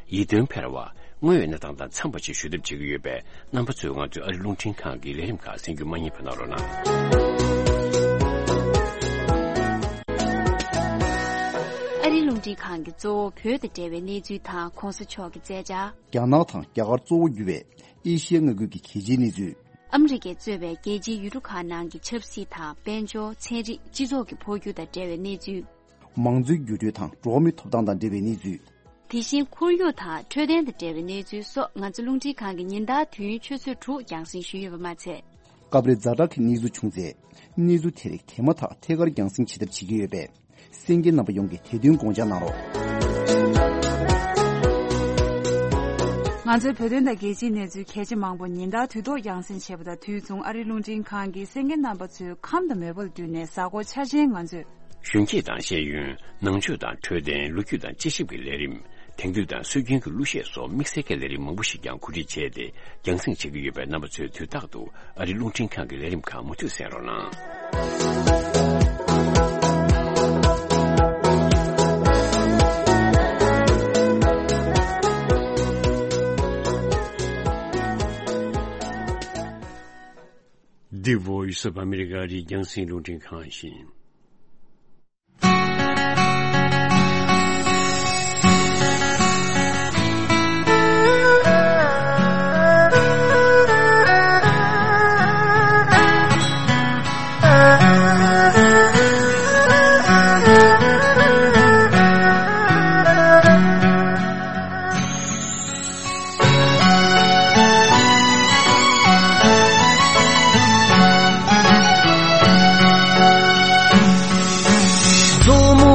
ཡིད་རྟོན་འཕེར་བ། དངོས་ཡོད་གནས་སྟངས་དང་འཚམས་པ་ཞིག་ཞུ་ཐབས་བྱེད་ཀྱི་ཡོད་པས། རྣམ་པ་ཚོས་ང་ཚོའི་ཨ་རིའི་རླུང་འཕྲིན་ཁང་གི་ལས་རིམ་ཁག་གསན་རྒྱུ་མ་བསྙེལ་བ་གནང་རོགས་གནང་། ཨ་རིའི་རླུང་འཕྲིན་ཁང་གིས་གཙོ་བོ་བོད་དང་འབྲེལ་བའི་གནས་ཚུལ་དང་གོང་ས་མཆོག་གི་མཛད་འཆར། རྒྱ་ནག་དང་རྒྱ་གར་གཙོ་བོ་གྱུར་བའི་ཨེ་ཤི་ཡ་མངའ་ཁུལ་གྱི་གལ་ཆེའི་གནས་ཚུལ། ཨ་མི་རི་ཀས་གཙོས་པའི་རྒྱལ་སྤྱིའི་ཡུལ་གྲུ་ཁག་ནང་གི་ཆབ་སྲིད་དང་། དཔལ་འབྱོར། ཚན་རིག་སྤྱི་ཚོགས་ཀྱི་འཕོ་འགྱུར་དང་འབྲེལ་བའི་གནས་ཚུལ། མང་གཙོའི་འགྱུར་འགྲོས་དང་འགྲོ་བ་མིའི་ཐོབ་ཐང་དང་འབྲེལ་བའི་གནས་ཚུལ། དེ་བཞིན་ཁོར་ཡུག་དང་འཕྲོད་བསྟེན་དང་འབྲེལ་བའི་གནས་ཚུལ་སོགས། ང་ཚོ་རླུང་འཕྲིན་ཁང་གིས་ཉིན་ལྟར་དུས་ཡུན་ཆུ་ཚོད་དྲུག་རྒྱང་སྲིང་ཞུས་ཡོད་པ་མ་ཚད། སྐབས་རེ་ཛ་དྲག་གི་གནས་ཚུལ་བྱུང་ཚེ། གནས་ཚུལ་དེ་རིགས་དེ་མ་ཐག་ཐད་ཀར་རྒྱང་སྲིང་བྱེད་ཐབས་བྱེད་ཀྱི་ཡོད་པས། གསན་མཁན་རྣམ་པ་ཡོངས་ཀྱིས་དེ་དོན་དགོངས་འཇགས་གནང་རོགས། ང་ཚོའི་བོད་དོན་དང་རྒྱལ་སྤྱིའི་གནས་ཚུལ་གལ་ཆེ་མང་པོ་ཉིན་ལྟར་དུས་ཐོག་རྒྱང་སྲིང་བྱེད་པ་དང་དུས་མཚུངས། ཨ་རིའི་རླུང་འཕྲིན་ཁང་གིས་གསན་མཁན་རྣམ་པ་ཚོའི་ཁམས་དང་མོས་པ་ལ་བསྟུན་ནས། གཟའ་འཁོར་འཆར་ཅན་ང་ཚོས། གཞོན་སྐྱེས་དང་ཤེས་ཡོན། ནང་ཆོས་དང་འཕྲོད་བསྟེན། ལོ་རྒྱུས་དང་དཔྱད་ཞིབ་ཀྱི་ལས་རིམ། དེང་དུས་དང་སྲོལ་རྒྱུན་གྱི་གླུ་གཞས་སོགས་དམིགས་བསལ་གྱི་ལས་རིམ་མང་པོ་ཞིག་ཀྱང་གོ་སྒྲིག་བྱས་ཏེ་རྒྱང་སྲིང་བྱེད་ཀྱི་ཡོད་པས། རྣམ་པ་ཚོས་དུས་རྟག་ཏུ་ཨ་རིའི་རླུང་འཕྲིན་ཁང་གི་ལས་རིམ་ཁག་མུ་མཐུད་གསན་རོགས་གནང་། The Voice of America ཨ་རིའི་རྒྱང་སྲིང་རླུང་འཕྲིན་ཁང་ཡིན། མཛོ་མོ་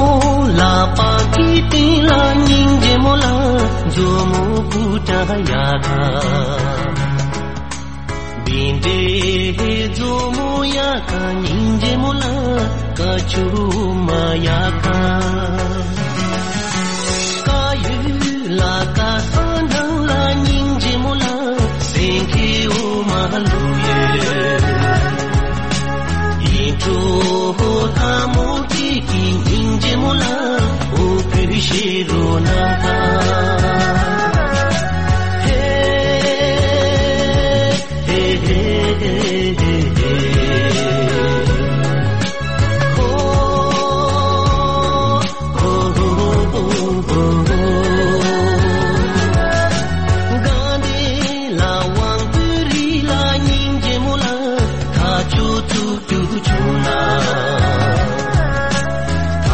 ལག་པ་གི་སྟེང་ལ་སྙིང་རྗེ་མོ་ལ། མཛོ་མོ་ཀུ་ཏྲ་ཡ་ཁ། བིན་ཏེ་མཛོ་མོ་ཡ་ཁ། སྙིང་རྗེ་མོ་ལ། ཀ་ཆུ་མ་ཡ་ཁ། ཀ་ཡུ་ལ་ཀ་ས་འདང་ལ། སྙིང་རྗེ་མོ་ལ། སེང་གེ་འོ་མ་ལུ་ཡོད། ཡིད་འཕྲོག་ལྷ་མོ་སྐྱིད་ཀྱི། སྙིང་རྗེ་མོ་ལ། འོ་ཕུ་ཤེ་རོ་ན་ཁ།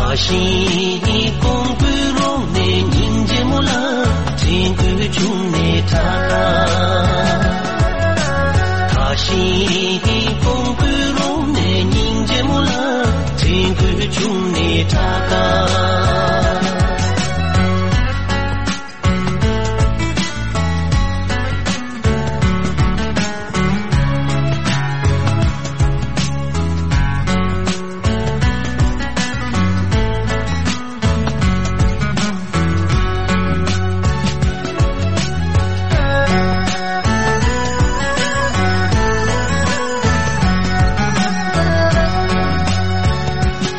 ཧེ། ཤིང་ཀོང་པོའི་རོང་ནས་སྙིང་རྗེ་མོ་ལ། ཁྲིན་ཀུའི་ཆུང་ནས་ཁྲ་ཁ། ཐ་ཤིང་ཀོང་པོའི་རོང་ནས་སྙིང་རྗེ་མོ།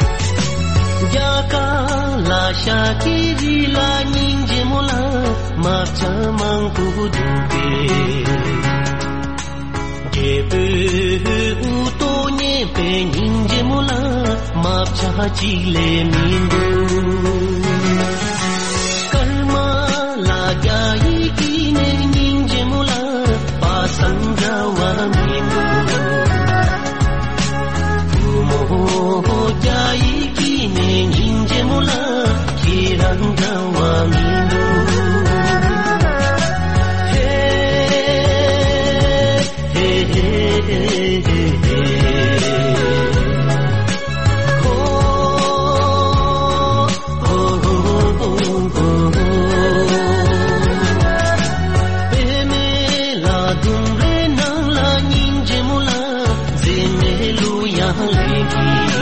རྒྱ་གར་ལ་ཤ་ཁྱི་རི་ལ་སྙིང་རྗེ་མོ་ལ་མ་བྱ་མང་པོ་བསྒྲུབས་པས། རྒྱལ་པོའི་དབུ་ཏོ་མཉེས་པའི་སྙིང་རྗེ་མོ་ལ་མ་བྱ་གཅིག་ལས་མི་འདུག་སྐར་མ་ལ་རྒྱ་ཡིས་བྲིས་ནས་སྙིང་རྗེ་མོ་ལ་པ་སངས་འདྲ་བ་མི་འདུག་བུ་མོ་རྒྱ་ཡིས་བྲིས་ནས་སྙིང་རྗེ་མོ་ལ་ཁྱེད་རང་འདྲ་བ་མི་འདུག་ཧེ། ཧེ་ཧེ་ཧེ་ཧེ། ཧོ། ཧོ་ཧོ་ཧོ་ཧོ། པད་མའི་ལ་ཟླུམ་རའི་ནང་ལ་སྙིང་རྗེ་མོ་ལ་མཛེས་མའི་གླུ་དབྱངས་ལེན་གྱིས།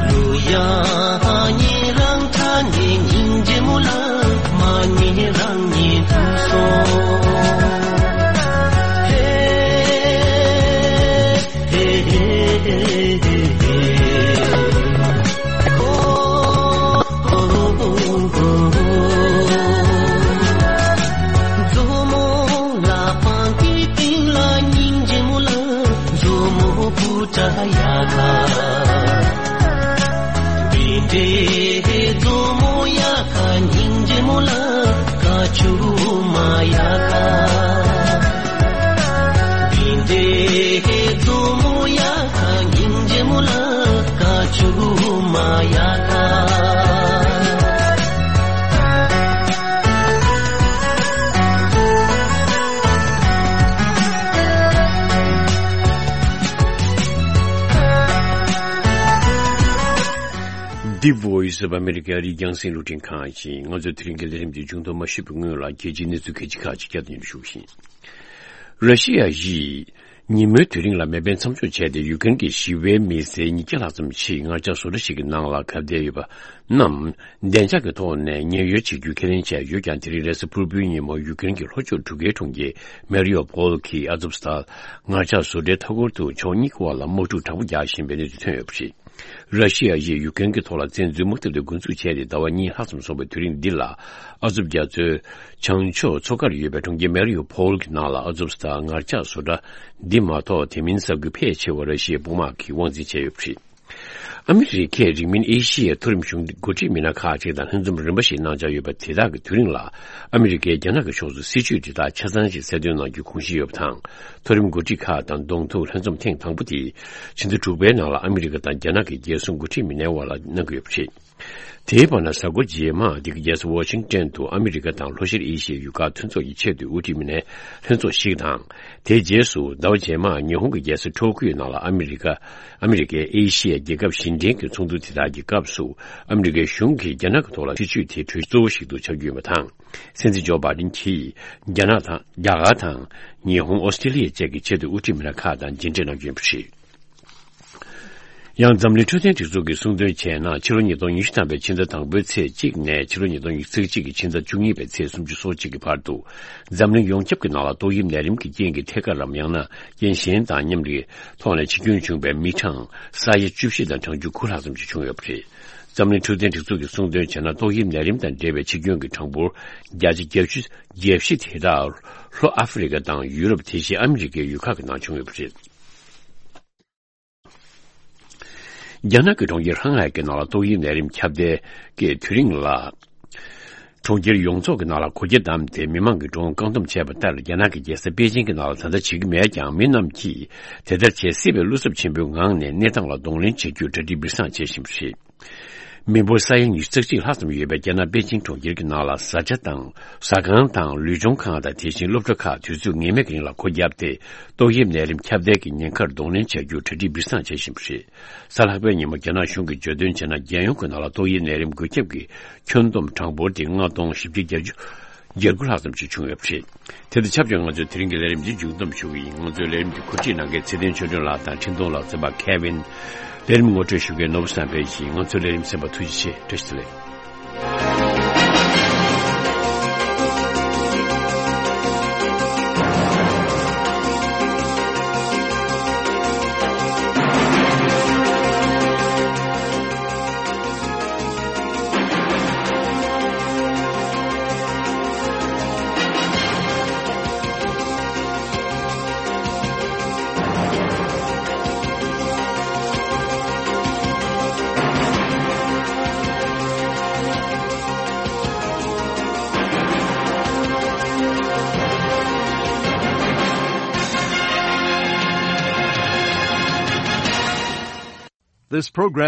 གླུ་དབྱངས་ཉན་རང་ཁྲ་ནས་སྙིང་རྗེ་མོ་ལ་མ་ཉན་རང་ཉན་དུ་སོང་། ཧེ། ཧེ་ཧེ་ཧེ་ཧེ་ཧེ། ཧོ། ཧོ་ཧོ་ཧོ་ཧོ། མཛོ་མོ་ལ་སྤང་གི་སྟེང་ལ་སྙིང་རྗེ་མོ་ལ་མཛོ་མོ་བུ་ཏྲ་ཡ་ག་འདི་འདྲའི་མཛོ་མོ་ཡ་ག་སྙིང་རྗེ་མོ་ལ་ཀ་ཆུ་མ་ཡ་ག་འདི་འདྲའི་མཛོ་མོ་ཡ་ག་སྙིང་རྗེ་མོ་ལ་ཀ་ཆུ་མ་ཡ་ག The Voice of America རིགས་རྒྱང་སྲིང་རླུང་འཕྲིན་ཁང་ཡིན། ང་ཚོའི་དེ་རིང་གི་ལས་རིམ་འདི་མཇུག་སྡོམ་མ་ཞུས་པའི་སྔོན་ལ་རྒྱལ་སྤྱིའི་གནས་ཚུལ་གལ་ཆེ་ཁག་ཅིག་བསྐྱར་དུ་སྙན་སྒྲོན་ཞུ་བཞིན། ར་ཤི་ཡ་ཡིས་ཉིན་མོའི་དུས་རིང་ལ་མེ་འཕེན་མཚམས་འཇོག་བྱས་ཏེ། ཡུཀ་རེན་གྱི་ཞི་བའི་མི་སེར་ཉིས་བརྒྱ་ལྷག་ཙམ་ཞིག་ངར་ལྕགས་བཟོ་གྲྭ་ཞིག་གི་ནང་ལ་གབ་བསྡད་ཡོད་པ་རྣམས་བདེ་འཇགས་ཀྱི་ཐོག་ནས་ཉེན་གཡོལ་བྱེད་རྒྱུ་ཁས་ལེན་བྱས་ཡོད་ཀྱང་། དེ་རིང་རེས་གཟའ་ཕུར་བུའི་ཉིན་མོ་ཡུཀ་རེན་གྱི་ལྷོ་ཕྱོགས་གྲུ་ཁའི་གྲོང་ཁྱེར་མེ་རི་ཡོ་པོལ་གྱི་ཨ་ཛོབ་སྟཱལ་ངར་ལྕགས་བཟོ་གྲྭའི་མཐའ་འཁོར་དུ་ཕྱོགས་གཉིས་ཀྱི་དབར་ལ་དམག་འཁྲུག་དྲག་པོ་རྒྱག་བཞིན་པའི་གནས་ཚུལ་ཐོན་ཡོད་པ་རེད། ར་ཤི་ཡ་ཡིས་ཡུཀ་རེན་གྱི་ཐོག་ལ་བཙན་འཛུལ་དམག་འཐབ་དེ་འགོ་འཛུགས་བྱས་ཏེ་ཟླ་བ་གཉིས་ལྷག་ཙམ་སོང་བའི་དུས་རིང་འདི་ལ། ཨ་ཛོབ་རྒྱ་མཚོའི་བྱང་ཕྱོགས་མཚོ་ཁར་ཡོད་པའི་གྲོང་ཁྱེར་མེ་རི་ཡོ་པོལ་གྱི་ནང་ལ་ཨ་ཛོབ་སྟཱལ་ངར་ལྕགས་བཟོ་གྲྭ་འདི་མ་གཏོགས། དེ་མིན་ས་ཁུལ་ཕལ་ཆེ་བ་ར་ཤི་ཡའི་དཔུང་དམག་གིས་དབང་འཛིན་བྱས་ཡོད་པ་རེད། ཨ་མི་རི་ཀས་རིང་མིན་ཨེ་ཤི་ཡའི་མཐོ་རིམ་གཞུང་འགོ་ཁྲིད་མི་སྣ་ཁག་ཅིག་དང་ལྷན་འཛོམས་རིམ་པ་ཞིག་གནང་འཆར་ཡོད་པ་དེ་དག་གི་དུས་རིང་ལ། ཨ་མི་རི་ཀས་རྒྱ་ནག་གི་ཕྱོགས་སུ་སྲིད་ཇུས་དེ་དག་ཆ་ཚང་ཞིག་གསལ་སྟོན་གནང་རྒྱུའི་དགོངས་གཞི་ཡོད་པ་དང་། མཐོ་རིམ་འགོ་ཁྲིད་ཁག་དང་གདོང་ཐུག་ལྷན་འཛོམས་ཐེངས་དང་པོ་དེ་ཕྱི་ཟླ་དྲུག་པའི་ནང་ལ་ཨ་མི་རི་ཀ་དང་རྒྱ་ནག་གི་རྒྱལ་སྲུང་འགོ་ཁྲིད་མི་སྣའི་དབར་ལ་གནང་གི་ཡོད་པ་རེད། དེའི་བར་ན། གཟའ་འཁོར་རྗེས་མ་འདི་གའི་རྒྱལ་ས་ཝ་ཤིང་ཏན་དུ་ཨ་མི་རི་ཀ་དང་ལྷོ་ཤར་ཨེ་ཤི་ཡའི་ཡུལ་ཁག་མཐུན་ཚོགས་ཀྱི་ཆེས་མཐོའི་དབུ་ཁྲིད་མི་སྣའི་ལྷན་ཚོགས་ཤིག་དང་། དེའི་རྗེས་སུ་ཟླ་བ་རྗེས་མར་ཉི་ཧོང་གི་རྒྱལ་ས་ཊོ་ཀིའོ་ནང་ལ་ཨ་མི་རི་ཀ་ཨ་མི་རི་ཀས་ཨེ་ཤི་ཡའི་རྒྱལ་ཁབ་གཞན་བརྟེན་གྱི་ཚོགས་འདུ་དེ་དག་གི་སྐབས་སུ། ཨ་མི་རི་ཀའི་གཞུང་གིས་རྒྱ་ནག་གི་ཐོག་ལ་སྲིད་ཇུས་དེ་གྲོས་གཙོ་བོ་ཞིག་ཏུ་ཆགས་རྒྱུ་ཡིན་པ་དང་། སྲིད་འཛིན་ཇོ་བྷའི་ཌེན་གྱིས་རྒྱ་ནག་དང་། རྒྱ་གར་དང་། ཉི་ཧོང་། ཨོ་སི་ཀྲི་ལི་ཡ་བཅས་ཀྱི་ཆེས་མཐོའི་དབུ་ཁྲིད་མི་སྣ་ཁག་དང་མཇལ་འཕྲད་གནང་རྒྱུ་ཡིན་པ་རེད། ཡང་། འཛམ་གླིང་འཕྲོད་བསྟེན་སྒྲིག་འཛུགས་ཀྱིས་གསུངས་དོན་བྱས་ན། ཕྱི་ལོ་ཉིས་སྟོང་ཉི་ཤུ་ཐམ་པའི་ཕྱི་ཟླ་དང་པོའི་ཚེས་གཅིག་ནས་ཕྱི་ལོ་ཉིས་སྟོང་ཉི་ཤུ་རྩ་གཅིག་གི་ཕྱི་ཟླ་བཅུ་གཉིས་པའི་ཚེས་སུམ་ཅུ་སོ་གཅིག་གི་བར་དུ། འཛམ་གླིང་ཡོངས་ཁྱབ་ཀྱི་ནང་ལ་ཏོག་དབྱིབས་ནད་རིམས་ཀྱི་རྐྱེན་གྱིས་ཐད་ཀར་རམ། ཡང་ན་རྐྱེན་གཞན་དང་མཉམ་དུ་ཐོག་ནས་འཆི་སྐྱོན་བྱུང་བའི་མི་གྲངས་ས་ཡ་བཅུ་བཞི་དང་གྲངས་ཆུང་དགུ་ལྷག་ཙམ་ཞིག་བྱུང་ཡོད་པ་རེད། འཛམ་གླིང་འཕྲོད་བསྟེན་སྒྲིག་འཛུགས་ཀྱིས་གསུངས་དོན་བྱས་ན། ཏོག་དབྱིབས་ནད་རིམས་དང་འབྲེལ་བའི་འཆི་སྐྱོན་གྱི་གྲངས་འབོར་བརྒྱ་ཆ་བརྒྱད་ཅུ་གྱ་བཞི་དེ་དག་ལྷོ་ཨ་ཧྥེ་རི་ཀ་དང་ཡུ་རོབ། དེ་བཞིན་ཨ་མི་རི་ཀའི་ཡུལ་ཁག་གི་ནང་བྱུང་ཡོད་པ་རེད། རྒྱ་ནག་གི་གྲོང་ཁྱེར་ཧྲང་ཧའེ་གི་ནང་ལ་ཏོག་དབྱིབས་ནད་རིམས་ཁྱབ་གདལ་གྱི་དུས་རིང་ལ། གྲོང་ཁྱེར་ཡོངས་རྫོགས་ཀྱི་ནང་ལ་གོ་ཁྱི་བསྡམས་ཏེ་མི་མང་གི་འགྲོ་འོང་བཀག་སྡོམ་བྱས་པ་ལྟར། རྒྱ་ནག་གི་རྒྱལ་ས་པེ་ཅིང་གི་ནང་ལ་ད་ལྟ་བྱེད་ཀྱི་མེད་ཀྱང་། མི་རྣམས་ཀྱིས་དེ་ལྟར་བྱེད་སྲིད་པའི་བློ་འཚབ་ཆེན་པོའི་ངང་ནས་གནས་སྟངས་ལ་གདོང་ལེན་བྱེད་རྒྱུར་གྲ་སྒྲིག་སྦིར་བཟང་བྱེད་བཞིན་པ་རེད། མི་འབོར་ས་ཡ་ཉི་ཤུ་རྩ་གཅིག་ལྷག་ཙམ་ཡོད་པའི་རྒྱ་ནག་པེ་ཅིང་གྲོང་ཁྱེར་གྱི་ནང་ལ་བཟའ་བཅའ་དང་ཟ་ཁང་དང་ལུས་སྦྱོང་ཁང་དང་དེ་བཞིན་སློབ་གྲྭ་ཁག་དུས་ཚོད་ངེས་མེད་ཀྱི་རིང་ལ་སྒོ་བརྒྱབ་སྟེ། ཏོག་དབྱིབས་ནད་རིམས་ཁྱབ་གདལ་གྱི་ཉེན་ཁར་གདོང་ལེན་བྱ་རྒྱུར་གྲ་སྒྲིག་སྦིར་བཟང་བྱེད་བཞིན་པ་རེད། གཟའ་ལྷག་པའི་ཉིན་མོ་རྒྱ་ནག་གཞུང་གིས་བརྗོད་དོན་བྱས་ན། རྒྱལ་ཡོངས་ཀྱི་ནང་ལ་ཏོག་དབྱིབས་ནད་རིམས་འགོས་ཁྱབ་ཀྱི་ཁྱོན་བསྡོམས་གྲངས་འབོར་དེ་ལྔ་སྟོང་བཞི་བརྒྱ་བརྒྱད་ཅུ་གྱ་དགུ་ལྷག་ཙམ་ཞིག་བྱུང་ཡོད་པ་རེད། དེ་དང་ཆབས་ཅིག་ང་ཚོས་དེ་རིང་གི་ལས་རིམ་འདི་མཇུག་བསྡོམས་ཞུ་གི་ཡིན། ང་ཚོའི་ལས་རིམ་འདི་གོ་སྒྲིག་གནང་མཁན་ཚེ་བརྟན་ཆོས་སྒྲོན་ལགས་དང་འཕྲིན་གཏོང་ལག་རྩོམ་པ་ཁེ་ཝིན། ལས་རིམ་ངོ་སྤྲོད་ཞུ་མཁན་ནོར་བུ་བསམ་འཕེལ་ཡིན། ང་ཚོའི་ལས་རིམ་གསན་པར་ཐུགས་རྗེ་ཆེ། བཀྲ་ཤིས་བདེ་ལེགས། This program